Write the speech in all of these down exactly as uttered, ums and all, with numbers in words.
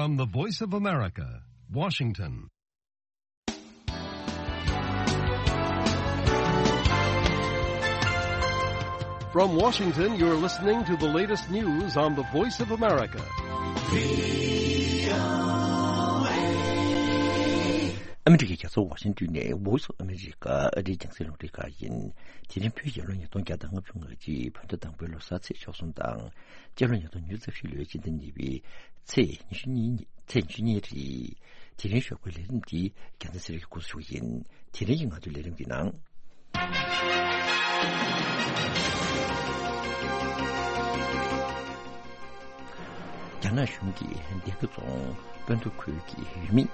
From the Voice of America, Washington. From Washington, you're listening to the latest news on the Voice of America. ཨ་མི་རི་ཀའི་རྒྱལ་ས་ཝ་ཤིང་ཏོན་ནས་Voice of America ཨ་རིའི་རྒྱང་སྲིང་རླུང་འཕྲིན་ཁང་ཡིན། དེ་རིང་བོད་རྒྱལ་ལོ་ཉིས་སྟོང་བརྒྱ་དང་ལྔ་བཅུ་ང་གཅིག་བོད་ཟླ་དང་པོའི་ལོ་གསར་ཚེས་བཅུ་གསུམ་དང་། སྤྱི་ལོ་ཉིས་སྟོང་ཉི་ཤུ་རྩ་བཞི་ལོའི་སྤྱི་ཟླ་གཉིས་པའི་ཚེས་ཉི་ཤུ་གཉིས་ཉིན། ཚེས་ཉི་ཤུ་གཉིས་རེད། དེ་རིང་ཞོགས་པའི་ལས་རིམ་འདི་རྒྱལ་མཚན་ཚེ་རིང་གིས་འགོ་འཛུགས་ཞུ་གི་ཡིན། དེ་རིང་གི་ང་ཚོའི་ལས་རིམ་གྱི་ནང་། རྒྱ་ནག་གཞུང་གིས་སྡེ་དགེ་རྫོང་སྤོན་ཐོ་ཁུལ་གྱི་ཡུལ་མི་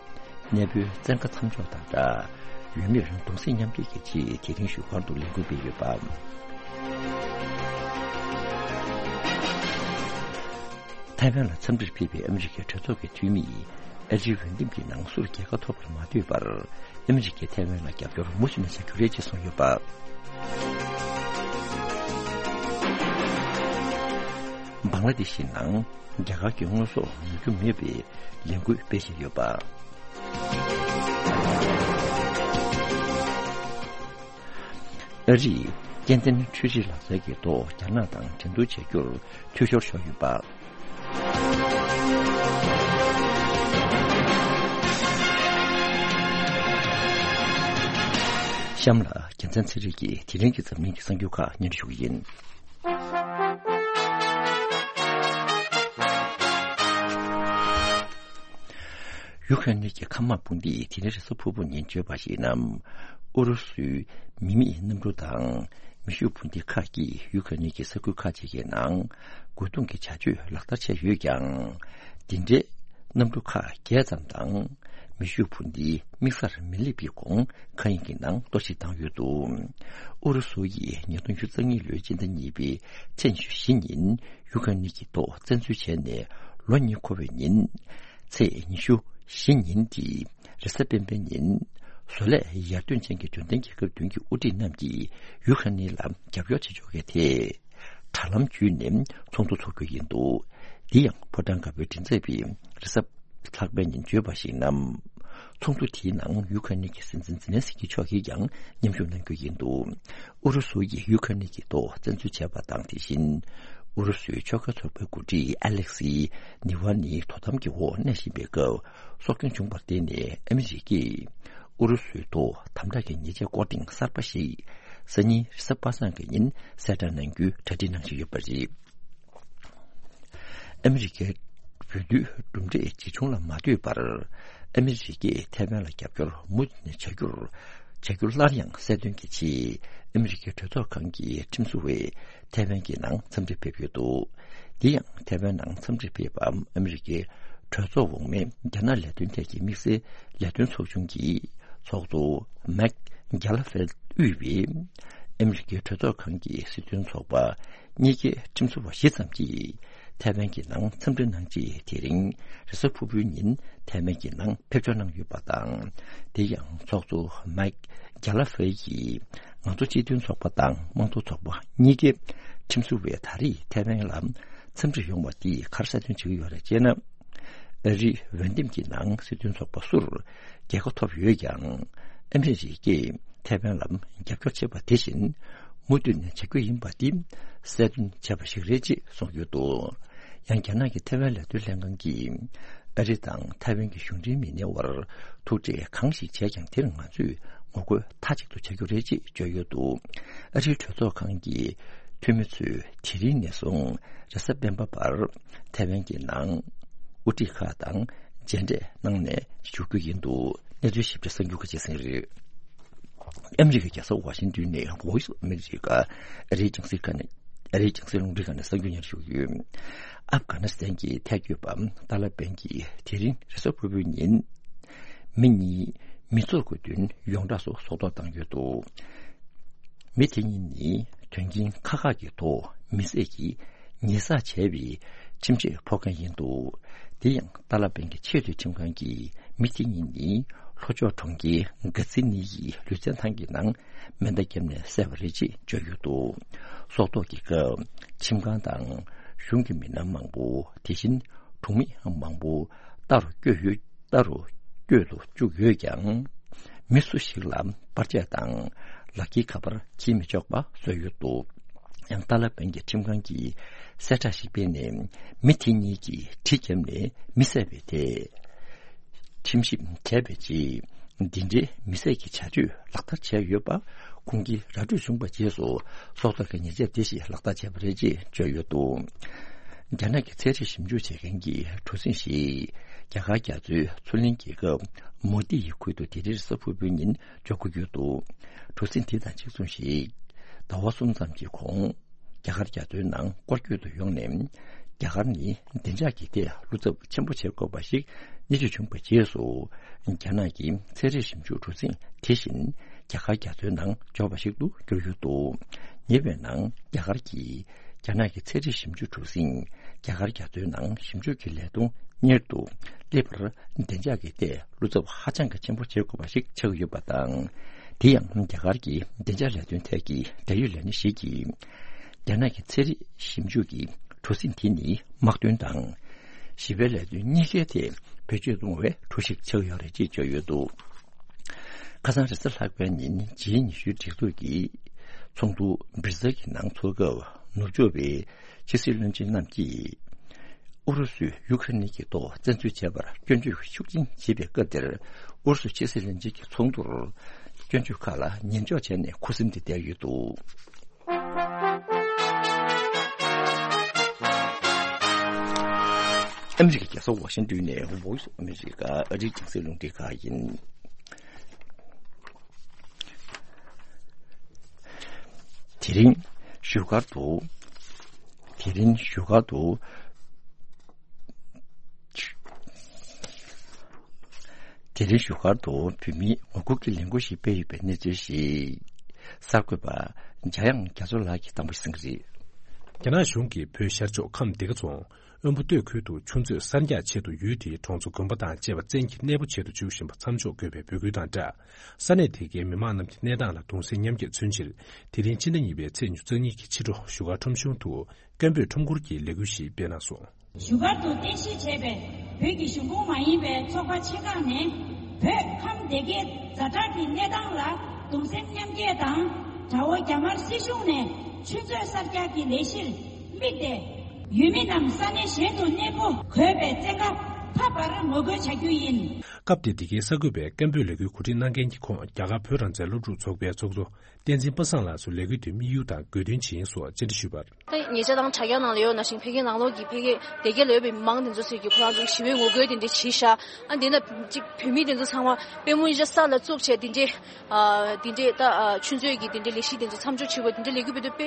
གནས་སྤོའི་བཙན་བཀའ་མཚམས་འཇོག་དང་སྦྲགས། ཡུལ་མིར་གདུང་སེམས་མཉམ་སྐྱེད་ཀྱི་ཆེད་དེ་རིང་བཞུགས་སྒར་དུ་ལས་འགུལ་སྤེལ་ཡོད་པ། ཐའེ་ཝན་ལ་འཚམས་འདྲིར་ཕེབས་པའི་ཨ་མི་རི་ཀའི་གྲོས་ཚོགས་ཀྱི་འཐུས་མིས་ཨ་རིའི་འོས་འདེམས་ཀྱི་ནང་སུར་རྒྱལ་ཁ་ཐོབ་པར་མ་འདོད་པར། ཨ་མི་རི་ཀས་ཐའེ་ཝན་ལ་རྒྱབ་སྐྱོར་མུ་མཐུད་ནས་བྱ་རྒྱུ་རེད་ཅེས་གསུངས་ཡོད་པ། བང་ལ་དེ་ཤི་ནང་རྒྱ་གར་གྱི་དངོས་ཟོག་ཉོ་རྒྱུ་མེད་པའི་ལས་འགུལ་སྤེལ་བཞིན་ཡོད་པ། ཨ་རིས་སྐྱེ་ལྡན་འཕྲུལ་རིག་ལག་རྩལ་གྱི་ཐོག་རྒྱ་ནག་དང་འགྲན་བསྡུར་བྱ་རྒྱུར་འཐུས་ཤོར་ཤོར་ཡོད་པ། གཤམ་ལ་རྒྱལ་མཚན་ཚེ་རིང་གིས་དེ་རིང་གི་འཛམ་གླིང་གི་གསར་འགྱུར་ཁག་སྙན་སྒྲོན་ཞུ་གི་ཡིན། ཡུ་ཁ་རེན་གྱི་མཁའ་དམག་དཔུང་སྡེས་དེ་རིང་རེས་གཟའ་ཕུར་བུ་ཉིན་བརྗོད་པ་ཡིན་ན། ཨུ་རུ་སུའི་མི་མེད་གནམ་གྲུ་དང་མེ་ཤུགས་འཕུར་མདེལ་ཁག་གིས་ཡུ་ཁ་རེན་གྱི་ས་ཁུལ་ཁག་ཅིག་གི་ནང་རྒོལ་རྡུང་གི་བྱ་སྤྱོད་ལག་བསྟར་བྱས་ཡོད་ཀྱང་། འདི་འདྲའི་གནམ་གྲུ་ཁག་བརྒྱད་ཙམ་དང་མེ་ཤུགས་འཕུར་མདེལ་དམིགས་སར་མི་སླེབས་པའི་གོང་མཁའ་དབྱིངས་ཀྱི་ནང་གཏོར་བཤིག་བཏང་ཡོད་འདུག་ཨུ་རུ་སུ་ཡིས་ཉིས་སྟོང་ཉི་ཤུ་རྩ་གཉིས་ལོའི་སྤྱི་ཟླ་གཉིས་པའི་ཚེས་ཉི་ཤུ་བཞི་ཉིན་ཡུ་ཁ་རེན་གྱི་ཐོག་བཙན་འཛུལ་བྱས་ནས་ལོ་གཉིས་འཁོར་བའི་ཉིན། ཚེས་ཉི་ཤུ་བཞི་ཉིན་གྱི་རེས་གཟའ་སྤེན་པའི་ཉིན། བཟོ་ལས་ཡར་ཐོན་ཅན་གྱི་འབྱོར་ལྡན་རྒྱལ་ཁབ་བདུན་གྱི་དབུ་ཁྲིད་རྣམས་ཀྱིས་ཡུ་ཁ་རེན་ལ་རྒྱབ་སྐྱོར་བྱེད་ཕྱོགས་ཀྱི་ཐད། དྲ་ལམ་བརྒྱུད་ནས་ཚོགས་འདུ་འཚོགས་རྒྱུ་ཡིན་འདུག་འདི་ཡང་ཕོ་བྲང་དཀར་པོའི་མགྲིན་ཚབ་པས་རེས་གཟའ་ལྷག་པའི་ཉིན་བརྗོད་པར་གཞིགས་ན། ཚོགས་འདུ་དེའི་ནང་ཡུ་ཁ་རེན་གྱི་སྲིད་འཛིན་ཛེ་ལན་སི་ཀི་མཆོག་གིས་ཀྱང་མཉམ་ཞུགས་གནང་རྒྱུ་ཡིན་འདུག་ཨུ་རུ་སུ་ཡིས་ཡུ་ཁ་རེན་གྱི་ཐོག་བཙན་འཛུལ་བྱས་པ་དང་། དེ་བཞིན་ཨུ་རུ་སུའི་ཕྱོགས་འགལ་ཚོགས་པའི་འགོ་ཁྲིད་ཨ་ལེག་སི་ནི་ཝ་ནི་དོ་དམ་གྱི་འོག་གནས་བཞིན་པའི་སྐབས། སྲོག་སྐྱོན་བྱུང་བར་བརྟེན་ནས་ཨ་མི་རི་ཀས་ཨུ་རུ་སུའི་ཐོག་དམ་དྲག་གི་ཉེས་ཆད་སྐོར་ཐེངས་གསར་པ་ཞིག་སང་ཉིན་རེས་གཟའ་པ་སངས་ཀྱི་ཉིན་གསལ་བསྒྲགས་གནང་རྒྱུའི་གྲ་སྒྲིག་གནང་བཞིན་ཡོད་པ་རེད། ཨ་མི་རི་ཀའི་འོས་བསྡུའི་གྲུབ་འབྲས་ཇི་བྱུང་ལ་མ་ལྟོས་པར། ཨ་མི་རི་ཀས་ཐའེ་ཝན་ལ་རྒྱབ་སྐྱོར་མུ་མཐུད་ནས་བྱ་རྒྱུར། བྱ་རྒྱུ་སླར་ཡང་གསལ་སྟོན་གྱི་ཆེད། ཨ་མི་རི་ཀའི་གྲོས་ཚོགས་ཁང་གི་ཁྲིམས་བཟོ་བས་ཐའེ་ཝན་གྱི་ནང་འཚམས་འདྲིར་ཕེབས་ཡོད་འདུག་འདི་ཡང་ཐའེ་ཝན་ནང་འཚམས་འདྲིར་ཕེབས་པ་ཨ་མི་རི་ཀའི་གྲོས་ཚོགས་འོག་མའི་རྒྱ་ནག་ལས་དོན་ཐད་ཀྱི་དམིགས་བསལ་ལས་དོན་ཚོགས་ཆུང་གི་ཚོགས་གཙོ་མེག་གྷེ་ལ་ཧྥེལ་དབུས་པའི་ཨ་མི་རི་ཀའི་གྲོས་ཚོགས་ཁང་གི་སྲིད་དོན་ཚོགས་པ་གཉིས་ཀའི་ཁྲིམས་བཟོ་བ་བཞི་ཙམ་གྱིས་ཐའེ་ཝན་གྱི་ནང་འཚམས་འདྲི་གནང་རྗེས། དེ་རིང་རེས་གཟའ་ཕུར་བུའི་ཉིན་ཐའེ་ཝན་གྱི་ནང་ཕེབས་འབྱོར་གནང་ཡོད་པ་དང་། དེ་ཡང་ཚོགས་གཙོ་མེག་གྷེ་ལ་ཧྥེལ་གྱིས་ང་ཚོ་སྤྱི་མཐུན་ཚོགས་པ་དང་དམངས་གཙོ་ཚོགས་པ་གཉིས་ཀའི་ཁྲིམས་བཟོ་བས་ད་རེས་ཐའེ་ཝན་ལ་འཚམས་འདྲི་ཡོང་བ་འདིས་ག་རེ་གསལ་སྟོན་བྱེད་ཀྱི་ཡོད་རེད་ཅེ་ན། ཨ་རིའི་འོས་འདེམས་ཀྱི་ནང་སྲིད་དོན་ཚོགས་པ་སུར་རྒྱལ་ཁ་ཐོབ་ཡོད་ཀྱང་། ཨ་མི་རི་ཀས་ཐའེ་ཝན་ལ་རྒྱབ་སྐྱོར་བྱེད་པ་དེ་བཞིན་མུ་མཐུད་ནས་བྱ་རྒྱུ་ཡིན་པ་འདི་གསལ་སྟོན་བྱས་པ་ཞིག་རེད་ཅེས་གསུངས་ཡོད་འདུག་ཡང་རྒྱ་ནག་གི་ཐའེ་ཝན་ལས་དོན་ལྷན་ཁང་གིས་ཨ་རི་དང་ཐའེ་ཝན་གྱི་གཞུང་འབྲེལ་མི་སྣའི་དབར་ཐུག་འཕྲད་གང་ཞིག་བྱས་ཀྱང་། དེར་ང་ཚོས་ངོ་རྒོལ་མཐའ་གཅིག་ཏུ་བྱ་རྒྱུ་རེད་ཅེས་བརྗོད་ཡོད་འདུག་ཨ་རིའི་གྲོས་ཚོགས་ཁང་གི་འཐུས་མི་ཚོས་དེ་རིང་ནས་བཟུང་རེས་གཟའ་སྤེན་པ་བར་ཐའེ་ཝན་གྱི་ནང་དབུ་ཁྲིད་ཁག་དང་མཇལ་འཕྲད་གནང་ནས་བཞུགས་རྒྱུ་ཡིན་འདུག་གནས་ཚུལ་ཞིབ་ཕྲ་གསར་འགྱུར་ཁག་ཅིག་གསན་རེད། ཨ་མི་རི་ཀའི་རྒྱལ་ས་ཝ་ཤིང་ཏོན་ནས་Voice of America ཨ་རིའི་རྒྱང་སྲིང་ཁང་ནས། ཨ་རིའི་རྒྱང་སྲིང་རླུང་འཕྲིན་ཁང་ནས་གསར་འགྱུར་སྙན་ཞུ་ཡོད། ཨབ་གྷ་ནི་སི་ཐན་གྱི་ཐལ་འགོ་པ་ཏཱ་ལ་པན་གྱིས་དེ་རིང་རེས་གཟའ་ཕུར་བུའི་ཉིན་མི་གཉིས་མི་ཚོགས་ཀྱི་མདུན་ཡོངས་གྲགས་སུ་སྲོག་ཐོག་བཏང་ཡོད་འདུག་མི་དེ་གཉིས་ནི་དོན་རྐྱེན་ཁག་ཁག་གི་ཐོག་མི་བསད་ཀྱི་ཉེས་བསགས་བྱས་པའི་ཁྲིམས་ཆད་ཕོག་མཁན་ཡིན་འདུག་དེ་ཡང་ཏཱ་ལ་པན་གྱི་ཆེས་མཐོའི་ཁྲིམས་ཁང་གིས་མི་དེ་གཉིས་ནི་ལྷོ་ཕྱོགས་གྲོང་ཁྱེར་གྷ་ཛི་ནི་ཡི་ལུས་རྩལ་ཐང་གི་ནང་མེ་མདའ་བརྒྱབ་ནས་བསད་པ་རེད་ཅེས་བརྗོད་ཡོད་འདུག་སྲོག་ཐོག་གི་སྐབས་ཁྲིམས་ཁང་དང་གཞུང་གི་མི་སྣ་མང་པོ། དེ་བཞིན་གྲོང་མི་མང་པོ་ ལྟ་རུ་བསྐྱོད་ཡོད། ལྟ་རུ་བསྐྱོད་དུ་བཅུག་ཡོད་ཀྱང་། མི་སུ་ཞིག་ལ་པར་ཆས་དང་ལག་འཁྱེར་ཁ་པར་འཁྱེར་མི་ཆོག་པ་བཟོས་ཡོད་འདུག་ཡང་ཏཱ་ལ་པན་གྱི་ཁྲིམས་ཁང་གིས་གསལ་བསྒྲགས་ཤིག་སྤེལ་ནས། མི་དེ་གཉིས་ཀྱིས་གྲི་བརྒྱབ་ནས་མི་བསད་པའི་ཐད། ཁྲིམས་ཞིབ་བྱས་པའི་རྗེས། འདི་འདྲའི་མི་བསད་ཀྱི་བྱ་སྤྱོད་ལག་བསྟར་བྱས་ཡོད་པ་ཁོང་གིས་ར་སྤྲོད་བྱུང་བའི་རྗེས་སུ། སྲོག་ཐོག་གི་ཉེས་ཆད་དེ་ཞིག་ལག་བསྟར་བྱས་པ་རེད་ཅེས་བརྗོད་ཡོད་འདུག་རྒྱ་ནག་གི་ཚན་རིག་ཞིབ་འཇུག་བྱེད་མཁན་གྱི་གྲུ་གཟིངས་ཤིག་རྒྱ་གར་རྒྱ་མཚོའི་མཚོ་གླིང་རྒྱལ་ཁབ་མོ་ཏི་ཡི་ཁུལ་དུ་དེ་རིང་རེས་གཟའ་ཕུར་བུའི་ཉིན་འབྱོར་གྱི་ཡོད་འདུག་གྲུ་གཟིངས་དེ་དང་གཅིག་མཚུངས་ཤིག་ཟླ་བ་གསུམ་ཙམ་གྱི་གོང་། རྒྱ་གར་རྒྱ་མཚོའི་ནང་སྐོར་སྐྱོད་དུ་ཡོང་ནས། རྒྱ་གར་ནི་བདེ་འཇགས་ཀྱི་ཐད་བློ་འཚབ་ཆེན་པོ་བྱེད་དགོས་པ་ཞིག་རྙེད་རྒྱུ་བྱུང་བའི་རྗེས་སུ། རྒྱ་ནག་གི་ཚན་རིག་ཞིབ་འཇུག་གྲུ་གཟིངས་དེ་བཞིན་རྒྱ་གར་རྒྱ་མཚོའི་ནང་འབྱོར་བ་ཞིག་ཏུ་གྱུར་ཡོད་འདུག་ཉེ་བའི་ནང་རྒྱ་གར་གྱི་རྒྱ་ནག་གི་ཚན་རིག་ཞིབ་འཇུག་གྲུ་གཟིངས་རྒྱ་གར་རྒྱ་མཚོའི་ནང་ཞིབ་འཇུག་གི་ལས་དོན་གཉེར་དུ་སླེབས་པར་བདེ་འཇགས་ཀྱི་ཐད་བློ་འཚབ་ཧ་ཅང་གི་ཆེན་པོ་བྱེད་དགོས་པ་ཞིག་ཆགས་ཡོད་པ་དང་། དེ་ཡང་རྒྱ་གར་གྱི་བདེ་འཇགས་ལས་དོན་ཐད་ཀྱི་འབྲེལ་ཡོད་ལས་སྣེ་ཞིག་གིས། རྒྱ་ནག་གི་ཚན་རིག་ཞིབ་འཇུག་གི་གྲུ་གཟིངས་དེ་ནི་དམག་དོན་དང་། ཞི་བའི་ལས་དོན་གཉིས་ཀའི་ཐད་བེད་སྤྱོད་གཏོང་བའི་གྲུ་ཞིག་ཆགས་ཡོད་རེད་ཅེས་བརྗོད་ཡོད་འདུག་ཁ་སང་རེས་གཟའ་ལྷག་པའི་ཉིན་ཇི་ཉི་ཤུའི་སྒྲིག་འཛུགས་ཀྱི་ཚོགས་འདུ་སྦིར་ཛེལ་གྱི་ནང་ཚོགས་སྐབས་ནུབ་ཕྱོགས་པའི་ཕྱི་སྲིད་བློན་ཆེན་རྣམས་ཀྱིས། ཨུ་རུ་སུས་ཡུ་ཁ་རེན་གྱི་ཐོག་བཙན་འཛུལ་བྱས་པར་སྐྱོན་བརྗོད་ཤུགས་ཆེན་བྱེད་པའི་སྐབས་དེར། ཨུ་རུ་སུའི་ཕྱི་སྲིད་བློན་ཆེན་གྱི་ཚོགས་འདུར་སྐྱོན་བརྗོད་ཁག་ལ་ཉན་འཇོག་བྱས་ནས་ཁུ་སིམ་དུ་བསྡད་ཡོད་འདུག་ཨ་མི་རི་ཀའི་རྒྱལ་ས་ཝ་ཤིང་ཏོན་ནས་Voice of America ཨ་རིའི་རྒྱང་སྲིང་རླུང་འཕྲིན་ཁང་ཡིན། དེ་རིང་བཞུགས་སྒར་དུ། དེ་རིང་བཞུགས་སྒར་དུ། དེ་རིང་བཞུགས་སྒར་དུ་བོད་མིའི་ངོ་རྒོལ་གྱི་ལས་འགུལ་ཞིག་སྤེལ་ཡོད་པའི་གནས་ཚུལ་ཞིག་གསར་འགོད་པ་འཇམ་དབྱངས་རྒྱ་མཚོ་ལགས་ཀྱིས་དང་པོ་གསན་གྱི་རེད། རྒྱ་ནག་གཞུང་གིས་བོད་ཤར་ཕྱོགས་ཁམས་སྡེ་དགེ་རྫོང་དབོན་པོ་སྟོད་ཁུལ་དུ་ཆུ་མཛོད་གསར་རྒྱག་ཆེད་དུ་ཡུལ་དེའི་གྲོང་ཚོ་དགོན་པ་དང་བཅས་པ་བཙན་གྱིས་གནས་སྤོ་བྱེད་དུ་འཇུག་བཞིན་པ་མཚམས་འཇོག་དགོས་པའི་འབོད་སྐུལ་དང་སྦྲགས། ས་གནས་དེ་གའི་མི་མང་རྣམས་ཀྱི་གནས་སྟངས་ལ་གདུང་སེམས་མཉམ་སྐྱེད་མཚོན་ཕྱིར། དེ་རིང་ཕྱི་ཟླ་གཉིས་པའི་ཚེས་ཉེར་གཉིས་ཀྱི་ཕྱི་དྲོ་བཞུགས་སྒར་ཁྲོམ་གཞུང་དུ་སྐད་འབོད་ཁྲོམ་སྐོར་གྱི་ལས་འགུལ་ཞིག་སྤེལ་གནང་སོང་། བཞུགས་སྒར་དུ་རྟེན་གཞི་བྱས་པའི་བོད་ཀྱི་གཞུང་གི་མ་ཡིན་པའི་ཚོགས་པ་ཆེ་ཁག་ནས། བོད་ཁམས་སྡེ་དགེའི་ཛ་དྲག་གི་གནས་སྟངས་ལ་གདུང་སེམས་མཉམ་སྐྱེད་དང་། དགྲ་བོ་རྒྱ་དམར་སྲིད་གཞུང་ནས་ཆུ་མཛོད་གསར་རྒྱག་གི་ལས་གཞིར་དམིགས་ཏེ། ཡུལ་མི་རྣམས་ས་གནས་གཞན་དུ་གནས་སྤོ་དགོས་པའི་བཙན་བཀའ་ཕབ་པར་ངོ་རྒོལ་བྱ་རྒྱུ་ཡིན། སྐབས་དེར་འདི་གའི་གསར་འགོད་པས་སྐད་འབོད་ལས་འགུལ་གོ་སྒྲིག་གནང་མཁན་གྱི་ཁོངས་རྒྱ་གར་བོད་རང་བཙན་སློབ་ཕྲུག་ཚོགས་པའི་ཚོགས་གཙོ་བསྟན་འཛིན་པ་སངས་ལགས་སུ་ལས་འགུལ་དེའི་དམིགས་ཡུལ་དང་དགོས་འདུན་ཇི་ཡིན་སོགས་བཅར་འདྲི་ཞུས་པར། ད་ཉེ་ཆར་དང་དྲ་རྒྱ་ནང་ལ་ཡོད་ནང་བཞིན་ཕ་གིའི་ནང་ལོགས་ཀྱི་ཕ་གི་སྡེ་དགེ་ལ་ཡོད་པའི་མི་མང་དེ་ཚོ་ཟེར་གྱི་ཁོ་རང་ཚོ་ཞི་བའི་ངོ་རྒོལ་དེ་འདྲ་བྱས་ཤག་ཨ་འདི་ན་ཅིག་བོད་མི་དེ་ཚོ་ཚང་མ་དཔལ་མོ་ཨིན་ཇ་ས་ལ་བཙུགས་བྱས་དེ་འདྲའི་ཨ་དེ་འདྲའི་ད་ཨ་ཆུ་མཛོད་ཀྱི་དེ་འདྲའི་ལས་གཞི་དེ་ཚོ་མཚམས་འཇོག་བྱེད་དགོས་དེ་འདྲའི་ལས་འགུལ་སྤེལ་དུས་དཔེ་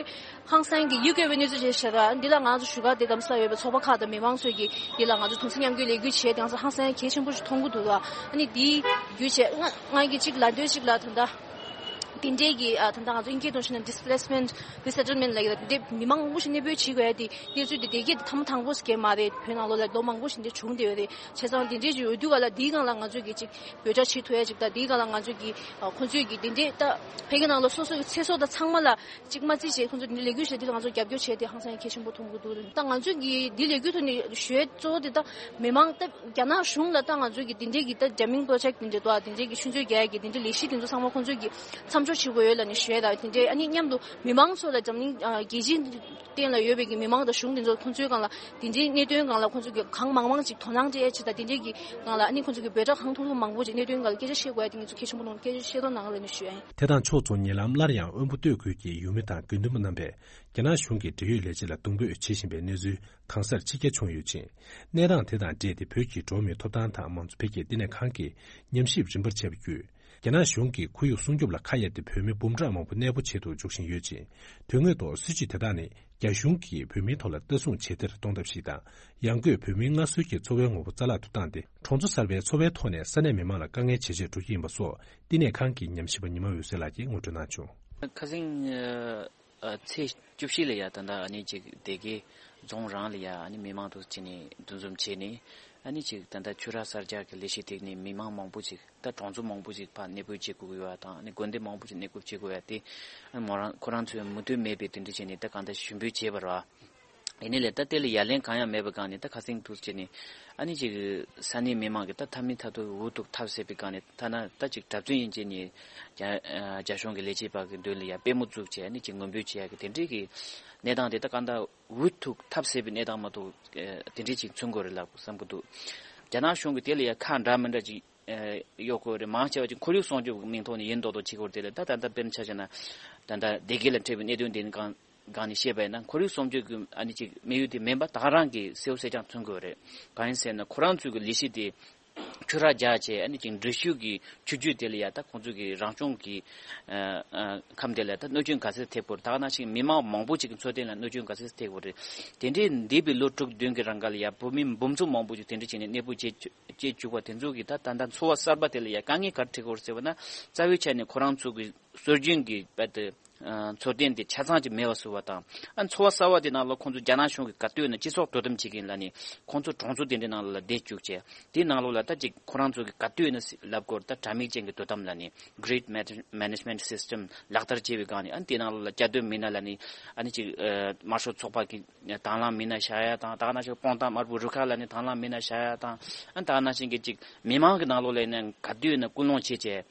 ཧང་སང་གི་ཡུལ་སྐྱོ་བའི་གནས་ཚུལ་ཞིག་བྱས་ར། འདི་ལ་ང་ཚོ་བཞུགས་སྒར་དེ་དམ་ས་ཡོད་པའི་ཚོགས་པ་ཁག་དང་མི་མང་ཚོས་ཀྱིས་འདི་ལ་ང་ཚོ་གདུང་སེམས་མཉམ་སྐྱེད་ལས་འགུལ་བྱས་དེང་སང་ཧང་སང་གལ་ཆེན་པོ་ཞིག་མཐོང་གི་འདུག་ལ། ཨ་ནི་འདིའི་བརྒྱུད་བྱས་ང་ང་གི་གཅིག་ལ་འདོད་ཅིག་ལ་ད་ལྟ། དེ་འདྲའི་གི་ཨ་ད་ལྟ་ང་ཚོ་དབྱིན་སྐད་ཐོག་བཤད་ན་displacement resettlement ལབ་ཀྱི་རེད། དེ་མི་མང་མང་པོ་ཞིག་གནས་སྤོས་བྱེད་དགོས་ཡ་དེ་གནས་ཚུལ་དེ་དེ་གས་དེ་ཐ་མ་དང་པོ་ཞིག་གས་མ་རེད། བོད་ནང་ལོགས་ལ་ལོ་མང་པོ་ཞིག་འདི་བྱུང་བསྡད་ཡོད་རེད། བྱས་ཙང་དེ་འདྲའི་ཅིག་ཡོད་དུས་ག་ལ་དེའི་སྒང་ལ་ང་ཚོས་ཀྱི་ཅིག་འབོད་སྒྲ་བྱེད་ཐུབ་ཡ་ཅིག་དང་དེའི་སྒང་ལ་ང་ཚོས་ཀྱི་ཨ་ཁོང་ཚོས་ཀྱི་དེ་འདྲའི་ད་ཕ་གི་ནང་ལ་སོ་སོ་གི་ཚེ་སྲོག་དང་ཚང་མ་ལ་ཅིག་མ་བརྩིས་བྱས་ཁོང་ཚོ་དེ་འདྲའི་ལས་འགུལ་བྱས་དེ་ང་ཚོ་རྒྱབ་སྐྱོར་བྱས་དེ་ཧང་སང་ཡ་གལ་ཆེན་པོ་མཐོང་གི་འདུག་ད་ང་ཚོས་ཀྱི་འདི་ལས་འགུལ་ཐོག་ནས་ཞུ་ཡ་གཙོ་བོ་དེ་ད་མི་མང་ད་རྒྱ་ནག་གཞུང་ལ་ད་ང་ཚོས་ཀྱི་དེ་འདྲའི་གི་ད་jamming project དེ་འདྲའི་འདུག་ཨ། དེ་འདྲའི་གི་ཆུ་མཛོད་རྒྱག་ཡ་གི་དེ་འདྲའི་ལས་གཞི་དེ་ཚོ་ཚང་མ་ཁོང་ཚོས་ཀྱི་མཚམས་འཇོག་བྱེད་དགོས་ཡོད་ལབ་ནས་ཞུ་ཡ་ད་དེ་འདྲའི་ཨ་ནི་མཉམ་དུ་མི་མང་ཚོ་ལ་འཛམ་གླིང་ཨ་རྒྱལ་སྤྱིའི་སྟེང་ལ་ཡོད་པའི་གི་མི་མང་དང་གཞུང་དེ་ཚོ་ཁོང་ཚོའི་སྒང་ལ་དེ་འདྲའི་གནད་དོན་སྒང་ལ་ཁོང་ཚོས་ཀྱི་གང་མང་མང་ཅིག་དོ་སྣང་སྤྲད་ཡ་ཆེད་དང་དེ་འདྲའི་གི་སྒང་ལ་ཨ་ནི་ཁོང་ཚོས་ཀྱི་འབོད་སྒྲ་གང་ཐུབ་ཐུབ་མང་པོ་ཅིག་གནད་དོན་སྒང་ལ་སྐད་ཆ་བཤད་དགོས་ཡ་དེ་ངེད་ཚོ་གལ་ཆེན་པོ་མཐོང་། སྐད་ཆ་བཤད་རོགས་གནང་ལབ་ནས་ཞུ་ཡ་ཡིན། དེ་དང་ཕྱོགས་མཚུངས་ཉེ་ལམ་སླར་ཡང་དབོན་པོ་སྟོད་ཁུལ་གྱི་ཡུལ་མི་དང་དགེ་འདུན་པ་རྣམ་པས་རྒྱ་ནག་གཞུང་གི་འབྲེལ་ཡོད་ལས་བྱེད་ལ་གདོང་འབོད་བྱེད་བཞིན་པའི་གནས་ཚུལ་གང་སར་ཕྱི་གྱར་བྱུང་ཡོད་ཅིང་། གནས་སྟངས་དེ་དང་འབྲེལ་ཏེ་བོད་ཀྱི་འགྲོ་བ་མིའི་ཐོབ་ཐང་དང་མང་གཙོ་འཕེལ་རྒྱས་བསྟི་གནས་ཁང་གིས་ཉམས་ཞིབ་རིམ་པར་བྱས་པ་བརྒྱུད། རྒྱ་ནག་གཞུང་གིས་ཁོར་ཡུག་སྲུང་སྐྱོབ་ལ་ཁ་གཡར་ཏེ་བོད་མི་འབུམ་ཕྲག་མང་པོ་གནས་སྤོ་བྱེད་དུ་འཇུག་བཞིན་ཡོད་ཅིང་། དོན་དངོས་ཐོག་སྲིད་བྱུས་དེ་དག་ནི་རྒྱ་གཞུང་གིས་བོད་མིའི་ཐོག་ལ་ལྟ་སྲུང་བྱེད་གཏེར་གཏོང་ཐབས་ཤིག་དང་། ཡང་སྒོས་བོད་མིའི་སྔར་སྲོལ་གྱི་འཚོ་བའི་ངོ་བོ་རྩ་བརླག་ཏུ་བཏང་སྟེ། གྲོང་ཚོ་གསར་པའི་འཚོ་བའི་ཐོག་ནས་ས་གནས་མི་མང་ལ་དཀའ་ངལ་ཇེ་ཆེར་འགྲོ་གི་ཡིན་པ་སོགས་བསྟི་གནས་ཁང་གི་ཉམས་ཞིབ་པ་ཉི་མ་འོད་ཟེར་ལགས་ཀྱིས་ངོ་སྤྲོད་གནང་བྱུང་། ཁ་སང་། ཨ། ཚེས་བཅུ་བཞི་ལ་ཡ་ད་ལྟ་ཨ་ནི་ཅིག་སྡེ་དགེ་རྫོང་རང་ལ་ཡ་ཨ་ནི་མི་མང་དུ་བྱས་ནས་འདུ་འཛོམས་བྱས་ནས་ཨ་ནི་ཅིག་ད་ལྟ་ཆུ་རགས་གསར་རྒྱག་གི་ལས་གཞི་དེ་ནི་མི་མང་མང་པོ་ཅིག་ད་གྲོང་ཚོ་མང་པོ་ཅིག་ཕར་གནས་སྤོས་བྱེད་དགོས་ཀྱི་ཡོད་པ་དང་ཨ་ནི་དགོན་སྡེ་མང་པོ་ཅིག་གནས་སྐོར་བྱེད་དགོས་ཡ་དེ་ཨ་ནི་མོ་རང་ཁོ་རང་ཚོས་མུ་མཐུད་མེད་པའི་དེ་འདྲ་བྱས་ནས་ད་གང་ལྟར་ཞུ་འབོད་བྱས་པ་རེད་བ། ཡིན་ནའི་ལས་ད་དེ་ལ་ཡ་ལན་གང་ཡང་མེད་པའི་སྒང་ནས་ད་ཁ་སེང་ཐུག་བྱས་ནས་ཨ་ནི་ཅིག་ས་གནས་མི་མང་གི་ད་ཐབས་མི་ཐབས་ཐུབ་འུ་ཐུག་ཐབས་ཟད་པའི་སྒང་ནས་ཐ་ན་ད་ཅིག་གྲྭ་བཙུན་ཡིན་བྱས་ནས་རྒྱ་རྒྱ་གཞུང་གི་ལས་བྱེད་པ་གི་མདུན་ལ་ཡ་དཔེ་མོ་བཙུགས་བྱས་ཨ་ནི་ཅིག་ངུ་འབོད་བྱེད་ཡ་གི་དེ་འདྲའི་གི་གནས་སྟངས་དེ་ད་ག་འདྲ་འུ་ཐུག་ཐབས་ཟད་པའི་གནས་སྟངས་མ་གཏོགས་དེ་འདྲའི་ཅིག་མཚོན་དགོས་རེད་ལབ་བསམ་གི་འདུག་རྒྱ་ནག་གཞུང་གི་དེ་ལ་ཡ་ཁག་འདྲ་མི་འདྲ་ཅིག་གཡོག་དགོས་རེད། མང་ཆེ་བ་ཅིག་ཁོར་ཡུག་སྲུང་སྐྱོབ་ཀྱི་མིང་ཐོག་ནས་ཡིན་མདོག་མདོག་བྱེད་དགོས་རེད། དེ་ལ་ད་ད་ལྟ་དཔེར་ན་ཆ་བཞག་ན་ད་ལྟ་སྡེ་དགེ་ལ་འཕྲད་པའི་གནད་དོན་དེ་སྒང་ནས་བཤད་པ་ཡིན་ན་ཁོར་ཡུག་སྲུང་སྐྱོབ་ཀྱི་ཨ་ནི་ཅིག་དམིགས་ཡུལ་དེ་མིན་པ་ད་ག་རང་གི་གསལ་པོ་གསལ་རྐྱང་མཚོན་དགོས་རེད། གང་ཡིན་ཟེར་ན་ཁོ་རང་ཚོའི་གི་ལས་གཞི་དེ་ཆུ་རགས་རྒྱག་བྱས་ཨ་ནི་ཅིག་འབྲི་ཆུ་གི་ཆུ་རྒྱུད་དེ་ལ་ཡ་ད་ཁོང་ཚོའི་གི་རང་སྐྱོང་གི་ཁམས་དེ་ལ་ད་གནོད་སྐྱོན་ག་ཚད་ཐེབས་དགོས་རེད། ད་ག་ནང་བཞིན་མི་མང་མང་པོ་ཅིག་གི་འཚོ་རྟེན་ལ་གནོད་སྐྱོན་ག་ཚད་ཐེབས་དགོས་རེད། དེ་འདྲའི་འདས་པའི་ལོ་དྲུག་བདུན་གྱི་རིང་ག་ལ་ཡ་བོད་མི་འབུམ་ཚོ་མང་པོ་ཅིག་དེ་འདྲ་བྱས་ནས་གནས་སྤོ་བྱེད་བཅད་བཅུག་པ་དེ་ཚོ་གིས་ད་ད་ལྟ་འཚོ་བ་གསར་པ་དེ་ལ་ཡ་དཀའ་ངལ་ག་རེ་འཕྲད་ཀྱི་ཡོད་རེད་ཟེར་བ་ན། རྩ་བའི་ཆ་ནས་ཁོ་རང་ཚོ་གི་སྲོལ་རྒྱུན་གྱི་རྦད་དེ་འཚོ་རྟེན་དེ་ཆ་ཚང་ཅིག་མེད་པ་བཟོ་བ་དང་། ཨ་འཚོ་བ་གསར་པ་དེ་ནང་ལ་ཁོང་ཚོ་རྒྱ་ནག་གཞུང་གིས་ག་དུས་ཡིན་ན་སྤྱི་ཚོགས་དོ་དམ་བྱེད་ཀྱིན་ལབ་ནས་ཁོང་ཚོ་གྲོང་ཚོ་དེ་འདྲའི་ནང་ལ་བསྡད་བཅུག་བྱས། དེའི་ནང་ལོགས་ལ་ད་ཅིག་ཁོ་རང་ཚོ་གི་ག་དུས་ཡིན་ན་ལབ་དགོས་རེད། ད་དྲ་མིག་ཅན་གྱི་དོ་དམ་ལབ་ནས་Grid Manage- Management System ལག་བསྟར་བྱས་པའི་སྒང་ནས། ཨ་ནི་དེའི་ནང་ལོགས་ལ་གྱ་སྟོན་མི་སྣ་ལབ་ནས་ཨ་ནི་ཅིག་དམར་ཤོག་ཚོགས་པ་གི་དང་བླངས་མི་སྣ་བཞག་ཡ་དང་། ད་ག་ནང་བཞིན་སྤོང་ཐང་དམར་པོའི་རུ་ཁག་ལབ་ནས་དང་བླངས་མི་སྣ་བཞག་ཡ་དང་། ཨ་ནི་ད་ག་ནང་བཞིན་གྱི་ཅིག་མི་མང་གི་ནང་ལོགས་ལ་ཡིན་ན་ག་དུས་ཡིན་ན་སྐུལ་སློང་བྱས་བྱས།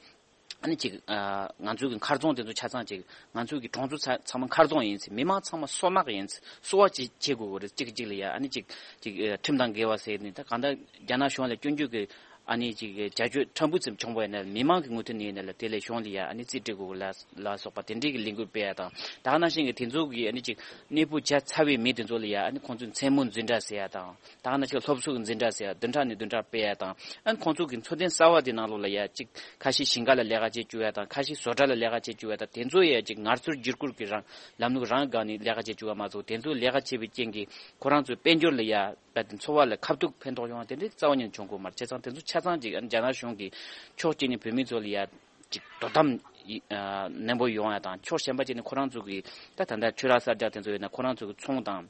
ཨ་ནི་ཅིག་ཨ་ང་ཚོའི་གི་མཁར་རྫོང་དེ་ཚོ་ཆ་ཚང་ཅིག་ང་ཚོའི་གི་གྲོང་ཚོ་ཚ- ཚང་མ་མཁར་རྫོང་ཡིན་ཟེར། མི་མང་ཚང་མ་སོ་ནག་ཡིན་ཟེར། གསོ་བ་ཅིག་བྱེད་དགོས་ཀྱི་རེད། གཅིག་གཅིག་ལ་ཡ་ཨ་ནི་ཅིག་ཅིག་ཨ་ཁྲིམས་དང་འགལ་བ་ཟེར་ནས། ད་གང་ལྟར་རྒྱ་ནག་གཞུང་ལ་སྐྱོན་བརྗོད་ཀྱི་ཨ་ནི་ཅིག་བྱ་སྤྱོད་ཕྲན་བུ་ཙམ་བྱུང་བ་ཡིན་ན་མི་མང་གི་ངོས་ཐད་ནས་ཡིན་ན་ལ་དེ་ལས་གཞུང་ལ་ཡ་ཨ་ནི་རྩིས་སྤྲད་དགོས་ལ་ལ་སོགས་པ་དེ་འདྲའི་གི་ལས་འགུལ་སྤེལ་ཡ་དང་། ད་ག་ནང་བཞིན་གི་དེ་ཚོ་གི་ཨ་ནི་ཅིག་གནས་སྤོ་བྱས་ཚར་བའི་མི་དེ་ཚོ་ལ་ཡ་ཨ་ནི་ཁོང་ཚོའི་མཚན་མོ་འཛིན་གྲྭ་ཟེར་ཡ་དང་། ད་ག་ནང་བཞིན་སློབ་གསོ་གི་འཛིན་གྲྭ་ཟེར་ཡ་བདུན་ཕྲག་ནས་བདུན་ཕྲག་སྤེལ་ཡ་དང་། ཨ་ནི་ཁོང་ཚོ་གི་འཚོ་རྟེན་གསར་བ་དེ་ནང་ལོགས་ལ་ཡ་ཅིག་ཁ་ཤས་ཞིང་ཁ་ལ་ལས་ཀ་བྱེད་བཅུག་ཡ་དང་། ཁ་ཤས་བཟོ་གྲྭ་ལ་ལས་ཀ་བྱེད་བཅུག་ཡ་དང་། དེ་ཚོ་ཡ་ཅིག་ངལ་རྩོལ་བསྒྱུར་བཀོད་ཀྱི་རང་ལམ་ལུགས་རང་སྒང་ནས་ལས་ཀ་བྱེད་བཅུག་ཡ་མ་གཏོགས། དེ་ཚོ་ལས་ཀ་བྱེད་པའི་རྐྱེན་གྱིས་ཁོ་རང་ཚོའི་དཔལ་འབྱོར་ལ་ཡ་རྦད་དེ་འཚོ་བ་ལ་ཁ་ཐུག་ཕན་ཐོགས་ཡོང་བ་དེ་འདྲའི་རྩ་བ་ཉིད་ནས་བྱུང་གི་མ་རེད། བྱས་ཙང་དེ་ཚོ་ཆ་ཚང་ཅིག་ཨ་ནི་རྒྱ་ནག་གཞུང་གིས་ཕྱོགས་གཅིག་ནས་བོད་མི་ཚོ་ལ་ཡ་ཅིག་དོ་དམ་ཡི- ཨ་ནན་པོ་ཡོང་ཡ་དང་། ཕྱོགས་གཞན་པ་ཅིག་ནས་ཁོ་རང་ཚོ་གི་ད་ད་ལྟ་ཆུ་རགས་གསར་རྒྱག་དེ་ཚོ་ཡོད་ན་ཁོ་རང་ཚོ་གི་ཚོང་དང་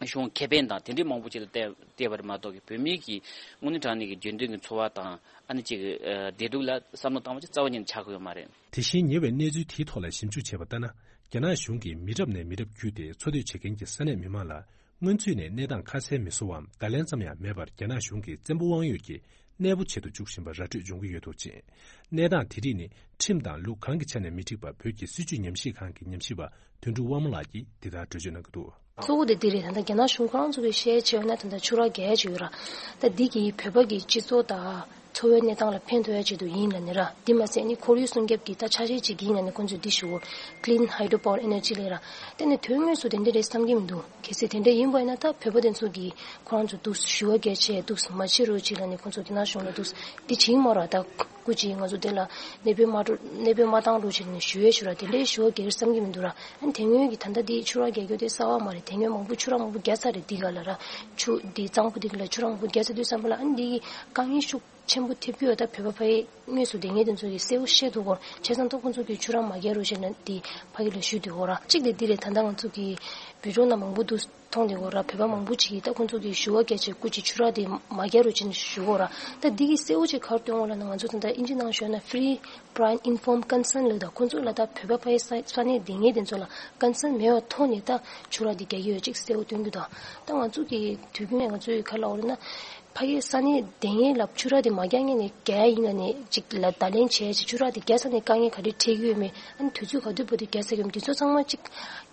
གཞུང་ཁེ་ཕན་དང་དེ་འདྲའི་མང་པོ་ཅིག་ལ་བལྟས་བལྟས་པ་རེད་མ་གཏོགས་ཀྱི་བོད་མི་གི་དངོས་གནས་དྲང་གནས་ཀྱི་རྒྱུན་ལྡན་གྱི་འཚོ་བ་དང་ཨ་ནི་ཅིག་ཨ་བདེ་སྡུག་ལ་བསམ་བློ་བཏང་བ་ཅིག་རྩ་བ་ཉིད་ནས་ཆགས་ཀྱི་ཡོད་མ་རེད། དེ་བཞིན་ཉེ་བའི་གནས་ཚུལ་དེའི་ཐོག་ལ་ཞིབ་འཇུག་བྱས་པ་ལྟར་ན། རྒྱ་ནག་གཞུང་གིས་མི་རབས་ནས་མི་རབས་བརྒྱུད་དེ་འཚོ་སྡོད་བྱེད་མཁན་གྱི་ས་གནས་མི་མང་ལ་སྔོན་ཚུད་ནས་གནས་སྟངས་ཁ་གསལ་མི་བཟོ་བའམ་བརྡ་ལན་ཙམ་ཡང་མེད་པར་རྒྱ་ནག་གཞུང་གིས་བཙན་པོ་དབང་ཡོད་ཀྱིས་གནས་སྤོ་བྱེད་དུ་འཇུག་བཞིན་པ་ར་སྤྲོད་འབྱུང་གི་ཡོད་འདུག་ཅིང་། གནས་སྟངས་དེ་རིགས་ནི་ཁྲིམས་དང་ལུགས་གང་གི་ཆ་ནས་མི་འགྲིག་པ་བོད་ཀྱི་སྲིད་བྱུས་ཉམས་ཞིབ་ཁང་གི་ཉམས་ཞིབ་པ་དོན་གྲུབ་དབང་མོ་ལགས་ཀྱིས་འདི་ལྟར་འགྲེལ་བརྗོད་གནང་གི་འདུག། གཙོ་བོ་དེ་འདི་རེད། ད་ལྟ་རྒྱ་ནག་གཞུང་ཁོ་རང་ཚོ་གིས་བཤད་བྱས་ན་ད་ལྟ་ཆུ་རགས་བརྒལ་བྱས་ཡོད་ར། ད་འདི་གིས་བོད་པ་གི་སྤྱི་ཚོགས་དང་འཚོ་བའི་གནས་སྟངས་ལ་ཕན་ཐོགས་ཡ་ཆེད་དུ་ཡིན་ལབ་ནས་ར། འདི་མ་ཟད་ནི་ཁོར་ཡུག་སྲུང་སྐྱོབ་ཀྱི་ད་ཆ་ཤས་ཅིག་ཡིན་ལབ་ནས་ཁོང་ཚོས་འདི་ཞུ། Clean Hydropower Energy ལབ་ར། དེ་ནི་དོན་དངོས་སུ་དེ་འདྲ་རེད་བསམ་གྱི་མི་འདུག། གལ་སྲིད་དེ་འདྲ་ཡིན་པ་ཡིན་ན་ད་བོད་པ་དེ་ཚོ་གིས་ཁོ་རང་ཚོ་འདུག་ཞུ་བ་བརྒྱབ་བྱས་འདུག་མ་བྱེད་རོགས་བྱེད་ལབ་ནས་ཁོང་ཚོ་དེ་ནང་གཞུང་ལ་འདུག་འདི་བྱེད་ཀྱི་མ་རེད། ད་སྐུ་མཁྱེན་ང་ཚོ་དེ་ལ་གནས་སྤོས་མ་འགྲོ་གནས་སྤོས་མ་བཏང་རོགས་བྱེད་ནས་ཞུ་ཡས་ཞུ་ར། དེ་འདྲའི་ཞུ་བ་རྒྱག་གི་བསམ་གྱི་མི་འདུག་ར། ཨ་ནི་དེ་སྔོན་གྱི་ད་ལྟ་འདི་ཆུ་རགས་རྒྱག་རྒྱུ་དེ་གསར་བ་མ་རེད། དེ་སྔོན་མང་པོ་ཆུ་རགས་མང་པོ་རྒྱག་ཚར་རེད། འདི་ག་ལ་ར་ཆུ་འདི་གཙང་པོ་འདི་ག་ལ་ཆུ་རགས་མང་པོ་རྒྱག་ཚར་དུས་ཙམ་པ་ལ་ཨ་ནི་འདི་གི་དཀའ་ངལ་ཤུགས་ཆེན་པོ་ཐེབས་ཀྱི་ཡོད། ད་བོད་པ་ཕ་གི་དངོས་སུ་བསྡད་མཁན་དེ་ཚོ་གིས་གསལ་པོ་ཤེས་འདུག་གོ། བྱས་ཙང་ད་ཁོང་ཚོ་གིས་ཆུ་རགས་མ་རྒྱག་རོགས་བྱས་ན་འདི་ཕ་གི་ལ་ཞུ་འདུག་གོ་ར། གཅིག་དེ་འདི་རེད། ད་ལྟ་ང་ཚོ་གི་བི་ཌིའོ་ནང་མང་པོ་འདུག་མཐོང་བསྡད་གོ་ར། བོད་པ་མང་པོ་ཅིག་གིས་ད་ཁོང་ཚོ་གིས་ཞུ་བ་རྒྱག་བྱས་སྐུ་མཁྱེན་ཆུ་རགས་དེ་མ་རྒྱག་རོགས་བྱས་ནས་ཞུ་གོ་ར། ད་འདི་གིས་གསལ་པོ་ཅིག་ག་རེ་སྟོན་གོ་ལབ་ན། ང་ཚོ་ད་ལྟ་ཨིན་ཇི་ནང་ཞུས་ན་Free Prior Informed Consent ལབ། ད་ཁོང་ཚོ་ལ་ད་བོད་པ་ཕ་གི་ས་ས་གནས་སྡོད་མཁན་དེ་ཚོ་ལ་ཀོན་སེན་མེད་པའི་ཐོག་ནས་ད་ཆུ་རགས་འདི་རྒྱག་གི་ཡོད་ཅིག་གསལ་པོ་སྟོན་གྱི་འདུག། ད་ང་ཚོ་གི་དུས་རྒྱུན་ནས་ང་ཚོས་ག་རེ་ལབ་དགོས་རེད་ན། ཕ་གི་ས་གནས་སྡོད་མཁན་ལ་ཆུ་རགས་དེ་མ་རྒྱག་མཁན་ནས་རྒྱག་ཡ་ཡིན་ལབ་ནས་ཅིག་ལ་བརྡ་ལན་བྱས་ཅིག་ཆུ་རགས་དེ་རྒྱག་ས་ནས་དཀའ་ངལ་ག་རེ་འཕྲད་ཀྱི་ཡོད་མེད། ཨ་ནི་དུས་ཚོད་ག་དུས་བར་དུ་རྒྱག་ས་ཡོད་མེད། དེ་ཚོ་ཚང་མ་ཅིག་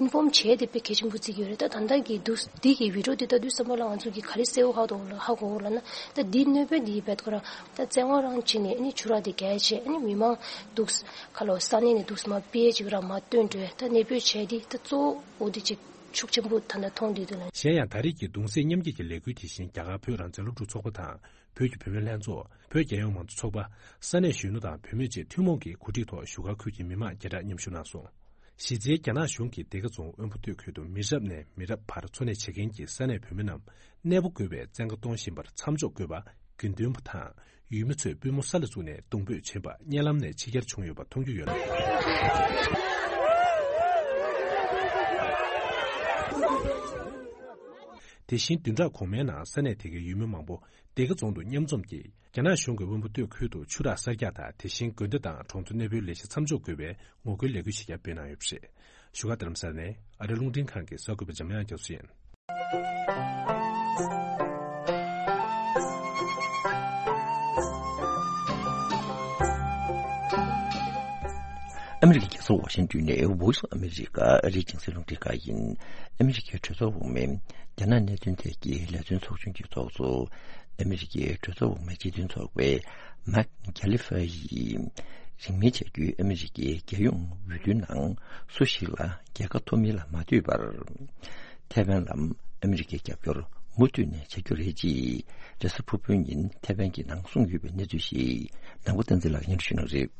ཨིན་ཕོམ་བྱས་ཏེ་དཔེ་གལ་ཆེན་པོ་བརྩི་གི་ཡོད་རེད། ད་ད་ལྟ་གི་འདུག་འདི་གི་བི་ཌིའོ་འདི་ལྟ་དུས་ཙམ་པ་ལ་ང་ཚོ་གིས་ག་རེ་གསལ་པོ་ཧ་གོ་ཧ་གོ་ལབ་ན། ད་འདི་གནོད་པ་འདི་རྦད་ཁོ་རང་ད་བཙན་དབང་རང་བྱས་ནས་ཨ་ནི་ཆུ་རགས་འདི་རྒྱག་བྱས་ཨ་ནི་མི་མང་འདུག་ག་ལོ་ས་གནས་ནས་འདུག་མ་སྤེལ་ཅིག་ར་མ་བཏོན་འགྲོ། ད་གནས་སྤོས་བྱས་འདི་ད་གཙོ་བོ་འོ་འདི་ཅིག་ཤུགས་ཆེན་པོ་ད་ལྟ་མཐོང་བསྡད་འདུག་ལ། གཞན་ཡང་ད་རེས་ཀྱི་གདུང་སེམས་མཉམ་སྐྱེད་ཀྱི་ལས་འགུལ་དེ་བཞིན་རྒྱ་གར་བོད་རང་བཙན་སློབ་ཕྲུག་ཚོགས་པ་དང་། བོད་ཀྱི་བུད་མེད་ལྷན་ཚོགས། བོད་རྒྱལ་ཡོངས་མང་གཙོ་ཚོགས་པ། ས་གནས་གཞོན་ནུ་དང་བུད་མེད་བཅས་ཐུན་མོང་གི་གོ་སྒྲིག་ཐོག་བཞུགས་སྒར་ཁུལ་གྱི་མི་མང་བརྒྱ་ཕྲག་མཉམ་ཞུགས་གནང་སོང་། གཞི་རྩའི་རྒྱ་ནག་གཞུང་གིས་སྡེ་དགེ་རྫོང་དབོན་པོ་སྟོད་ཁུལ་དུ་མི་རབས་ནས་མི་རབས་བར་འཚོ་གནས་བྱེད་མཁན་གྱི་ས་གནས་བུད་མེད་རྣམས་གནས་སྤོ་དགོས་པའི་བཙན་བཀའ་གཏོང་བཞིན་པར་མཚམས་འཇོག་དགོས་པ། དགེ་འདུན་པ་དང་ཡུལ་མི་ཚོས་པུས་མོ་ས་ལ་བཙུགས་ནས་གདུང་འབོད་བྱེད་པ་གཉའ་ལམ་ནས་ཕྱི་གྱར་བྱུང་ཡོད་པ་མཐོང་རྒྱུ་ཡོད་འདུག། དེ་བཞིན་བདུན་ཕྲག་གོང་མའི་ནང་ས་གནས་དེ་གའི་ཡུལ་མི་མང་པོ་སྡེ་དགེ་རྫོང་དུ་མཉམ་འཛོམས་ཀྱིས་རྒྱ་ནག་གཞུང་གིས་དབོན་པོ་སྟོད་ཁུལ་དུ་ཆུ་རགས་གསར་རྒྱག་དང་དེ་བཞིན་དགོན་སྡེ་དང་གྲོང་ཚོ་གནས་སྤོའི་ལས་གཞི་མཚམས་འཇོག་དགོས་པའི་ངོ་རྒོལ་ལས་འགུལ་ཞིག་ཀྱང་སྤེལ་གནང་ཡོད་པ་རེད། བཞུགས་སྒར་རྡ་རམ་ས་ལ་ནས་ཨ་རི་རླུང་འཕྲིན་ཁང་གི་གསར་འགོད་པ་འཇམ་དབྱངས་རྒྱ་མཚོ་ཡིན། ཨ་མི་རི་ཀའི་རྒྱལ་ས་ཝ་ཤིང་ཏོན་ནས་Voice of America ཨ་རིའི་རྒྱང་སྲིང་རླུང་འཕྲིན་ཁང་ཡིན། ཨ་མི་རི་ཀའི་གྲོས་ཚོགས་འོག་མའི་རྒྱ་ནག་གནད་དོན་ཐད་ཀྱི་ལས་དོན་ཚོགས་ཆུང་གི་ཚོགས་གཙོ། ཨ་མི་རི་ཀའི་གྲོས་ཚོགས་འོག་མའི་སྤྱི་མཐུན་ཚོགས་པའི་མཱིག་ཁ་ལི་ཧྥ་ཡིས། རིང་མིན་བྱ་རྒྱུའི་ཨ་མི་རི་ཀའི་རྒྱལ་ཡོངས་འོས་བསྡུའི་ནང་སུ་ཞིག་ལ་རྒྱལ་ཁ་ཐོབ་མིན་ལ་མ་ལྟོས་པར། ཐའེ་ཝན་ལ་ཨ་མི་རི་ཀའི་རྒྱབ་སྐྱོར་མུ་མཐུད་ནས་བྱ་རྒྱུ་རེད་ཅེས། རེས་གཟའ་ཕུར་བུའི་ཉིན་ཐའེ་ཝན་གྱི་ནང་གསུངས་ཡོད་པའི་གནས་ཚུལ་ཞིག་ནང་པ་བསྟན་འཛིན་ལགས་སྙན་སྒྲོན་ཞུ་གནང་རེད།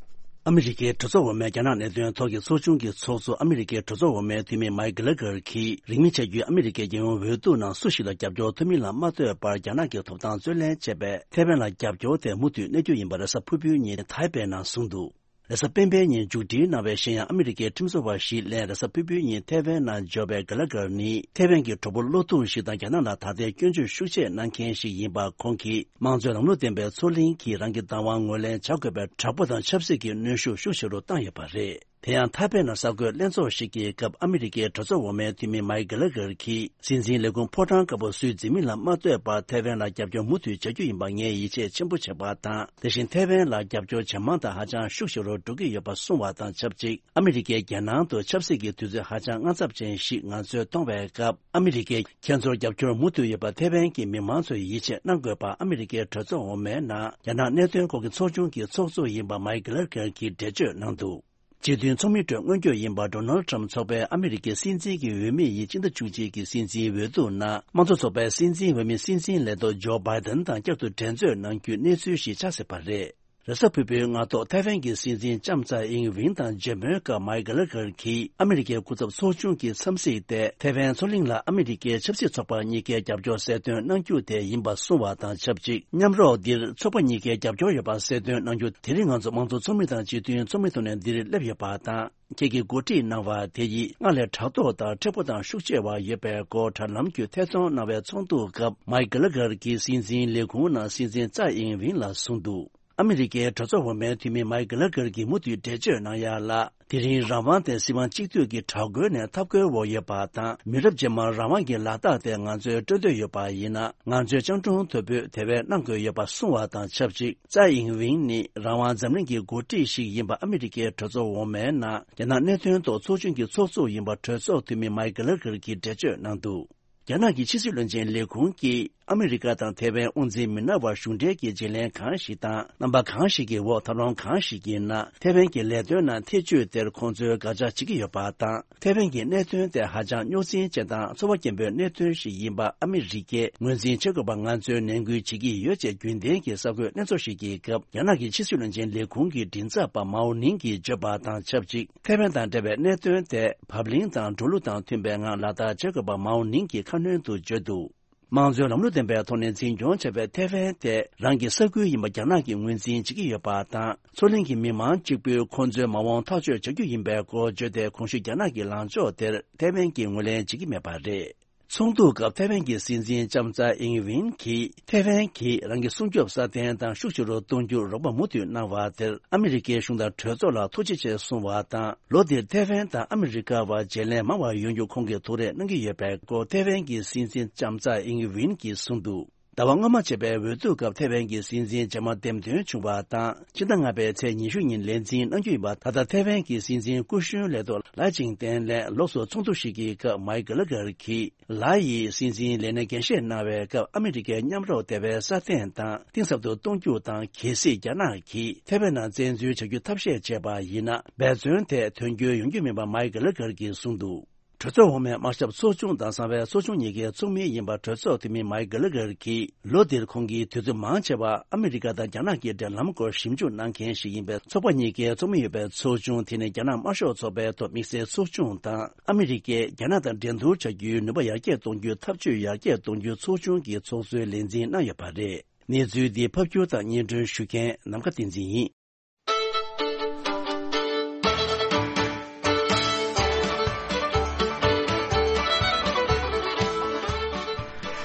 ཨ་མི་རི་ཀའི་གྲོས་ཚོགས་འོག་མའི་རྒྱ་ནག་གནད་དོན་ཐོག་གི་ཚོགས་ཆུང་གི་ཚོགས་གཙོ། ཨ་མི་རི་ཀའི་གྲོས་ཚོགས་འོག་མའི་འཐུས་མི་མཱིག་གྷི་ལེ་གྷར་གྱིས། རིང་མིན་བྱ་རྒྱུའི་ཨ་མི་རི་ཀའི་རྒྱལ་ཡོངས་འོས་བསྡུ་ནང་སུ་ཞིག་ལ་རྒྱབ་སྐྱོར་ཐོབ་མིན་ལ་མ་ལྟོས་པར། རྒྱ་ནག་གི་ཐོབ་ཐང་རྩོད་ལེན་བྱས་པའི་ཐའེ་ཝན་ལ་རྒྱབ་སྐྱོར་དེ་མུ་མཐུད་གནས་རྒྱུ་ཡིན་པ་རེས་གཟའ་ཕུར་བུའི་ཉིན་ཐའེ་པེ་ནང་གསུངས་འདུག་རེས་གཟའ་སྤེན་པའི་ཉིན་མཇུག་སྒྲིལ་གནང་བའི་གཞན་ཡང་ཨ་མི་རི་ཀའི་ཁྲིམས་བཟོ་བ་བཞི་ལས་རེས་གཟའ་ཕུར་བུའི་ཉིན་ཐའེ་ཝན་ནང་འབྱོར་བའི་གྷི་ལ་གྷར་ནི། ཐའེ་ཝན་གྱི་གྲོགས་པོ་བློ་ཐུག་ཞིག་དང་། རྒྱ་ནག་ལ་ད་ལྟའི་སྐྱོན་བརྗོད་ཤུགས་ཆེ་གནང་མཁན་ཞིག་ཡིན་པ། ཁོང་གིས་དམངས་གཙོའི་ལམ་ལུགས་ལྡན་པའི་མཚོ་གླིང་གིས་རང་གི་བདག་དབང་ངོས་ལེན་བྱ་དགོས་པའི་དྲག་པོ་དང་ཆབ་སྲིད་ཀྱི་གནོན་ཤུགས་ཤུགས་ཆེ་རུ་བཏང་ཡོད་པ་རེད། དེ་ཡང་ཐའེ་པེ་ནང་གསར་འགོད་ལྷན་ཚོགས་ཤིག་གི་སྐབས། ཨ་མི་རི་ཀའི་གྲོས་ཚོགས་འོག་མའི་འཐུས་མི་མཱིག་གྷི་ལེ་གྷར་གྱིས། སྲིད་འཛིན་ལས་ཁུངས་ཕོ་བྲང་དཀར་པོ་སུས་འཛིན་མིན་ལ་མ་ལྟོས་པར། ཐའེ་ཝན་ལ་རྒྱབ་སྐྱོར་མུ་མཐུད་བྱ་རྒྱུ་ཡིན་པར་ངས་ཡིད་ཆེས་ཆེན་པོ་བྱེད་པ་དང་། དེ་བཞིན་ཐའེ་ཝན་ལ་རྒྱབ་སྐྱོར་ཇེ་མང་དང་ཧ་ཅང་ཤུགས་ཆེ་རུ་འགྲོ་གི་ཡོད་པ་གསུངས་བ་དང་ཆབས་ཅིག་ཨ་མི་རི་ཀའི་རྒྱལ་ནང་དུ་ཆབ་སྲིད་ཀྱི་དུས་ཚོད་ཧ་ཅང་དངངས་འཚབ་ཅན་ཞིག་ང་ཚོས་མཐོང་བའི་སྐབས། ཨ་མི་རི་ཀས་ཁྱེད་ཚོར་རྒྱབ་སྐྱོར་མུ་མཐུད་ཡོད་པ་ཐའེ་ཝན་གྱི་མི་མང་ཚོས་ཡིད་ཆེས་གནང་དགོས་པ། ཨ་མི་རི་ཀའི་གྲོས་ཚོགས་འོག་མའི་ནང་རྒྱ་ནག་གནད་དོན་སྐོར་གྱི་ཚོགས་ཆུང་གི་ཚོགས་གཙོ་ཡིན་པ་མཱིག་གྷི་ལེ་གྷར་གྱིས་འགྲེལ་བརྗོད་གནང་འདུག་སྤྱི་མཐུན་ཚོགས་མིའི་ཁྲོད་སྔོན་སྐྱོད་ཡིན་པ། ཌོ་ནལ་ཊམ་ཚོགས་པའི་ཨ་མི་རི་ཀའི་སྲིད་འཛིན་གྱི་འོས་མི་ཡིས་སྤྱི་ཟླ་བཅུ་གཅིག་གི་སྲིད་འཛིན་འོས་བསྡུ་ནང་། དམངས་གཙོ་ཚོགས་པའི་སྲིད་འཛིན་འོས་མི་སྲིད་འཛིན་ལས་ཐོག་ཇོ་བྷའི་ཌེན་དང་བསྐྱར་དུ་འགྲན་རྩོད་གནང་རྒྱུའི་གནས་ཚུལ་ཞིག་ཆགས་སྲིད་པ་རེད། རེས་གཟའ་ཕུར་བུའི་སྔ་ཐོག་ཐའེ་ཝན་གྱི་སྲིད་འཛིན་ལྕམ་ཚའེ་ཨིང་ཝིན་དང་མཇལ་མོལ་སྐབས། མཱིག་གྷི་ལེ་གྷར་གྱིས་ཨ་མི་རི་ཀའི་སྐུ་ཚབ་ཚོགས་ཆུང་གི་འཚམས་གཟིགས་ཏེ། ཐའེ་ཝན་མཚོ་གླིང་ལ་ཨ་མི་རི་ཀའི་ཆབ་སྲིད་ཚོགས་པ་གཉིས་ཀའི་རྒྱབ་སྐྱོར་གསལ་སྟོན་གནང་རྒྱུ་དེ་ཡིན་པ་གསུངས་བ་དང་ཆབས་ཅིག་མཉམ་རོགས་འདིར་ཚོགས་པ་གཉིས་ཀའི་རྒྱབ་སྐྱོར་ཡོད་པ་གསལ་སྟོན་གནང་རྒྱུ། དེ་རིང་ང་ཚོ་དམངས་གཙོ་ཚོགས་མི་དང་སྤྱི་མཐུན་ཚོགས་མི་ཐོག་ནས་འདིར་སླེབས་ཡོད་པ་དང་། ཁྱེད་ཀྱིས་གོ་སྒྲིག་གནང་བ་དེ་ཡིས་སྔར་ལས་ཕྲག་དོག་དང་མཁྲེགས་པོ་དང་ཤུགས་ཆེ་བ་ཡོད་པའི་སྐོར་དྲ་ལམ་བརྒྱུད་ཐད་གཏོང་གནང་བའི་ཚོགས་འདུ་སྐབས། མཱིག་གྷི་ལེ་གྷར་གྱིས་སྲིད་འཛིན་ལས་ཁུངས་ནང་སྲིད་འཛིན་ཚའེ་ཨིང་ཝིན་ལ་གསུངས་འདུག་ཨ་མི་རི་ཀའི་གྲོས་ཚོགས་འོག་མའི་འཐུས་མི་མཱིག་གྷི་ལེ་གྷར་གྱིས་མུ་མཐུད་འགྲེལ་བརྗོད་གནང་ཡ་ལ། དེ་རིང་རང་དབང་དེ་སྲིད་དབང་གཅིག་སྡུད་ཀྱི་དྲག་རྒོལ་ནས་འཐབ་རྒོལ་འོག་ཡོད་པ་དང་། མི་རབས་རྗེས་མར་རང་དབང་གི་ལག་རྟགས་དེ་ང་ཚོས་སྤྲོད་འདོད་ཡོད་པ་ཡིན་ན། ང་ཚོས་སྤྱང་གྲུང་དོད་པོས་དེ་བས་གནང་དགོས་ཡོད་པ་གསུངས་བ་དང་ཆབས་ཅིག་ཚའེ་ཨིང་ཝིན་ནི་རང་དབང་འཛམ་གླིང་གི་འགོ་ཁྲིད་ཞིག་ཡིན་པ། ཨ་མི་རི་ཀའི་གྲོས་ཚོགས་འོག་མའི་ནང་རྒྱ་ནག་གནད་དོན་ཐོག་ཚོགས་ཆུང་གི་ཚོགས་གཙོ་ཡིན་པ། གྲོས་ཚོགས་འཐུས་མི་མཱིག་གྷི་ལེ་གྷར་གྱིས་འགྲེལ་བརྗོད་གནང་འདུག་རྒྱ་ནག་གི་ཕྱི་སྲིད་བློན་ཆེན་ལས་ཁུངས་ཀྱིས་ཨ་མི་རི་ཀ་དང་ཐའེ་ཝན་དབུ་འཛིན་མི་སྣ་བར་གཞུང་འབྲེལ་གྱི་བརྗེ་ལེན་གང་ཞིག་དང་། རྣམ་པ་གང་ཞིག་གི་འོག་ཐབས་ལམ་གང་ཞིག་གི་ནང་། ཐའེ་ཝན་གྱི་ལས་དོན་ནང་ཐེ་བྱུས་དེར་ཁོང་ཚོས་དགག་བྱ་བྱེད་ཀྱི་ཡོད་པ་དང་། ཐའེ་ཝན་གྱི་གནད་དོན་དེ་ཧ་ཅང་རྙོག་འཛིང་ཅན་དང་ཚོར་བ་སྐྱེན་པོའི་གནད་དོན་ཞིག་ཡིན་པ་ཨ་མི་རི་ཀས་ངོས་འཛིན་བྱེད་དགོས་པ་ང་ཚོས་ནན་སྐུལ་བྱེད་ཀྱི་ཡོད་ཅེས་རྒྱུན་ལྡན་གྱི་གསར་འགོད་ལྷན་ཚོགས་ཤིག་གི་སྐབས། རྒྱ་ནག་གི་ཕྱི་སྲིད་བློན་ཆེན་ལས་ཁུངས་ཀྱི་མགྲིན་ཚབ་པ་མའོ་ནིང་གིས་བརྗོད་པ་དང་ཆབས་ཅིག་ཐའེ་ཝན་དང་འབྲེལ་བའི་གནད་དོན་དེ་བབ་བརླིང་དང་འགྲོ་ལུགས་དང་མཐུན་པའི་ངང་ལག་བསྟར་བྱེད་དགོས་པ་མའོ་ནིང་གིས་ཁ་སྣོན་དུ་བརྗོད་འདུག་དམངས་གཙོའི་ལམ་ལུགས་ལྡན་པའི་ཐོག་ནས་འཛིན་སྐྱོང་བྱ་བའི་ཐའེ་ཝན་དེ་རང་གི་ས་ཁུལ་ཡིན་པ་རྒྱ་ནག་གིས་ངོས་འཛིན་བྱེད་ཀྱི་ཡོད་པ་དང་། མཚོ་གླིང་གི་མི་མང་གཅིག་པུས་ཁོང་ཚོའི་མ་འོངས་ཐག་གཅོད་བྱ་རྒྱུ་ཡིན་པའི་སྐོར་བརྗོད་དེ། གོང་ཞུས་རྒྱ་ནག་གི་ལངས་ཕྱོགས་དེར་ཐའེ་ཝན་གྱིས་ངོས་ལེན་བྱེད་ཀྱི་མེད་པ་རེད། ཚོགས་འདུའི་སྐབས་ཐའེ་ཝན་གྱི་སྲིད་འཛིན་ལྕམ་ཚའེ་ཨིང་ཝིན་གྱིས་ཐའེ་ཝན་གྱིས་རང་གི་སྲུང་སྐྱོབ་སྲ་བརྟན་དང་ཤུགས་ཆེ་རུ་གཏོང་རྒྱུར་རོགས་པ་མུ་མཐུད་གནང་བ་དེར་ཨ་མི་རི་ཀའི་གཞུང་དང་གྲོས་ཚོགས་ལ་ཐུགས་རྗེ་ཆེ་གསུངས་བ་དང་། ལོ་འདིར་ཐའེ་ཝན་དང་ཨ་མི་རི་ཀ་བར་བརྗེ་ལེན་མང་བ་ཡོང་རྒྱུ་ཁོང་གིས་ཐུགས་རེ་གནང་གི་ཡོད་པའི་སྐོར་ཐའེ་ཝན་གྱི་སྲིད་འཛིན་ལྕམ་ཚའེ་ཨིང་ཝིན་གྱིས་གསུངས་འདུག་ཟླ་བ་སྔོན་མ་བྱས་པའི་འོས་བསྡུ་སྐབས་ཐའེ་ཝན་གྱི་སྲིད་འཛིན་རྗེས་མ་འདེམས་ཐོན་བྱུང་བ་དང་། ཕྱི་ཟླ་ལྔ་པའི་ཚེས་ཉི་ཤུ་ཉིན་ལས་འཛིན་གནང་རྒྱུ་ཡིན་པ། ད་ལྟ་ཐའེ་ཝན་གྱི་སྲིད་འཛིན་སྐུ་གཞོན་ལས་ཐོག་ལའེ་ཆིང་ཏེན་ལན་ལོགས་སུ་ཚོགས་འདུ་ཞིག་གི་སྐབས་མཱིག་གྷི་ལེ་གྷར་གྱིས། ལའེ་ཡིས་སྲིད་འཛིན་ལས་གནས་འགན་བཞེས་གནང་བའི་སྐབས། ཨ་མི་རི་ཀའི་མཉམ་རོགས་དེ་བས་སྲ་བརྟན་དང་གཏིང་ཟབ་ཏུ་གཏོང་རྒྱུ་དང་། གལ་སྲིད་རྒྱ་ནག་གིས་ཐའེ་ཝན་ནང་བཙན་འཛུལ་བྱ་རྒྱུ་ཐབས་ཤེས་བྱས་པ་ཡིན་ན། འབད་བརྩོན་དེ་དོན་འཁྱོལ་ཡོང་རྒྱུ་མིན་པ་མཱིག་གྷི་ལེ་གྷར་གྱིས་གསུངས་འདུག་གྲོས་ཚོགས་འོག་མའི་དམག་ཞབས་ཚོགས་ཆུང་དང་གསང་བའི་ཚོགས་ཆུང་གཉིས་ཀའི་ཚོགས་མི་ཡིན་པ། གྲོས་ཚོགས་འཐུས་མི་མཱིག་གྷི་ལེ་གྷར་གྱིས་ལོ་འདིར་ཁོང་གིས་དུས་ཚོད་མང་ཆེ་བ་ཨ་མི་རི་ཀ་དང་རྒྱ་ནག་གི་འབྲེལ་ལམ་སྐོར་ཞིབ་འཇུག་གནང་མཁན་ཞིག་ཡིན་པའི་ཚོགས་པ་གཉིས་ཀའི་ཚོགས་མི་ཡོད་པའི་ཚོགས་ཆུང་། དེ་ནི་རྒྱ་ནག་དམར་ཤོག་ཚོགས་པའི་ཐོག་དམིགས་བསལ་ཚོགས་ཆུང་དང་། ཨ་མི་རི་ཀས་རྒྱ་ནག་དང་འགྲན་བསྡུར་བྱ་རྒྱུའི་ནུས་པ་ཡར་རྒྱས་གཏོང་རྒྱུའི་འཐབ་ཇུས་ཡར་རྒྱས་གཏོང་རྒྱུའི་ཚོགས་ཆུང་གི་ཚོགས་གཙོའི་ལས་འཛིན་གནང་ཡོད་པ་རེད། གནས་ཚུལ་འདི་ཕབ་སྒྱུར་དང་སྙན་སྒྲོན་ཞུ་མཁན་ནམ་མཁའ་བསྟན་འཛིན་ཡིན།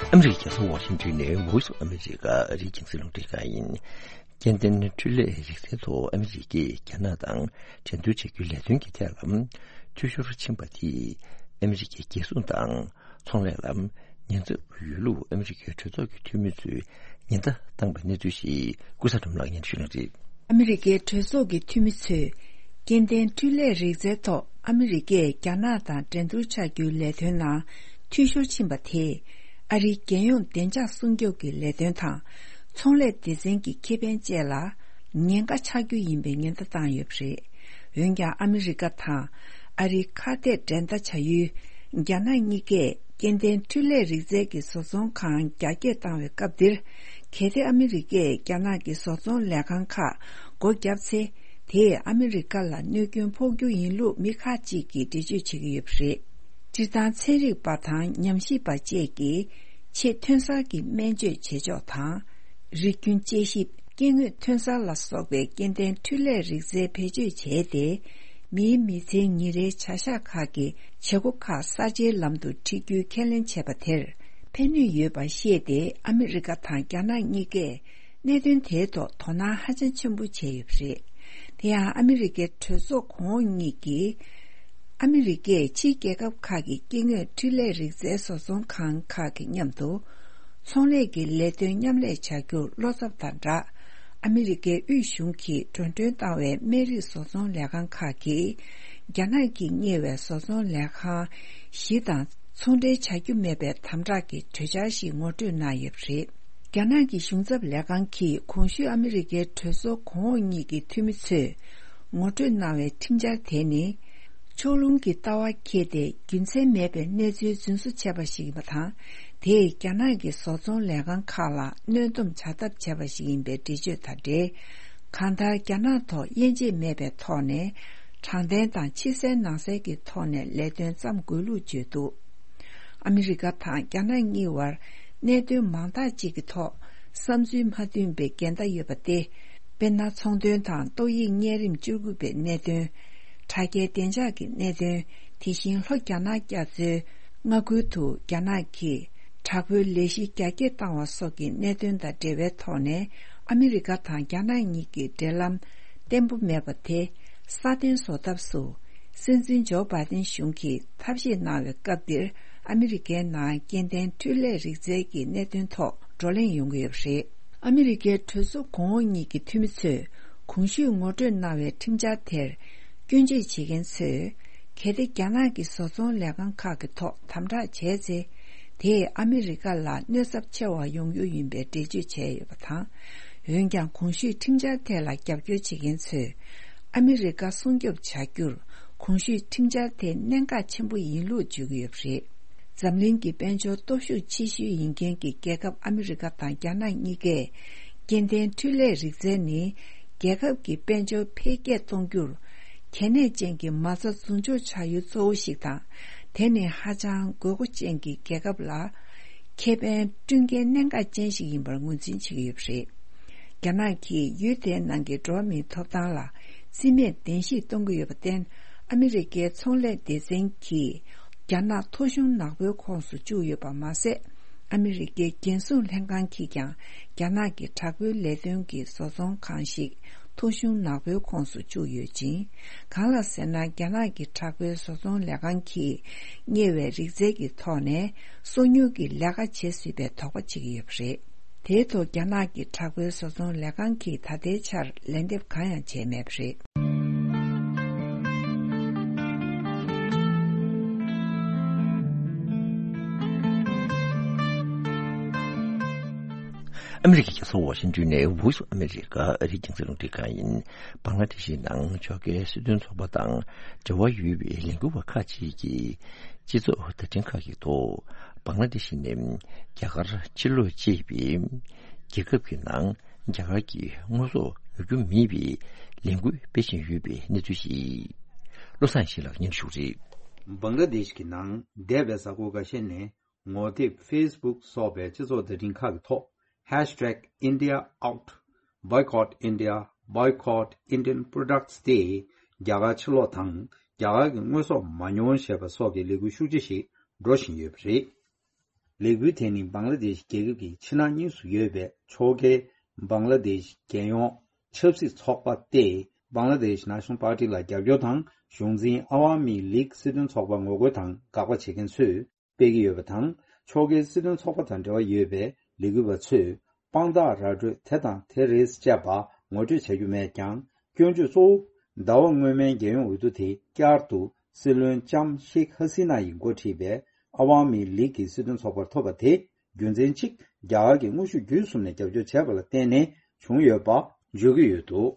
ཨ་མི་རི་ཀའི་རྒྱལ་ས་ཝ་ཤིང་ཏོན་ནས་Voice of America ཨ་རིའི་རྒྱང་སྲིང་རླུང་འཕྲིན་ཁང་ཡིན། སྐྱེ་ལྡན་འཕྲུལ་ལས་རིག་རྩལ་ཐོག་ཨ་མི་རི་ཀས་རྒྱ་ནག་དང་འགྲན་བསྡུར་བྱ་རྒྱུའི་ལས་དོན་གྱི་ཐད་ལ་འཐུས་ཤོར་ཕྱིན་པ་དེས་ཨ་མི་རི་ཀའི་རྒྱལ་སྲུང་དང་ཚོང་ལས་ལ་ ཉེན་ཚབས་ཡོད་ལུགས་ཨ་མི་རི་ཀའི་གྲོས་ཚོགས་ཀྱི་འཐུས་མི་ཚོས་ཉེན་བརྡ་བཏང་པའི་གནས་ཚུལ་ཞིག་ཀུན་བཟང་སྒྲོལ་མ་ལགས་སྙན་ཞུ་གནང་རེད། ཨ་མི་རི་ཀའི་གྲོས་ཚོགས་ཀྱི་འཐུས་མི་ཚོས་སྐྱེ་ལྡན་འཕྲུལ་ལས་རིག་རྩལ་ཐོག་ཨ་མི་རི་ཀས་རྒྱ་ནག་དང་འགྲན་བསྡུར་ཆགས་རྒྱུའི་ལས་དོན་ནང་འཐུས་ཤོར་ཕྱིན་པ་དེས། ཨ་རིའི་རྒྱལ་ཡོངས་བདེ་འཇགས་སྲུང་སྐྱོབ་ཀྱི་ལས་དོན་དང་། ཚོང་ལས་སྡེ་ཚན་གྱི་ཁེ་ཕན་བཅས་ལ་ཉེན་ཁ་ཆགས་རྒྱུ་ཡིན་པའི་ཉེན་བརྡ་བཏང་ཡོད་པ་རེད། འོན་ཀྱང་ཨ་མི་རི་ཀ་དང་ཨ་རིའི་ཁ་གཏད་འགྲན་ཟླ་བྱ་ཡུལ་རྒྱ་ནག་གཉིས་ཀས་སྐྱེ་ལྡན་འཕྲུལ་ལས་རིག་རྩལ་གྱི་བཟོ་ཚོང་ཁང་རྒྱ་སྐྱེད་བཏང་བའི་སྐབས་འདིར། གལ་ཏེ་ཨ་མི་རི་ཀས་རྒྱ་ནག་གི་བཟོ་ཚོང་ལས་ཁང་ཁག་སྒོ་བརྒྱབ་ཚེ། དེས་ཨ་མི་རི་ཀ་ལ་གནོད་སྐྱོན་ཕོག་རྒྱུ་ཡིན་ལུགས་མི་ཁག་ཅིག་གིས་འགྲེལ་བརྗོད་བྱེད་ཀྱི་ཡོད་པ་རེད། སྤྱིར་བཏང་ཚན་རིག་པ་དང་ཉམས་ཞིབ་པ་བཅས་ཀྱིས་ཆེས་ཐོན་གསར་གྱི་སྨན་བཅོས་བྱེད་ཕྱོགས་དང་། རིགས་རྒྱུན་དཔྱད་ཞིབ། སྐྱེ་དངོས་ཐོན་གསར་ལ་སོགས་པའི་སྐྱེ་ལྡན་འཕྲུལ་ལས་རིག་རྩལ་བེད་སྤྱོད་བྱས་ཏེ། མིའི་མི་ཚེའི་ཉིན་རེའི་བྱ་གཞག་ཁག་གི་བྱེད་སྒོ་ཁག་གསར་བརྗེའི་ལམ་དུ་ཁྲིད་རྒྱུའི་ཁས་ལེན་བྱས་པ་དེར་ཕན་ནུས་ཡོད་པ་ཤེས་ཏེ། ཨ་མི་རི་ཀ་དང་རྒྱ་ནག་གཉིས་ཀས་གནད་དོན་དེའི་ཐོག་དོ་སྣང་ཧ་ཅང་ཆེན་པོ་བྱས་ཡོད་པ་རེད། དེ་ཡང་ཨ་མི་རི་ཀའི་གྲོས་ཚོགས་གོང་འོག་གཉིས་ཀྱིས། ཨ་མི་རི་ཀས་ཕྱིའི་རྒྱལ་ཁབ་ཁག་གི་སྐྱེ་དངོས་འཕྲུལ་ལས་རིག་རྩལ་བཟོ་ཚོང་ཁང་ཁག་གི་མཉམ་དུ། ཚོང་ལས་ཀྱི་ལས་དོན་མཉམ་ལས་བྱ་རྒྱུར་བློ་འཚབ་དང་སྦྲགས། ཨ་མི་རི་ཀའི་དབུས་གཞུང་གིས་འགྲོ་གྲོན་བཏང་བའི་སྨན་རིགས་བཟོ་ཚོང་ལས་ཁང་ཁག་གིས། རྒྱ་ནག་གིས་གཉེར་བའི་བཟོ་ཚོང་ལས་ཁང་བཞི་དང་ཚོང་འབྲེལ་བྱ་རྒྱུ་མེད་པའི་དམ་དྲག་གི་གྲོས་འཆར་ཞིག་ངོ་སྤྲོད་གནང་ཡོད་པ་རེད། རྒྱ་ནག་གི་གཞུང་ཚབ་ལས་ཁང་གིས་གོང་ཞུས་ཨ་མི་རི་ཀའི་གྲོས་ཚོགས་གོང་འོག་གཉིས་ཀྱི་འཐུས་མི་ཚོས་ངོ་སྤྲོད་གནང་བའི་ཁྲིམས་འཆར་དེ་ནི། ཕྱོགས་ལྷུང་གི་ལྟ་བ་འཁྱེར་ཏེ་རྒྱུ་མཚན་མེད་པའི་གནས་ཚུལ་རྫུན་བཟོ་བྱས་པ་ཞིག་ཡིན་པ་དང་། དེས་རྒྱ་ནག་གི་བཟོ་ཚོང་ལས་ཁང་ཁག་ལ་གནོན་སྡོམ་བྱ་ཐབས་བྱས་པ་ཞིག་ཡིན་པའི་འགྲེལ་བརྗོད་དང་འབྲེལ། གང་ལྟར་རྒྱ་ནག་ཐོག་དབྱེ་འབྱེད་མེད་པའི་ཐོག་ནས་དྲང་བདེན་དང་ཕྱི་གསལ་ནང་གསལ་གྱི་ཐོག་ནས་ལས་དོན་བརྩམ་དགོས་ལུགས་བརྗོད་འདུག་ཨ་མི་རི་ཀ་དང་རྒྱ་ནག་གཉིས་བར་གནད་དོན་མང་དག་ཅིག་གི་ཐོག་བསམ་ཚུལ་མ་མཐུན་པའི་འགལ་ཟླ་ཡོད་པ་སྟེ། དཔེར་ན། ཚོང་དོན་དང་ཏོག་དབྱིབས་གཉན་རིམས་བཅུ་དགུ་པའི་གནད་དོན། དྲ་རྒྱའི་བདེ་འཇགས་ཀྱི་གནད་དོན། དེ་བཞིན་ལྷོ་རྒྱ་ནག་རྒྱ་མཚོའི་མངའ་ཁུལ་དུ་རྒྱ་ནག་གིས་དྲག་པོའི་ལས་གཞི་རྒྱ་སྐྱེད་བཏང་བ་སོགས་ཀྱི་གནད་དོན་དང་འབྲེལ་བའི་ཐོག་ནས། ཨ་མི་རི་ཀ་དང་རྒྱ་ནག་གཉིས་ཀྱི་འབྲེལ་ལམ་བརྟན་པོ་མེད་པ་དེ་སྲ་བརྟན་བཟོ་ཐབས་སུ། སྲིད་འཛིན་ཇོ་བྷའི་ཏིན་གཞུང་གིས་ཐབས་ཤེས་གནང་བའི་སྐབས་འདིར། ཨ་མི་རི་ཀའི་ནང་སྐྱེ་ལྡན་འཕྲུལ་ལས་རིག་རྩལ་གྱི་གནད་དོན་ཐོག་བགྲོ་གླེང་ཡོང་གི་ཡོད་པ་རེད། ཨ་མི་རི་ཀའི་གྲོས་ཚོགས་གོང་འོག་གཉིས་ཀྱི་འཐུས་མི་ཚོས་གོང་ཞུས་ངོ་སྤྲོད་གནང་བའི་ཁྲིམས་འཆར་དེར་སྐྱོན་བརྗོད་བྱེད་མཁན་ཚོས། གལ་ཏེ་རྒྱ་ནག་གི་བཟོ་ཚོང་ལས་ཁང་ཁག་གི་ཐོག་དམ་དྲག་བྱས་ཚེ། དེས་ཨ་མི་རི་ཀ་ལ་གནོད་ཚབས་ཆེ་བ་ཡོང་རྒྱུ་ཡིན་པའི་འགྲེལ་བརྗོད་བྱས་ཡོད་པ་དང་། འོན་ཀྱང་། གོང་ཞུས་ཁྲིམས་འཆར་དེ་ལ་རྒྱབ་སྐྱོར་བྱེད་མཁན་ཚོས། ཨ་མི་རི་ཀ་སྲུང་སྐྱོབ་བྱ་རྒྱུར། གོང་ཞུས་ཁྲིམས་འཆར་དེ་གནད་འགག་ཆེན་པོ་ཡིན་ལུགས་བརྗོད་ཀྱི་ཡོད་པ་རེད། འཛམ་གླིང་གི་དཔལ་འབྱོར་སྟོབས་ཤུགས་ཆེ་ཤོས་ཡིན་མཁན་གྱི་རྒྱལ་ཁབ་ཨ་མི་རི་ཀ་དང་རྒྱ་ནག་གཉིས་ཀས། སྐྱེ་ལྡན་འཕྲུལ་ལས་རིག་རྩལ་ནི། རྒྱལ་ཁབ་ཀྱི་དཔལ་འབྱོར་འཕེལ་རྒྱས་གཏོང་རྒྱུར། གལ་གནད་ཅན་གྱི་མ་རྩ་རྫུན་སྦྱོར་བྱ་ཡུལ་གཙོ་བོ་ཞིག་དང་། དེ་ནི་ཧ་ཅང་དགོས་མཁོ་ཅན་གྱི་རྒྱལ་ཁབ་ལ། ཁེ་ཕན་བསྐྲུན་མཁན་གནད་འགག་ཅན་ཞིག་ཡིན་པར་ངོས་འཛིན་བྱེད་ཀྱི་ཡོད་པ་རེད། རྒྱ་ནག་གིས་ཡུལ་དེའི་ནང་གི་འགྲོ་བ་མིའི་ཐོབ་ཐང་ལ་རྩིས་མེད་བདེན་བཞིས་གཏོང་གི་ཡོད་པར་བརྟེན། ཨ་མི་རི་ཀའི་ཚོང་ལས་སྡེ་ཚན་གྱིས་རྒྱ་ནག་ཐོ་གཞུང་ནག་པོའི་ཁོངས་སུ་བཅུག་ཡོད་པ་མ་ཟད། ཨ་མི་རི་ཀའི་རྒྱལ་སྲུང་ལྷན་ཁང་གིས་ཀྱང་རྒྱ་ནག་གི་དྲག་པོའི་ལས་དོན་གྱི་བཟོ་ཚོང་ཁང་ཞིག་ཐོ་གཞུང་ནག་པོའི་ཁོངས་སུ་བཅུག་ཡོད་ཅིང་། གང་ལ་ཟེར་ན། རྒྱ་ནག་གི་དྲག་པོའི་བཟོ་ཚོང་ལས་ཁང་གིས་གཉེར་བའི་རིག་རྩལ་གྱི་ཐོག་ནས་སོ་ཉུལ་གྱི་ལས་ཀ་བྱེད་སྲིད་པའི་དོགས་པ་བྱེད་ཀྱི་ཡོད་པ་རེད། དེའི་ཐོག་རྒྱ་ནག་གི་དྲག་པོའི་བཟོ་ཚོང་ལས་ཁང་གིས་ད་ལྟའི་ཆར་ལན་འདེབས་གང་ཡང་བྱས་མེད་པ་རེད། ཨ་མི་རི་ཀའི་རྒྱལ་ས་ཝ་ཤིང་ཏོན་ནས་Voice of America ཨ་རིའི་རྒྱང་སྲིང་རླུང་འཕྲིན་ཁང་ཡིན། བང་ལ་དེ་ཤི་ནང་ཕྱོགས་འགལ་སྲིད་དོན་ཚོགས་པ་དང་འབྲེལ་བ་ཡོད་པའི་ལས་འགུལ་བ་ཁག་ཅིག་གིས། སྤྱི་ཚོགས་བརྡ་འཕྲིན་ཁག་གི་ཐོག་བང་ལ་དེ་ཤི་ནས་རྒྱ་གར་ཕྱིར་ལོག་ཅེས་པའི་རྒྱལ་ཁབ་ཀྱི་ནང་རྒྱ་གར་གྱི་དངོས་ཟོག་ཉོ་རྒྱུ་མེད་པའི་ལས་འགུལ་སྤེལ་བཞིན་ཡོད་པའི་གནས་ཚུལ་ཞིག་བློ་བཟང་ཡེ་ཤེས་ལགས་སྙན་ཞུ་རེད། བང་ལ་དེ་ཤི་གི་ནང་འདས་པའི་གཟའ་འཁོར་འགའ་ཤས་ནས། ངོ་དེབ་Facebook སོགས་པའི་སྤྱི་ཚོགས་བརྡ་འཕྲིན་ཁག་གི་ཐོག Hashtag India Out, Boycott India, Boycott Indian Products སྟེ། རྒྱ་གར་ཕྱིར་ལོག་དང་རྒྱ་གར་གྱི་དངོས་ཟོག་མ་ཉོ་ཞེས་པ་སོགས་ཀྱི་ལས་འགུལ་ཤུགས་ཆེ་ཞིག་འགྲོ་བཞིན་ཡོད་པ་རེད། ལས་འགུལ་དེ་ནི་བང་ལ་དེ་ཤི་རྒྱལ་ཁབ་ཀྱི་ཕྱི་ནང་གཉིས་སུ་ཡོད་པའི་ཕྱོགས་འགལ་བང་ལ་དེ་ཤི་རྒྱལ་ཡོངས་ཆབ་སྲིད་ཚོགས་པ་སྟེ། Bangladesh National Party ལ་རྒྱབ་སྐྱོར་དང་གཞུང་འཛིན་ཨ་ཝ་མི་ལིག་སྲིད་དོན་ཚོགས་པ་ངོ་རྒོལ་དང་དགག་པ་བྱེད་མཁན་ཚོས། སྤེལ་གྱི་ཡོད་པ་དང་། ཕྱོགས་འགལ་སྲིད་དོན་ཚོགས་པ་དང་འབྲེལ་བ་ཡོད་པའི་ལས་འགུལ་བ་ཚོས་དཔང་རྟགས་ར་སྤྲོད་དེ་དང་དེ་རེད་ཅེས་པ་ངོ་སྤྲོད་བྱ་རྒྱུ་མེད་ཀྱང་། སྐྱོན་བརྗོད་གཙོ་བོ་ཟླ་བ་སྔོན་མའི་རྒྱལ་ཡོངས་འོས་བསྡུ་དེ་བསྐྱར་དུ་སྲིད་བློན་ལྕམ་ཤེག་ཧ་སི་ན་ཡིས་འགོ་ཁྲིད་པའི་ཨ་ཝ་མི་ལིག་གི་སྲིད་དོན་ཚོགས་པར་ཐོབ་པ་དེ། རྒྱུ་མཚན་གཅིག་རྒྱ་གར་གྱིས་དངོས་ཤུགས་བརྒྱུད་གསུམ་ནས་རྒྱབ་སྐྱོར་བྱས་པ་ལ་བརྟེན་ནས་བྱུང་ཡོད་པ་བརྗོད་ཀྱི་ཡོད་འདུག་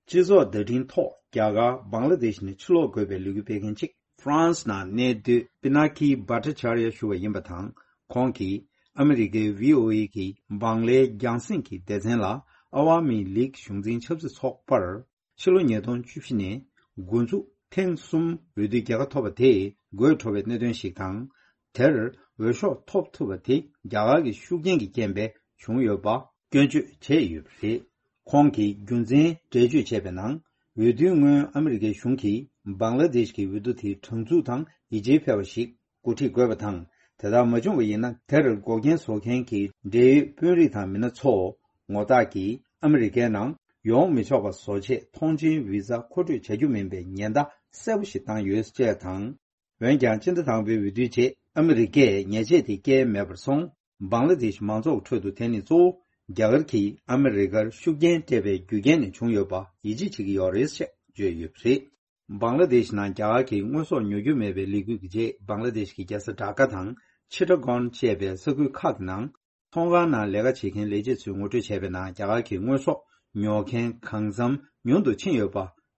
སྤྱི་ཚོགས་བརྡ་འཕྲིན་ཐོག་རྒྱ་གར་བང་ལ་དེཤ་ནས་ཕྱིར་ལོག་དགོས་པའི་ལས་འགུལ་སྤེལ་མཁན་གཅིག་ཧྥ་རན་སི་ནང་གནས་སྡོད་པི་ན་ཁི་བྷ་ཏྲ་ཅཱར་ཡ་ཞུ་བ་ཡིན་པ་དང་། ཁོང་གིས་ཨ་མི་རི་ཀའི་ཝི་ཨོ་ཨེ་གི་བང་ལའི་རྒྱང་སྲིང་གི་སྡེ་ཚན་ལ་ཨ་ཝ་མི་ལིག་གཞུང་འཛིན་ཆབ་སྲིད་ཚོགས་པར། ཕྱི་ལོ་ཉིས་སྟོང་བཅུ་བཞི་ནས་འགོ་འཛུགས་ཐེངས་གསུམ་འོས་བསྡུའི་རྒྱལ་ཁ་ཐོབ་པ་དེས་དགོད་བྲོ་བའི་གནད་དོན་ཞིག་དང་། དེར་འོས་ཤོག་ཐོབ་ཐུབ་པ་དེ་རྒྱ་གར་གྱི་ཤུགས་རྐྱེན་གྱི་རྐྱེན་པས་བྱུང་ཡོད་པ་སྐྱོན་བརྗོད་བྱས་ཡོད་པ་རེད། ཁོང་གིས་རྒྱུ་མཚན་འགྲེལ་བརྗོད་བྱས་པའི་ནང་། འོས་བསྡུའི་སྔོན་ཨ་མི་རི་ཀའི་གཞུང་གིས་བང་ལ་དེཤ་གི་འོས་བསྡུ་དེ་དྲང་ཚུགས་དང་ཡིད་ཆེས་འཕེར་བ་ཞིག་འགོ་ཁྲིད་དགོས་པ་དང་། དེ་ལྟར་མ་བྱུང་བ་ཡིན་ན། དེར་འགོག་རྐྱེན་བཟོ་མཁན་གྱི་འབྲེལ་ཡོད་དཔོན་རིགས་དང་མི་སྣ་ཚོ་ངོ་རྟགས་ཀྱིས་ཨ་མི་རི་ཀའི་ནང་ཡོང་མི་ཆོག་པ་བཟོ་ཆེད་ཐོངས་མཆན་བི་ཛ་མཁོ་སྤྲོད་བྱ་རྒྱུ་མིན་པའི་ཉེན་བརྡ་གསལ་པོ་ཞིག་བཏང་ཡོད་ཅེས་དང་། འོན་ཀྱང་། སྤྱི་ཟླ་དང་པོའི་འོས་བསྡུའི་རྗེས་ཨ་མི་རི་ཀས་ཉེས་ཆད་དེ་བཀལ་མེད་པར་སོང་། བང་ལ་དེཤ་མང་ཚོགས་ཁྲོད་དུ་དེ་ནི་གཙོ་བོ་རྒྱ་གར་གྱིས་ཨ་མི་རི་ཀར་ཤུགས་རྐྱེན་སྤྲད་པའི་རྒྱུ་རྐྱེན་ནས་བྱུང་ཡོད་པ་ཡིད་ཆེས་བྱེད་ཀྱི་ཡོད་རེད་ཅེས་བརྗོད་ཡོད་པ་རེད། བང་ལ་དེཤ་ནང་རྒྱ་གར་གྱི་དངོས་ཟོག་ཉོ་རྒྱུ་མེད་པའི་ལས་འགུལ་གྱི་རྗེས། བང་ལ་དེཤ་གི་རྒྱལ་ས་ཌ་ཀ་དང་ཆི་ཊ་གོན་བཅས་པའི་ས་ཁུལ་ཁག་གི་ནང་ཚོང་ཁང་ནང་ལས་ཀ་བྱེད་མཁན་ལས་བྱེད་ཚོས་ངོ་སྤྲོད་བྱས་པའི་ནང་། རྒྱ་གར་གྱི་དངོས་ཟོག་ཉོ་མཁན་གང་འཚམ་ཉུང་དུ་ཕྱིན་ཡོད་པ་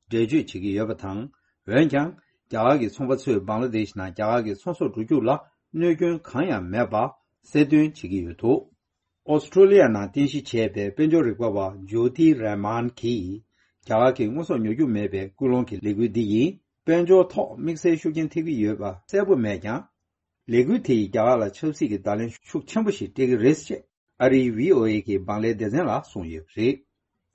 འགྲེལ་བརྗོད་བྱེད་ཀྱི་ཡོད་པ་དང་། འོན་ཀྱང་། རྒྱ་གར་གྱི་ཚོང་པ་ཚོས་བང་ལ་དེཤ་ནང་རྒྱ་གར་གྱི་ཚོང་ཟོག་འགྲོ་རྒྱུགས་ལ་གནོད་སྐྱོན་གང་ཡང་མེད་པ་གསལ་སྟོན་བྱེད་ཀྱི་ཡོད་འདུག་ཨོ་སི་ཀྲོ་ལི་ཡ་ནང་རྟེན་གཞི་བྱས་པའི་དཔལ་འབྱོར་རིག་པ་བ་ཇོ་ཐི་རེ་མན་གྱིས། རྒྱ་གར་གྱི་དངོས་ཟོག་ཉོ་རྒྱུ་མེད་པའི་སྐུལ་སློང་གི་ལས་འགུལ་འདི་ཡིས་དཔལ་འབྱོར་ཐོག་དམིགས་བསལ་ཤུགས་རྐྱེན་ཐེབས་ཀྱི་ཡོད་པ་གསལ་པོ་མེད་ཀྱང་། ལས་འགུལ་དེ་ཡིས་རྒྱ་གར་ལ་ཆབ་སྲིད་ཀྱི་བརྡ་ལན་ཤུགས་ཆེན་པོ་ཞིག་སྤྲད་ཀྱི་རེད་ཅེས་ཨ་རིའི་ཝི་ཨོ་ཨེ་གི་བང་ལའི་སྡེ་ཚན་ལ་གསུངས་ཡོད་པ་རེད།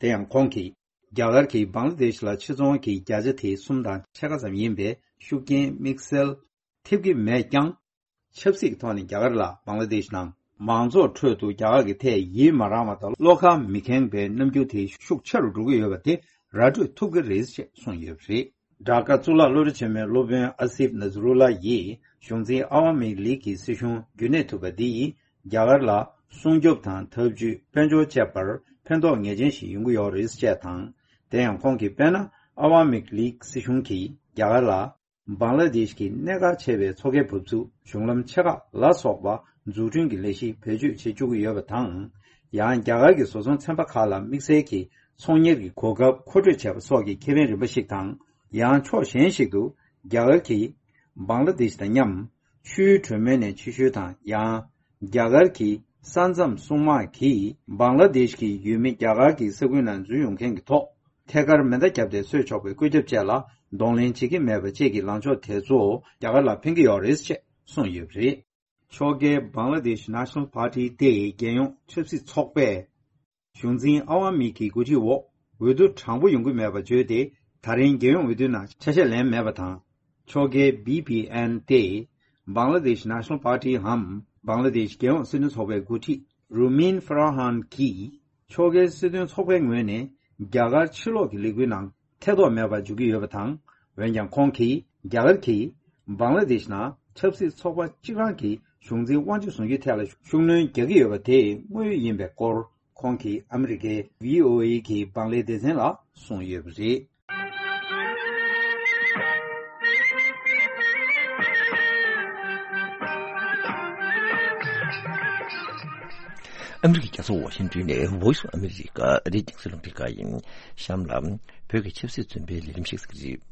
དེ་ཡང་ཁོང་གིས། རྒྱ་གར་གྱིས་བང་ལ་དེཤ་ལ་ཕྱིར་ཚོང་གི་བརྒྱ་ཆ་དེ་གསུམ་དང་ཕྱེད་ཀ་ཙམ་ཡིན་པའི་ཤུགས་རྐྱེན་དམིགས་བསལ་ཐེབས་ཀྱི་མེད་ཀྱང་། ཆབ་སྲིད་ཀྱི་ཐོག་ནས་རྒྱ་གར་ལ་བང་ལ་དེཤ་ནང་མང་ཚོགས་ཁྲོད་དུ་རྒྱ་གར་གྱི་ཐད་ཡིད་མ་རངས་པ་དང་བློ་ཁ་མི་ཁེངས་པའི་རྣམ་འགྱུར་དེ་ཤུགས་ཆེ་རུ་འགྲོ་གི་ཡོད་པ་དེ་ར་སྤྲོད་ཐུབ་ཀྱི་རེད་ཅེས་གསུངས་ཡོད་པ་རེད། ཌ་ཀ་གཙུག་ལག་སློབ་གྲྭ་ཆེན་མོའི་སློབ་དཔོན་ཨ་སིབ་ནཛ་རུ་ལ་ཡིས་གཞུང་འཛིན་ཨ་ཝ་མི་ལིག་གི་སྲིད་གཞུང་རྒྱུན་གནས་ཐུབ་པ་འདི་ཡིས་རྒྱ་གར་ལ་སྲུང་སྐྱོབ་དང་། འཐབ་ཇུས། དཔལ་འབྱོར་བཅས་པར་ཕན་ཐོགས་ངེས་ཅན་ཞིག་ཡོང་གི་ཡོད་རེད་ཅེས་དང་། དེ་ཡང་ཁོང་གིས། དཔེར་ན། ཨ་ཝ་མི་ལིག་སྲིད་གཞུང་གིས་རྒྱ་གར་ལ་བང་ལ་དེཤ་གི་གནད་འགག་ཆེ་བའི་མཚོ་ཁའི་འབབ་ཚུགས། གཞུང་ལམ་ཆེ་ཁག་ལ་སོགས་པ་འཛུགས་སྐྲུན་གྱི་ལས་གཞི་བེད་སྤྱོད་བྱེད་བཅུག་གི་ཡོད་པ་དང་། ཡང་རྒྱ་གར་གྱི་བཟོ་ཚོང་ཚན་པ་ཁག་ལ་དམིགས་བསལ་གྱི་ཚོང་གཉེར་གྱི་གོ་སྐབས་མཁོ་སྤྲོད་བྱས་པ་སོགས་ཀྱི་ཁེ་ཕན་རིམ་པ་ཞིག་དང་། ཡང་ཕྱོགས་གཞན་ཞིག་ཏུ་རྒྱ་གར་གྱིས་བང་ལ་དེཤ་དང་མཉམ་ཆུའི་གྲོས་མོལ་ནས་ཕྱི་བཤོལ་དང་། ཡང་རྒྱ་གར་གྱི་ས་མཚམས་སྲུང་དམག་གིས་བང་ལ་དེཤ་གི་ཡུལ་མི་རྒྱ་གར་གྱི་ས་ཁུལ་ནང་འཛུལ་ཡོང་མཁན་གྱི་ཐོག་ཐད་ཀར་མེ་མདའ་བརྒྱབ་སྟེ་གསོད་ཆོག་པའི་བཀོད་ཁྱབ་བཅས་ལ་གདོང་ལེན་བྱེད་ཀྱི་མེད་པ་བཅས་ཀྱི་ལངས་ཕྱོགས་དེ་ཚོ་རྒྱ་གར་ལ་ཕན་གྱི་ཡོད་རེད་ཅེས་གསུངས་ཡོད་པ་རེད། ཕྱོགས་འགལ་བང་ལ་དེཤ་ནེ་ཤ་ནལ་པར་ཊི་སྟེ་རྒྱལ་ཡོངས་ཆབ་སྲིད་ཚོགས་པས་གཞུང་འཛིན་ཨ་ཝ་མི་གི་འགོ་ཁྲིད་འོག་འོས་བསྡུ་དྲང་པོ་ཡོང་གི་མེད་པ་བརྗོད་དེ། ད་རིང་རྒྱལ་ཡོངས་འོས་བསྡུའི་ནང་ཆ་ཤས་ལེན་མེད་པ་དང་། ཕྱོགས་འགལ་བི་པི་ཨེན་སྟེ་བང་ལ་དེཤ་ནེ་ཤ་ནལ་པར་ཊི་འམ་བང་ལ་དེཤ་རྒྱལ་ཡོངས་སྲིད་དོན་ཚོགས་པའི་འགོ་ཁྲིད་རུ་མིན་ཧྥ་ར་ཧན་གྱིས། ཕྱོགས་འགལ་སྲིད་དོན་ཚོགས་པའི་ངོས་ནས་རྒྱ་གར་ཕྱིར་ལོག་གི་ལས་འགུལ་ནང་ཐེ་གཏོགས་མེད་པར་འཇུག་གི་ཡོད་པ་དང་། འོན་ཀྱང་ཁོང་གིས་རྒྱ་གར་གྱིས་བང་ལ་དེཤ་ནང་ཆབ་སྲིད་ཚོགས་པ་གཅིག་རང་གི་གཞུང་འཛིན་དབང་ཆ་བཟུང་རྒྱུའི་ཐད་ལ་ཤུགས་སྣོན་རྒྱག་གི་ཡོད་པ་དེ་དངོས་ཡོད་ཡིན་པའི་སྐོར་ཁོང་གིས་ཨ་མི་རི་ཀའི་ཝི་ཨོ་ཨེ་གི་བང་ལའི་སྡེ་ཚན་ལ་གསུངས་ཡོད་པ་རེད། ཨ་མི་རི་ཀའི་རྒྱལ་ས་ཝ་ཤིང་ཏོན་ནས་Voice of America་ཨ་རིའི་རྒྱང་སྲིང་རླུང་འཕྲིན་ཁང་ཡིན། གཤམ་ལ་བོད་ཀྱི་ཆབ་སྲིད་བཙོན་པའི་ལས་རིམ་ཞིག་གཟིགས་རིགས།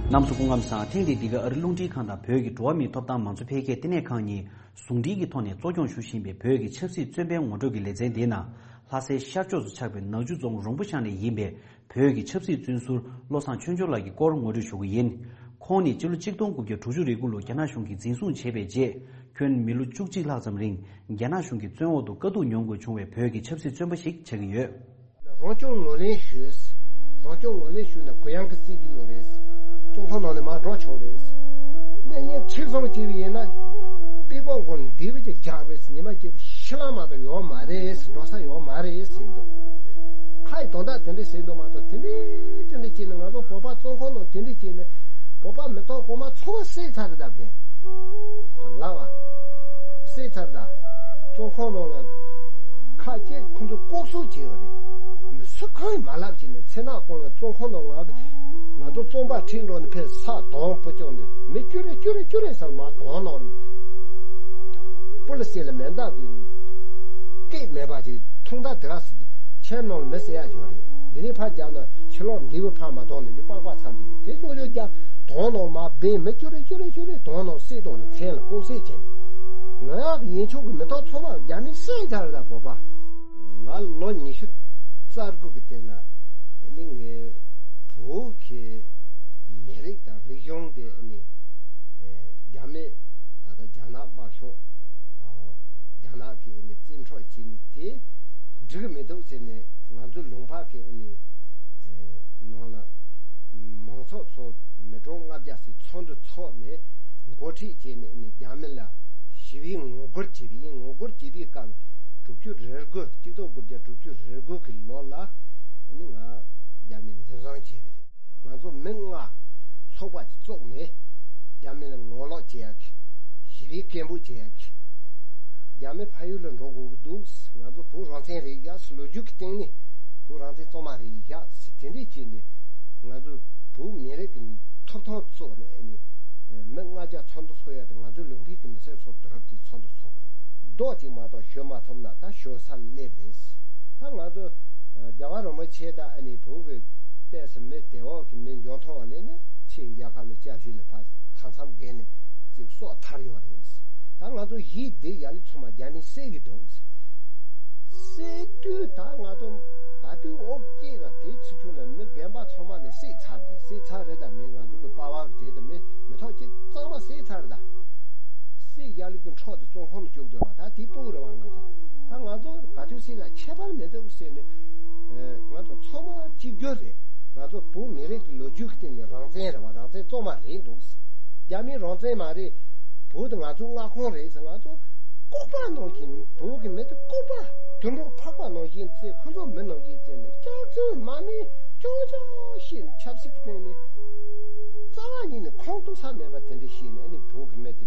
རྣམ་པ་ཚོ་སྐུ་ཁམས་བཟང་། ཐེངས་འདིའི་འདི་ག་ཨ་རི་རླུང་འཕྲིན་ཁང་དང་བོད་ཀྱི་འགྲོ་བ་མིའི་ཐོབ་ཐང་མང་གཙོ་འཕེལ་རྒྱས་ལྟེ་གནས་ཁང་གཉིས་ཟུང་འབྲེལ་གྱི་ཐོག་ནས་གཙོ་སྐྱོང་ཞུ་བཞིན་པའི་བོད་ཀྱི་ཆབ་སྲིད་བཙོན་པའི་ངོ་སྤྲོད་ཀྱི་ལེ་ཚན་འདིའི་ནང་། ལྷ་སའི་ཤར་ཕྱོགས་སུ་ཆགས་པའི་ནག་ཆུ་རྫོང་རོང་པོ་ཤང་ནས་ཡིན་པའི་བོད་ཀྱི་ཆབ་སྲིད་བཙོན་ཟུར་བློ་བཟང་ཆོས་འབྱོར་ལགས་ཀྱི་སྐོར་ངོ་སྤྲོད་ཞུ་གི་ཡིན། ཁོང་ནི་སྤྱི་ལོ་གཅིག་སྟོང་དགུ་བརྒྱ་དྲུག་ཅུ་རེ་དགུ་ལོར་རྒྱ་ནག་གཞུང་གིས་འཛིན་བཟུང་བྱས་པའི་རྗེས། ཁྱོན་མི་ལོ་བཅུ་གཅིག་ལྷག་ཙམ་རིང་རྒྱ་ནག་གཞུང་གི་བཙོན་འོག་ཏུ་དཀའ་སྡུག་མྱོང་དགོས་བྱུང་བའི་བོད་ཀྱི་ཆབ་སྲིད་བཙོན་པ་ཞིག་ཆགས་ཀྱི་ཡོད། རང་སྐྱོང་ངོས་ལེན་ཞུས། རང་སྐྱོང་ངོས་ལེན་ཞུས་ནས་གུ་ཡངས་ཀྱི་སྲིད་ཇུས་ཡོད་རེད། བཙོན་ཁང་ནང་ནས་མར་འགྲོ་ཆོག་རེད། གནས་ཉེན་ཁྲིག་སོང་བྱས་པ་ཡིན་ན། པི་ཀོང་ཁོང་འདི་བས་ཀྱི་རྒྱག་རེད། ཉི་མ་སྐྱིད་པོ་ཤི་ལ་མ་གཏོགས་ཡོད་མ་རེད། འགྲོ་ས་ཡོད་མ་རེད་ཟེར་གྱི་འདུག་ཕ་ཡི་དོན་དག་དེ་འདྲས་ཟེར་འདུག་མ་གཏོགས། དེ་འདྲས་དེ་འདྲས་བྱས་ནས་ང་ཚོ་བོད་པ་བཙོན་ཁང་ནང་དེ་འདྲས་བྱས་ནས་བོད་པ་མི་ཐོག་གོང་མ་ཚོ་བསད་ཚར་རེད་ད་གས། ལ་བ། བསད་ཚར་ད། བཙོན་ཁང་ནང་ལ་ཁ་ཅིག་ཁོང་ཚོ་ལྐོག་གསོད་བྱས་ཡོད་རེད། མི་སུ་གང་ཡང་མ་ལབ་བྱས་ནས་མཚན་ནག་ཁོང་ལ་བཙོན་ཁང་ནང་ང་ང་ཚོ་བཙོན་པ་ཁྲིད་འགྲོ་ནས་ཕེབས་ས་དོང་པོ་བཅོག་ནས་མི་ཅུ་རེ་ཅུ་རེ་ཅུ་རེ་ཟེར་མ་དོང་ནང་། པོ་ལི་སི་ལ་མེ་མདའ་གི་སྐད་མེད་པ་ཅིག་ཐུང་མདའ་དེ་ག་ཁྱིམ་ནང་ལ་མི་བསད་ཡ་ཡོད་རེད། འདི་ནས་ཕར་རྒྱབ་ན་ཕྱི་ལོགས་འདི་བུ་ཕར་མ་གཏོང་ནས་འདི་པགས་པ་ཚ་འདི་དེ་ཅོག་ཅོག་རྒྱབ་དོང་ནང་མ་སྦས་མི་ཅུ་རེ་ཅུ་རེ་ཅུ་རེ་དོང་ནང་བསད་གཏོང་ནས་མཚན་ལ་ལྐོག་བསད་བྱས་ནས་ང་ཡག་གི་ཡིན་ཆོག་གི་མི་ཐོག་ཚོ་བ་རྒྱ་མི་བསད་ཚར་ད་བོད་པ། ང་ལོ་ཉི་ཤུ་རྩ་དགུ་གི་སྟེང་ལ་ཨ་ནི་ངའི་བོད་ཀྱི་མི་རིགས་དང་རིག་གཞུང་དེ་ཨ་ནི་རྒྱ་མི་ད་ལྟ་རྒྱ་ནག་དམར་ཤོག་རྒྱ་ནག་གི་ཨ་ནི་བཙན་འཕྲོག་བྱས་ནས་དེ་འགྲིག་གི་མི་འདུག་ཟེར་ནས་ང་ཚོ་ལུང་པ་གི་ཨ་ནི་ནང་ལ་མང་ཚོགས་ཚོ་མི་གྲངས་ལྔ་བརྒྱ་ཟིག་ཚོགས་འདུ་ཚོགས་ནས་འགོ་ཁྲིད་བྱས་ནས་ཨ་ནི་རྒྱ་མི་ལ་ཞི་བའི་ངོ་རྒོལ་བྱས་པ་ཡིན། ངོ་རྒོལ་བྱས་པའི་སྐབས་ལ་དྲུག་ཅུ་རེ་དགུ་གཅིག་སྟོང་དགུ་བརྒྱ་དྲུག་ཅུ་རེ་དགུ་གི་ལོ་ལ་ཨ་ནི་ང་རྒྱ་མི་འཛིན་བཟུང་བྱས་པ་རེད། ང་ཚོ་མི་ལྔ་ཚོགས་པ་ཅིག་བཙུགས་ནས་རྒྱ་མི་ལ་ངོ་ལོག་བྱེད་ཡག་གི་ཞི་བའི་སྐད་འབོད་བྱེད་ཡག་གི་རྒྱ་མི་ཕ་ཡུལ་ལ་འགྲོ་དགོས་ཀྱི་འདུག་ང་ཚོ་བོད་རང་བཙན་རེད་ཡ་ཟེར་ལོ་རྒྱུས་ཀྱི་སྟེང་ནས་བོད་རང་བཙན་གཙང་མ་རེད་ཡ་ཟེར་དེ་འདྲས་བྱས་ནས་ང་ཚོ་བོད་མི་རིགས་ཀྱི་ཐོབ་ཐང་བཙུགས་ནས་ཨ་ནི་མི་ལྔ་བརྒྱ་ཚོགས་འདུ་ཚོགས་ཡ་དེ་ང་ཚོའི་ལུང་པའི་གི་མི་སེར་ཚོ་བསྡུ་རུབ་ཀྱིས་ཚོགས་འདུ་ཚོགས་པ་རེད། རྡོག་གཅིག་མ་གཏོགས་ཞོན་མ་ཐུབ་ན་ད་ཞོན་ས་སླེབས་རེད། ད་ང་ཚོ་རྒྱལ་བ་རིན་པོ་ཆེ་ད་ཨ་ནི་བོད་ཀྱི་ལྟས་སུ་མི་དེ་འོག་གི་མི་འཇོན་ཐང་བ་ལས་ནི་ཕྱིའི་རྒྱལ་ཁབ་ལ་སྐྱབས་བཅོལ་ལ་ཕར་མཐའ་མཚམས་བརྒལ་ནས་ཅིག་སྲོག་ཐར་ཡོད་རེད། ད་ང་ཚོ་ཡིད་བདེ་ཡ་ལི་ཚང་མ་རྒྱ་མིས་བསད་ཀྱི་འདུག་བསད་དུས་ད་ང་ཚོ་ག་དུས་ཨོ་སྐྱེས་ད་དེའི་ཚུན་ཆུང་ལ་མི་རྒན་པ་ཚང་མ་ནས་བསད་ཚར་རེད། བསད་ཚར་རེད་ད་མི་ང་ཚོ་གི་པ་ཕ་གི་རེད་ད་མི་མི་ཐོག་ཅིག་གཙང་མ་བསད་ཚར་རེད་ད། སྲིད་ཡ་ལི་ཀུན་འཕྲོག་དེ་བཙོན་ཁང་ནང་བཅུག་འདོད་པ་ད་དེ་སྤུ་གུ་རེད་བ། ང་ཚོ་ད་ང་ཚོ་ག་དུས་སྲིད་ལ་ཁྱད་པར་མི་འདུག་ཟེར་ནས་ང་ཚོ་ཚང་མ་གཅིག་གྱུར་རེད། ང་ཚོ་བོད་མི་རིགས་ཀྱི་ལོ་རྒྱུས་ཀྱི་སྟེང་ནས་རང་བཙན་རེད་བ། རང་བཙན་གཙང་མ་རེད་འདུག་རྒྱ་མིའི་རང་བཙན་མ་རེད། བོད་དེ་ང་ཚོའི་མངའ་ཁོངས་རེད་ཟེར། ང་ཚོ་ལྐུགས་པ་ནང་བཞིན་བོད་ཀྱི་མི་དེ་ལྐུགས་པ་དུད་འགྲོ་ཕག་པ་ནང་བཞིན་བརྩི། ཁོ་ཚོ་མི་ནང་བཞིན་བརྩི་ནས་སྐྱག་རྫུན་མ་ནི་ཅོ་ཅོ་ཞེས་ནས་ཆབ་སྲིད་ཀྱི་སྟེང་ནས་རྩ་བ་ཉིད་ནས་ཁོང་གཏུག་ས་མེད་པ་དེ་འདྲ་ཞིག་ནས་ཨ་ནི་བོད་ཀྱི་མི་དེ་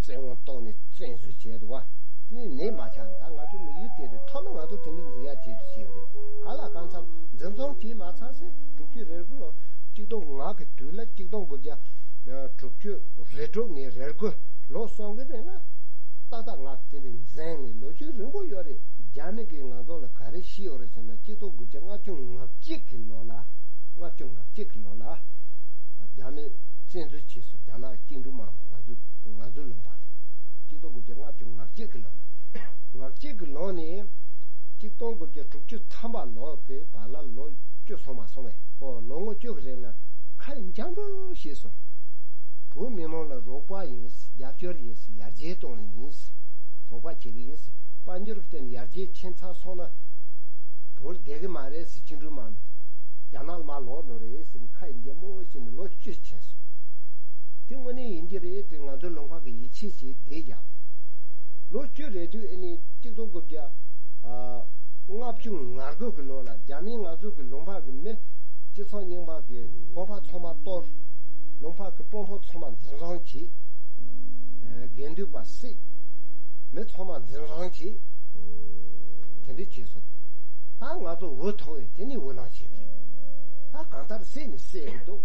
བཙན་དབང་བཏང་ནས་བཙན་བཟུང་བྱས་འདུག་བ། དེ་ནས་ནད་མ་ཆགས་ནས་ད་ང་ཚོ་མི་ཡུལ་དེ་རེད། ཐོག་མ་ང་ཚོ་དེ་འདྲ་འཛིན་ཡ་བྱེད་རྒྱུ་བྱས་པ་རེད། ག་ལ་གང་འཚམ་འཛིན་བཟུང་བྱས་མ་ཚར་སེ་དྲུག་ཅུ་རེ་དགུ་ལོ་གཅིག་སྟོང་ལྔ་གི་དུས་ལ་གཅིག་སྟོང་དགུ་བརྒྱ་དྲུག་ཅུ་རེ་དྲུག་ནས་རེ་དགུ་ལོ་གསུམ་གི་རིང་ལ་ཏག་ཏག་ང་དེ་འདྲ་འཛིན་ནས་ལོ་རྒྱུས་རིང་པོ་ཡོད་རེད། རྒྱ་མི་གིས་ང་ཚོ་ལ་ག་རེ་བྱས་ཡོད་རེད་ཟེར་ན་གཅིག་སྟོང་དགུ་བརྒྱ་ལྔ་བཅུ་ང་གཅིག་གི་ལོ་ལ་ལྔ་བཅུ་ང་གཅིག་གི་ལོ་ལ་རྒྱ་མི་བཙན་འཛུལ་བྱས་སོང་། རྒྱ་ནག་བཅིངས་འགྲོལ་དམག་མི་ང་ཚོའི་ང་ཚོའི་ལུང་པ་ལ་གཅིག་སྟོང་དགུ་བརྒྱ་ལྔ་བཅུ་ང་གཅིག་གི་ལོ་ལ། ང་གཅིག་གི་ལོ་ནས་གཅིག་སྟོང་དགུ་བརྒྱ་དྲུག་ཅུ་ཐམ་པ་ལོ་གི་བར་ལ་ལོ་བཅུ་སོང་མ་སོང་བས། ཨོ་ལོ་ངོ་བཅུ་གི་རིང་ལ་ཁ་འཇམ་པོ་བྱས་སོང་། བོད་མི་མང་ལ་རོགས་པ་ཡིན། རྒྱབ་སྐྱོར་ཡིན། ཡར་རྒྱས་གཏོང་ལ་ཡིན། རོགས་པ་བྱེད་གི་ཡིན། དཔལ་འབྱོར་གྱི་སྟེང་ནས་ཡར་རྒྱས་ཕྱིན་ཚར་སོང་ན་བོད་བསྡད་གི་མ་རེད་ཟེར། བཅིངས་འགྲོལ་དམག་མི་རྒྱ་ནག་ལ་མར་ལོག་འགྲོ་རེད་ཟེར་ནས་ཁ་ཡི་འཇམ་པོ་བྱས་ནས་ལོ་བཅུ་ཕྱིན་སོང་། དེ་དངོས་གནས་ཡིན་གྱི་རེད་དེ་ང་ཚོའི་ལུང་པ་གི་ཡིད་ཆེས་བྱས་བསྡད་ཀྱང་། ལོ་བཅུ་རེ་དུས་ཨ་ནི་གཅིག་སྟོང་དགུ་བརྒྱ་ལྔ་བཅུ་ང་དགུ་གི་ལོ་ལ་རྒྱ་མིས་ང་ཚོ་གི་ལུང་པ་གི་མི་སྤྱི་ཚོགས་རྙིང་པ་གི་གོམ་པ་ཚང་མ་གཏོར། ལུང་པ་གི་དཔོན་པོ་ཚང་མ་འཛིན་བཟུང་བྱས། དགེ་འདུན་པ་བསད། མི་ཚང་མ་འཛིན་བཟུང་བྱས། དེ་འདྲ་བྱས་སོང་། ད་ང་ཚོ་འུ་ཐུག་ཡོད་དེ་ནི་འུ་ལངས་བྱས་པ་རེད། ད་གང་ལྟར་བསད་ནི་བསད་ཀྱི་འདུག་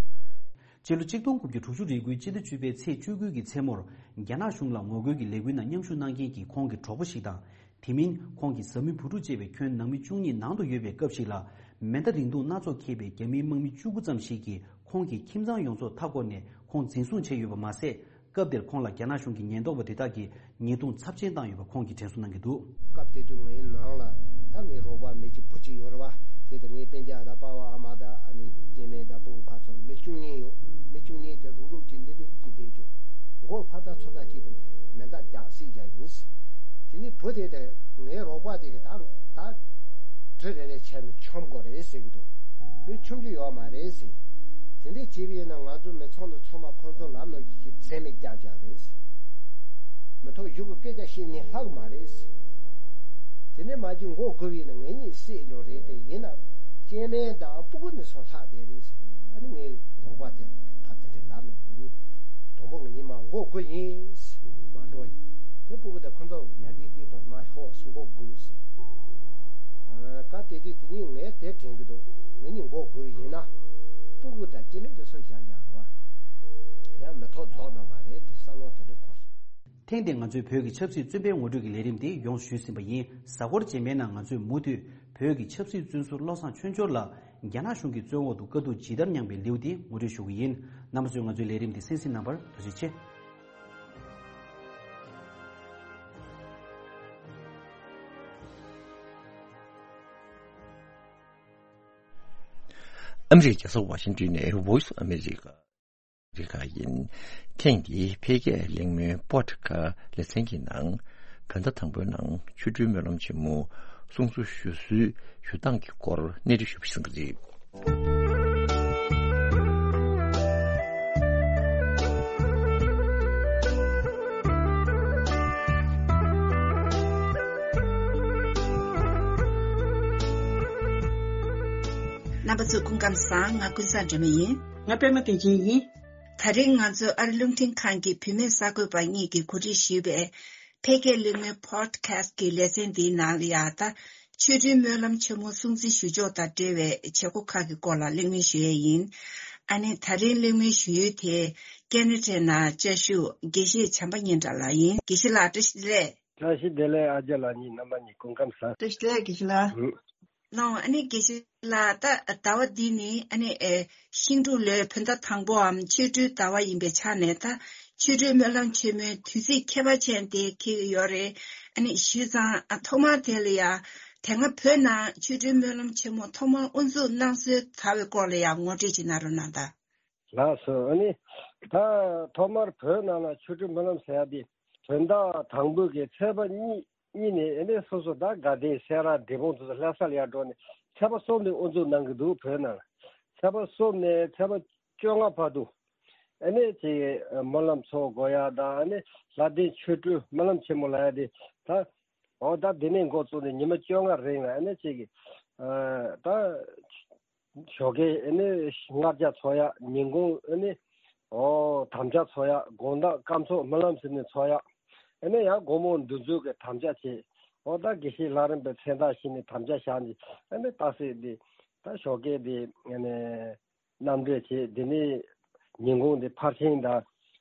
སྤྱི་ལོ་གཅིག་སྟོང་དགུ་བརྒྱ་དྲུག་ཅུ་རེ་དགུའི་སྤྱི་ཟླ་བཅུ་པའི་ཚེས་བཅུ་དགུ་གི་མཚན་མོར་རྒྱ་ནག་གཞུང་ལ་ངོ་རྒོལ་གྱི་ལས་འགུལ་ནང་མཉམ་ཞུགས་གནང་མཁན་གྱི་ཁོང་གི་གྲོགས་པོ་ཞིག་དང་། དེ་མིན་ཁོང་གི་བཟའ་མི་བུ་ཕྲུག་བཅས་པའི་ཁྱོན་ནང་མི་བཅུ་གཉིས་ནང་དུ་ཡོད་པའི་སྐབས་ཤིག་ལ་མེ་མདའ་རིང་ཐུང་སྣ་ཚོགས་འཁྱེར་བའི་རྒྱ་མིའི་དམག་མི་བཅུ་དགུ་ཙམ་ཞིག་གིས་ཁོང་གི་ཁྱིམ་ཚང་ཡོངས་རྫོགས་མཐའ་བསྐོར་ནས་ཁོང་འཛིན་བཟུང་བྱས་ཡོད་པ་མ་ཟད། སྐབས་དེར་ཁོང་ལ་རྒྱ་ནག་གཞུང་གི་ཉེན་རྟོག་པ་དེ་དག་གིས་ཉེས་རྡུང་ཚབས་ཆེན་བཏང་ཡོད་པ་ཁོང་གིས་དྲན་གསོ་གནང་གི་འདུག་སྐབས་དེ་དུས་ངའི་ནང་ལ་ད་ངའི་རོགས་པ་མི་གཅིག་བུ་གཅིག་ཡོད་རེད་བ། དེ་ལྟར་ངའི་སྤུན་ཀྱག་དང་པ་ཕ་ཨ་མ་དང་ཨ་ནེ་སྐྱེ་དམན་དང་སྤུ་གུ་ཕར་ཚུར་མི་བཅུ་གཉིས་ཡོད། མི་བཅུ་གཉིས་དེ་རུག་རུག་གཅིག་འདི་འདྲ་གཅིག་བསྡད་བཅུག་མགོ་ཕར་ལྟ་ཚུར་ལྟ་གཅིག་དང་མེ་མདའ་རྒྱག་སྲིད་བཞག་ཡིན། དེ་ནས་བུ་དེ་དང་ངའི་རོགས་པ་དེ་གིས་ད་ད་གྲི་རེ་རེ་བྱས་ནས་མཆོང་དགོས་རེད་ཟེར་གྱི་འདུག་མི་མཆོང་རྒྱུ་ཡོད་མ་རེད་ཟེར། དེ་འདྲ་བྱས་པ་ཡིན་ན་ང་ཚོ་མི་ཚང་དང་ཚང་མ་ཁོང་ཚོ་ལམ་ནང་གི་ཁྱི་འཛེམ་མེད་རྒྱབ་བཞག་རེད། མི་ཐོག་གཞུག་གི་སྐད་ཆ་བཤད་ནས་ལྷག་མ་རེད། དེ་ནས་མ་གྱུར་མགོ་སྒུར་བས་ན་ངེད་གཉིས་བསད་འགྲོ་རེད། དེ་ཡིན་ན་སྐྱེ་དམན་དང་སྤུ་གུ་ནི་སོང་ལྷག་བསྡད་རེད་ཟེར། ཨ་ནི་ངའི་རོགས་པ་དེ་ད་དེ་འདྲའི་ལབ་ནས་ངེད་གཉིས་དང་པོ་ངེད་གཉིས་མ་མགོ་སྒུར་ཡིན་ཟེར། མ་འགྲོ་ཡིན། དེ་སྤུ་གུ་དང་ཁོ་ཚོ་ཡར་རྒྱས་སྐྱེས་དང་མ་ཤོག་ཟེར་མགོ་སྒུར་ཟེར། ཨ་ཀ་དེ་དུས་དེ་གཉིས་ངས་དེ་དྲན་གི་འདུག་ངེད་གཉིས་མགོ་སྒུར་ཡིན་ན་སྤུ་གུ་དང་སྐྱེ་དམན་དེ་ཚོ་བཞག་ཡག་རེད་བ། ཡང་མི་ཐོག་རྫོགས་ནོ་མ་རེད་དེ་བསམ་བློ་དེ་འདྲ་འཁོར་སོང་། ཐེངས་འདིར་ང་ཚོས་བོད་ཀྱི་ཆབ་སྲིད་བཙོན་པའི་ངོ་སྤྲོད་ཀྱི་ལས་རིམ་དེ་ཡོངས་སུ་ཞུས་ཟིན་པ་ཡིན། གཟའ་འཁོར་རྗེས་མའི་ནང་ང་ཚོས་མུ་མཐུད་བོད་ཀྱི་ཆབ་སྲིད་བཙོན་ཟུར་བློ་བཟང་ཆོས་འབྱོར་ལགས་རྒྱ་ནག་གཞུང་གི་བཙོན་འོག་ཏུ་དཀའ་སྡུག་ཇི་ལྟར་མྱངས་པའི་ལེའུ་དེ་ངོ་སྤྲོད་ཞུ་གི་ཡིན། རྣམ་པ་ཚོས་ང་ཚོའི་ལས་རིམ་དེ་གསན་གཟིགས་གནང་བར་ཐུགས་རྗེ་ཆེ། ཨ་མི་རི་ཀའི་རྒྱལ་ས་ཝ་ཤིང་ཏོན་ནས་Voice of America རི་ཁག་ཡིན། ཐེངས་འདིའི་འཕེལ་རྒྱས་གླེང་མོལ་པོ་ཌི་ཁ་སི་ཊི་ལེ་ཚན་གྱི་ནང་བོད་ཟླ་དང་པོའི་ནང་ཆོ་འཕྲུལ་སྨོན་ལམ་ཆེན་མོ་སྲུང་བརྩི་ཞུ་སྲོལ་ཞུ་སྟངས་ཀྱི་སྐོར་གནས་འདྲི་ཞུས་པ་ཞིག་རེད། རྣམ་པ་ཚོ་སྐུ་ཁམས་བཟང་། ང་ཀུན་བཟང་སྒྲོལ་མ་ཡིན། ང་པད་མ་བདེ་ཆེན་ཡིན། ད་རིང་ང་ཚོ་ཨ་རི་རླུང་འཕྲིན་ཁང་གི་བུད་མེད་གསར་འགོད་པ་གཉིས་ཀྱིས་གོ་སྒྲིག་ཞུས་པའི་འཕེལ་རྒྱས་གླེང་མོལ་པོ་ཌི་ཁ་སི་ཊི་གི་ལེ་ཚན་འདིའི་ནང་ལ་ཡང་ད་ཆོ་འཕྲུལ་སྨོན་ལམ་ཆེན་མོ་སྲུང་བརྩི་ཞུ་ཕྱོགས་དང་འབྲེལ་བའི་བྱེད་སྒོ་ཁག་གི་སྐོར་ལ་གླེང་མོལ་ཞུ་ཡས་ཡིན། ཨ་ནི་ད་རིང་གླེང་མོལ་ཞུ་ཡུལ་དེ་ཀེ་ན་ཌའི་ནང་བཅའ་བཞུགས་དགེ་བཤེས་བྱམས་པ་སྙན་གྲགས་ལགས་ཡིན། དགེ་བཤེས་ལགས་བཀྲ་ཤིས་བདེ་ལེགས། བཀྲ་ཤིས་བདེ་ལེགས། ཨ་ཅག་ལགས་གཉིས་རྣམ་པ་གཉིས་སྐུ་ཁམས་བཟང་། བཀྲ་ཤིས་བདེ་ལེགས་དགེ་བཤེས་ལགས། ཨུ། ལགས་འོང་། ཨ་ནི་དགེ་བཤེས་ལགས། ད་ཟླ་བ་འདི་ནི་ཨ་ནི་ཨེ་ཤིང་འབྲུག་ལོའི་བོད་ཟླ་དང་པོའམ་ཆོ་འཕྲུལ་ཟླ་བ་ཡིན་པའི་ཆ་ནས་ད་ཆོ་འཕྲུལ་སྨོན་ལམ་ཆེན་མོའི་དུས་ཚིགས་ཁྱད་པར་ཅན་དེ་འཁེལ་གྱི་ཡོད་རེད། ཨ་ནི་བྱས་ཙང་ཨ་ཐོག་མར་དེ་ལ་ཡ་དེ་སྔ་བོད་ནང་ཆོ་འཕྲུལ་སྨོན་ལམ་ཆེན་མོ་ཐོག་མར་དབུ་འཛུགས་གནང་སྲོལ་དར་བའི་སྐོར་ལ་ཡ་ངོ་སྤྲོད་ཅིག་གནང་རོགས་གནང་དང་། ལགས་སོ། ཨ་ནི་ད་ཐོག་མར་བོད་ནང་ལ་ཆོ་འཕྲུལ་སྨོན་ལམ་ཟེར་ཡ་དེ་བོད་ཟླ་དང་པོའི་གི་ཚེས་པ་གཉིས་གཉིས་ནས་ཨ་ནི་སོ་སོ་ད་དགའ་ལྡན་སེ་ར་འབྲས་སྤུངས་དེ་ཚོ་ལྷ་སར་ཡར་འགྲོ་ནས་ཚེས་པ་གསུམ་ནས་དབུ་འཛུགས་གནང་གི་འདུག་བོད་ནང་ལ། ཚེས་པ་གསུམ་ནས་ཚེས་པ་བཅོ་ལྔ་བར་དུ་ཨ་ནི་ཅིག་སྨོན་ལམ་ཚོགས་དགོས་ཡ་དང་། ཨ་ནི་ལྷ་ལྡན་ཆོ་འཕྲུལ་སྨོན་ལམ་ཆེན་མོ་ལབ་ཡ་དེ་ད་འོ་ད་འདི་ནས་འགོ་བཙུགས་ནས་ཉི་མ་བཅོ་ལྔ་རིང་ལ་ཨ་ནི་ཅིག་ཨ་ད་ཞོགས་ཀས་ཨ་ནི་ལྔ་བརྒྱ་ཚོགས་ཡ། ཉིན་གུང་ཨ་ནི་འོ་དམ་བཅའ་ཚོགས་ཡ། དགོང་དག་སྐར་ཚོགས་སྨོན་ལམ་ཟེར་ནས་ཚོགས་ཡ། ཨ་ནི་ཡང་དགོང་མོ་འདུ་འཛོམས་ཀྱི་དམ་བཅའ་བྱེད། འོ་ད་དགེ་བཤེས་ལྷ་རམས་པའི་མཚན་རྟགས་བཞེས་ནས་དམ་བཅའ་བཞག་ནས་ཨ་ནི་རྟགས་གསལ་འདི་ད་ཞོགས་ཀས་འདི་ཨ་ནི་རྣམ་འགྲེལ་བྱེད། འདི་ནས་ཉིན་གུང་འདི་ཕར་ཕྱིན་དང་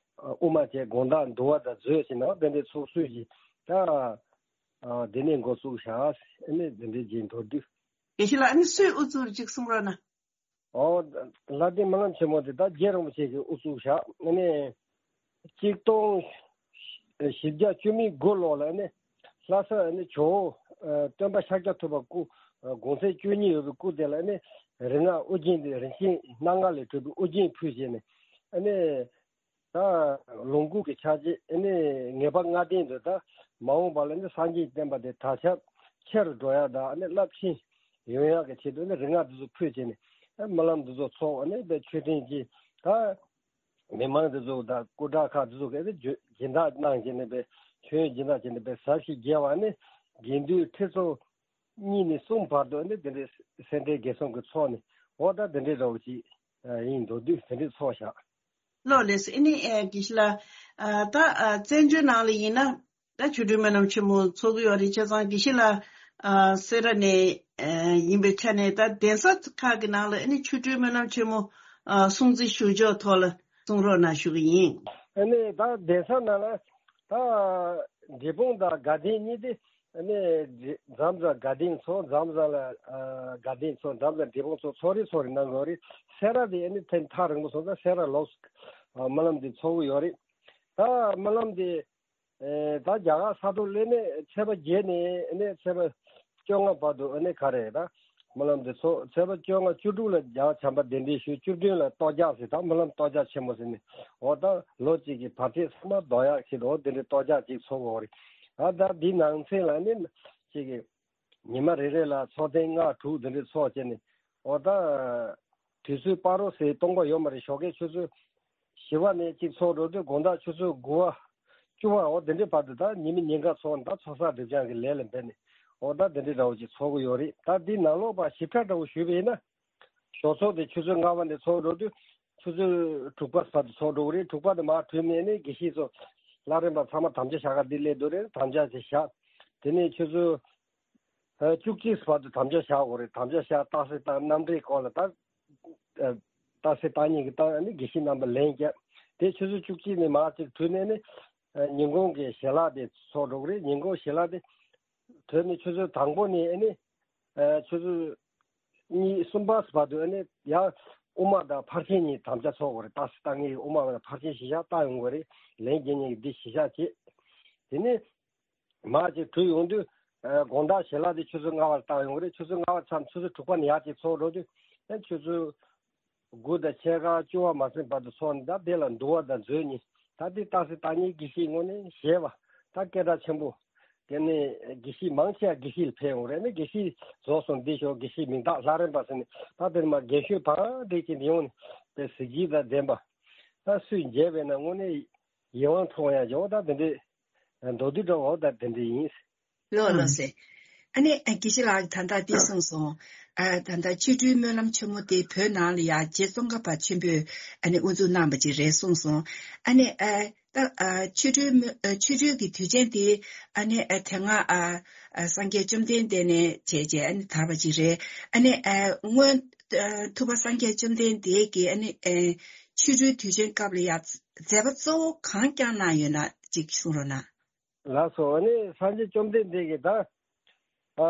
དབུ་མ་བྱས། དགོང་དག་འདུལ་བ་དང་མཛོད་ཟེར་ནས་འོ་དེ་འདྲའི་ཚོགས་སྲོལ་ཞིག་ད་འདི་ནས་འགོ་བཙུགས་བཞག་ཨ་ནི་འདི་འདྲའི་རྗེས་མདོར་བསྡུས། དགེ་བཤེས་ལགས། ཨ་ནི་སུས་དབུ་བཙུགས་ཅིག་གསུང་རོགས་གནང་། ཨོ། ལྷ་ལྡན་སྨོན་ལམ་ཆེན་མོ་དེ་ད་རྗེ་རིན་པོ་ཆེ་གིས་དབུ་བཙུགས་བཞག་ཨ་ནི་གཅིག་སྟོང་བཞི་བརྒྱ་བཅུ་མེད་དགུ་ལོ་ལ་ཨ་ནི་ལྷ་ས་ཨ་ནི་ཇོ་བོ་སྟོན་པ་ཤཱཀྱ་ཐུབ་པ་སྐུ་དགོངས་མཛད་བཅུ་གཉིས་ཡོད་པའི་སྐུ་དེ་ལ་ཨ་ནི་རིག་སྔགས་ཨོ་རྒྱན་དེ་རིན་ཆེན་སྣ་ལྔ་ལས་གྲུབ་པའི་ཨོ་རྒྱན་ཕུལ་བྱས་ནས་ཨ་ནི། ད་ལོངས་སྐུ་གི་ཕྱག་རྗེས་ཨ་ནི་ངེས་པ་ལྔ་ལྡན་དུ་ད་མ་འོངས་པ་ལ་ནི་སངས་རྒྱས་བསྟན་པ་དེ་དར་ཁྱབ་ཆེ་རུ་འགྲོ་ཡག་དང་ཨ་ནི་རླབས་ཆེན་ཡོང་ཡག་གི་ཆེད་དུ་ནི་རིག་སྔགས་འདི་ཚོ་ཕུལ་བྱས་ནས་ཨ་སྨོན་ལམ་འདི་ཚོ་ཚོགས། ཨ་ནི་དཔེ་མཆོད་རྟེན་གྱི་ད་མི་མང་འདི་ཚོ་དང་སྐུ་དྲག་ཁག་འདི་ཚོ་གིས་ཨ་ནི་སྦྱིན་བདག་གནང་བྱས་ནས་དཔེ་མཆོད་ཡོན་སྦྱིན་བདག་བྱས་ནས་དཔེ་ཟབ་ཞི་རྒྱས་པ། ཨ་ནི་དགེ་འདུན་ཁྲི་ཚོ་གཉིས་ནས་གསུམ་བར་དུ་ཨ་ནི་དེ་འདྲའི་སེ་འབྲས་དགེ་གསུམ་གྱི་ཚོགས་ནི་འོ་ད་དེ་འདྲའི་འདྲ་བོ་ཅིག་ཡིན་མདོར་བསྡུས་དེ་འདྲའི་ཚོགས་བཞག་ལགས་ལགས་སོ། ཨ་ནི་ཨེ་དགེ་བཤེས་ལགས། ཨ་ད་ཨ་བཙན་བྱོལ་ནང་ལ་ཡིན་ན་ད་ཆོ་འཕྲུལ་སྨོན་ལམ་ཆེན་མོ་ཚོགས་ཀྱི་ཡོད་རེད། བྱས་ཙང་དགེ་བཤེས་ལགས་ཨ་སེ་ར་ནས་ཨ་ཡིན་པའི་ཆ་ནས་ད་གདན་ས་ཁག་གི་ནང་ལ་ཨ་ནི་ཆོ་འཕྲུལ་སྨོན་ལམ་ཆེན་མོ་ཨ་སྲུང་བརྩི་ཞུ་ཕྱོགས་ཐོག་ལ་གསུང་རོགས་གནང་ཞུ་གི་ཡིན། ཨ་ནི་ད་གདན་ས་ནང་ལ་ད་འབྲས་སྤུངས་དང་དགའ་ལྡན་གཉིས་དེ། ཨ་ནི་འཛམ་བཟང་དགའ་ལྡན་ཚོགས། འཛམ་བཟང་ལ་ཨ་དགའ་ལྡན་ཚོགས། འཛམ་བཟང་འབྲས་སྤུངས་ཚོགས། ཚོགས་རེ་ཚོགས་རེ་གནང་དགོས་རེད། སེ་ར་དེ་ཨ་ནི་ཐེངས་ཐག་རིང་པོ་སོང་ཙང་སེ་ར་ལོགས་སུ་ཨ་སྨོན་ལམ་དེ་ཚོགས་ཀྱི་ཡོད་རེད། ད་སྨོན་ལམ་དེ་ཨེ་ད་རྒྱ་གར་ས་ཐོག་སླེབས་ནས་ཚེས་པ་བརྒྱད་ནས་ཨ་ནི་ཚེས་པ་བཅོ་ལྔ་བར་དུ་ཨ་ནི་ག་རེ་ད་སྨོན་ལམ་དེ་ཚོགས། ཚེས་པ་བཅོ་ལྔ་བཅུ་དྲུག་ལ་རྒྱལ་བ་བྱམས་པ་གདན་འདྲེན་ཞུས། བཅུ་བདུན་ལ་གཏོར་རྒྱག་ཟེར། ད་སྨོན་ལམ་གཏོར་རྒྱག་ཆེན་མོ་ཟེར་ནས་འོ་ད་ལོ་གཅིག་གི་བར་ཆད་ཚང་མ་ཟློག་ཡག་ཆེད་དུ་འོ་དེ་འདྲའི་གཏོར་རྒྱག་ཅིག་ཚོགས་ཀྱི་ཡོད་རེད། ཨ་ད་འདི་ནང་ཚན་ལ་ནི་ཅིག་གི་ཉི་མ་རེ་རེ་ལ་ཚོགས་ཐེངས་ལྔ་དྲུག་དེ་འདྲའི་ཚོགས་བྱས་ནས་འོ་ད་དུས་ཚོད་སྤ་རོ་ཟེར་སྟོང་པ་ཡོད་མ་རེད། ཞོགས་ཀས་ཆུ་ཚོད་བཞི་པ་ནས་གཅིག་ཚོགས་འགྲོ་དུས་དགོང་དག་ཆུ་ཚོད་དགུ་པ་བཅུ་པ་འོ་དེ་འདྲའི་བར་དུ་ད་ཉི་མ་ཉིན་གང་ཚོགས་ནས་ད་ཚོགས་བསགས་སྒྲིབ་སྦྱང་གི་ལས་ལ་འབད་ནས་ འོ་ད་དེ་འདྲའི་འདྲ་བོ་ཅིག་ཚོགས་ཀྱི་ཡོད་རེད། ད་འདི་ནང་ལོགས་པ་ཞིབ་ཕྲ་འདྲ་བོ་ཞུས་པ་ཡིན་ན། ཞོགས་ཚོགས་དེ་ཆུ་ཚོད་ལྔ་པ་ནས་ཚོགས་འགྲོ་དུས་ཆུ་ཚོད་དྲུག་པ་བར་དུ་ཚོགས་འགྲོ་གི་རེད། དྲུག་པ་དེ་མར་གྲོལ་ནས་ནས་དགེ་བཤེས་ཚོ་ལྷ་རམས་པ་ཚང་མ་དམ་བཅའ་བཞག་ག་འདི་སླེབས་འདུག་རེད། དམ་བཅའ་དེ་བཞག་དེ་ནས་ཆུ་ཚོད་ཨ་བཅུ་གཅིག་བར་དུ་དམ་བཅའ་བཞག་དགོས་རེད། དམ་བཅའ་བཞག་རྟགས་གསལ་བཏང་། གནམ་གྲུའི་སྐོར་ལ་ད་ཨ་རྟགས་གསལ་བཏང་མཁན་གྱིས་བཏང་། ཨ་ནི་དགེ་བཤེས་རྣམ་པ་ལན་བརྒྱབ། དེ་ཆུ་ཚོད་བཅུ་གཅིག་ནས་མར་ཅིག་གྲོལ་ནས་ནི་ཨ་ཉིན་གུང་གི་ཞལ་ལག་དེ་ཚོགས་འགྲོ་གི་རེད། ཉིན་གུང་ཞལ་ལག་དེ་གྲོལ་ནས་ཆུ་ཚོད་དང་པོ་ནས་ཨ་ནི་ཨ་ཆུ་ཚོད་གཉིས་གསུམ་པ་བར་དུ་ཨ་ནི་ཡང་དབུ་མ་དང་ཕར་ཕྱིན་གཉིས་དམ་བཅའ་ཚོགས་དགོས་རེད། རྟགས་གསལ་བཏང་མཁན་གྱིས་དབུ་མ་དང་ཕར་ཕྱིན་གཞིར་བཞག་བཏང་ཡོང་དགོས་རེད། ལན་རྒྱག་མཁན་གྱིས་འདི་གཞིར་བཞག་བྱེད། དེ་ནས་མར་ཅིག་གྲོལ་ཡོང་དུས་ཨ་དགོང་དག་ཞལ་ལག་དེ་ཆུ་ཚོད་ལྔ་པར་བཏང་ཡོང་གི་རེད། ཆུ་ཚོད་ལྔ་པ་མཚམས་ཆུ་ཚོད་དྲུག་པ་ནས་ཡར་ཅིག་ཚོགས་འགྲོ་དུས་ཨ་ཆུ་ཚོད་དགུ་དང་ཕྱེད་ཀ་བཅུ་པ་མ་ཟིན་བར་དུ་ཚོགས་ནས། ད་དེ་ལ་འདུལ་བ་དང་མཛོད་གཉིས། ད་དེ་རྟགས་གསལ་བཏང་མཁན་དགེ་བཤེས་ངོས་ནས་ཞེས་པ་ད་སྐད་གྲགས་ཆེན་པོ། དེ་ནས་དགེ་བཤེས་མང་ཆེ་བ་དགེ་བཤེས་ལ་ཕེབས་ཡོང་རེད། ནི་དགེ་བཤེས་རྫོགས་སོང་འདི་ཞོག་དགེ་བཤེས་མིང་རྟགས་ལྷ་རམས་པ་ཟེར་ནས། ད་དེ་ནས་མར་རྒན་ཤོས་བག་འདྲེས་ཀྱི་ཡོང་ནས་དེ་གཟི་བརྗིད་དང་ལྡན་པ། ད་སུས་མཇལ་བས་ན་དངོས་གནས་ཡིད་དབང་འཕྲོག་ཡ་ཡོད། ད་དེ་འདྲའི་མདོར་བསྡུས་འདྲ་བོ་ད་དེ་འདྲ་ཡིན། ལགས་ལགས་སེ། ཨ་ནི་ཨ་དགེ་བཤེས་ལགས་ད་ལྟ་འདི་གསུངས་སོང་། ཨ་ད་ལྟ་ཆོ་འཕྲུལ་སྨོན་ལམ་ཆེན་མོ་དེ་བོད་ནང་ལ་ཡང་རྗེ་ཙོང་ཁ་པ་ཆེན་པོས་ཨ་ནི་དབུ་འཛུགས་གནང་བ་ཅིག་རེད་གསུངས་སོང་། ཨ་ནི་ཨ་ད་ཨ་ཆོ་འཕྲུལ་སྨོན་ཨ་ཆོ་འཕྲུལ་གྱི་དུས་ཆེན་དེ་ཨ་ནི་ཨ་དེ་སྔ་ཨ་ཨ་སངས་རྒྱས་བཅོམ་ལྡན་འདས་ནས་བྱས་བྱས་ཨ་ནི་དར་བ་ཅིག་རེད། ཨ་ནི་ཨ་སྔོན་ཨ་ཐུབ་པ་སངས་རྒྱས་བཅོམ་ལྡན་འདས་ཀྱིས་ཨ་ནི་ཨ་ཆོ་འཕྲུལ་དུས་ཆེན་སྐབས་ལ་ཡང་མཛད་པ་གཙོ་བོ་གང་བསྐྱངས་གནང་ཡོད་ན་ཅིག་གསུང་རོགས་གནང་། ལགས་སོ། ཨ་ནི་སངས་རྒྱས་བཅོམ་ལྡན་འདས་ཀྱིས་ད་ཨ་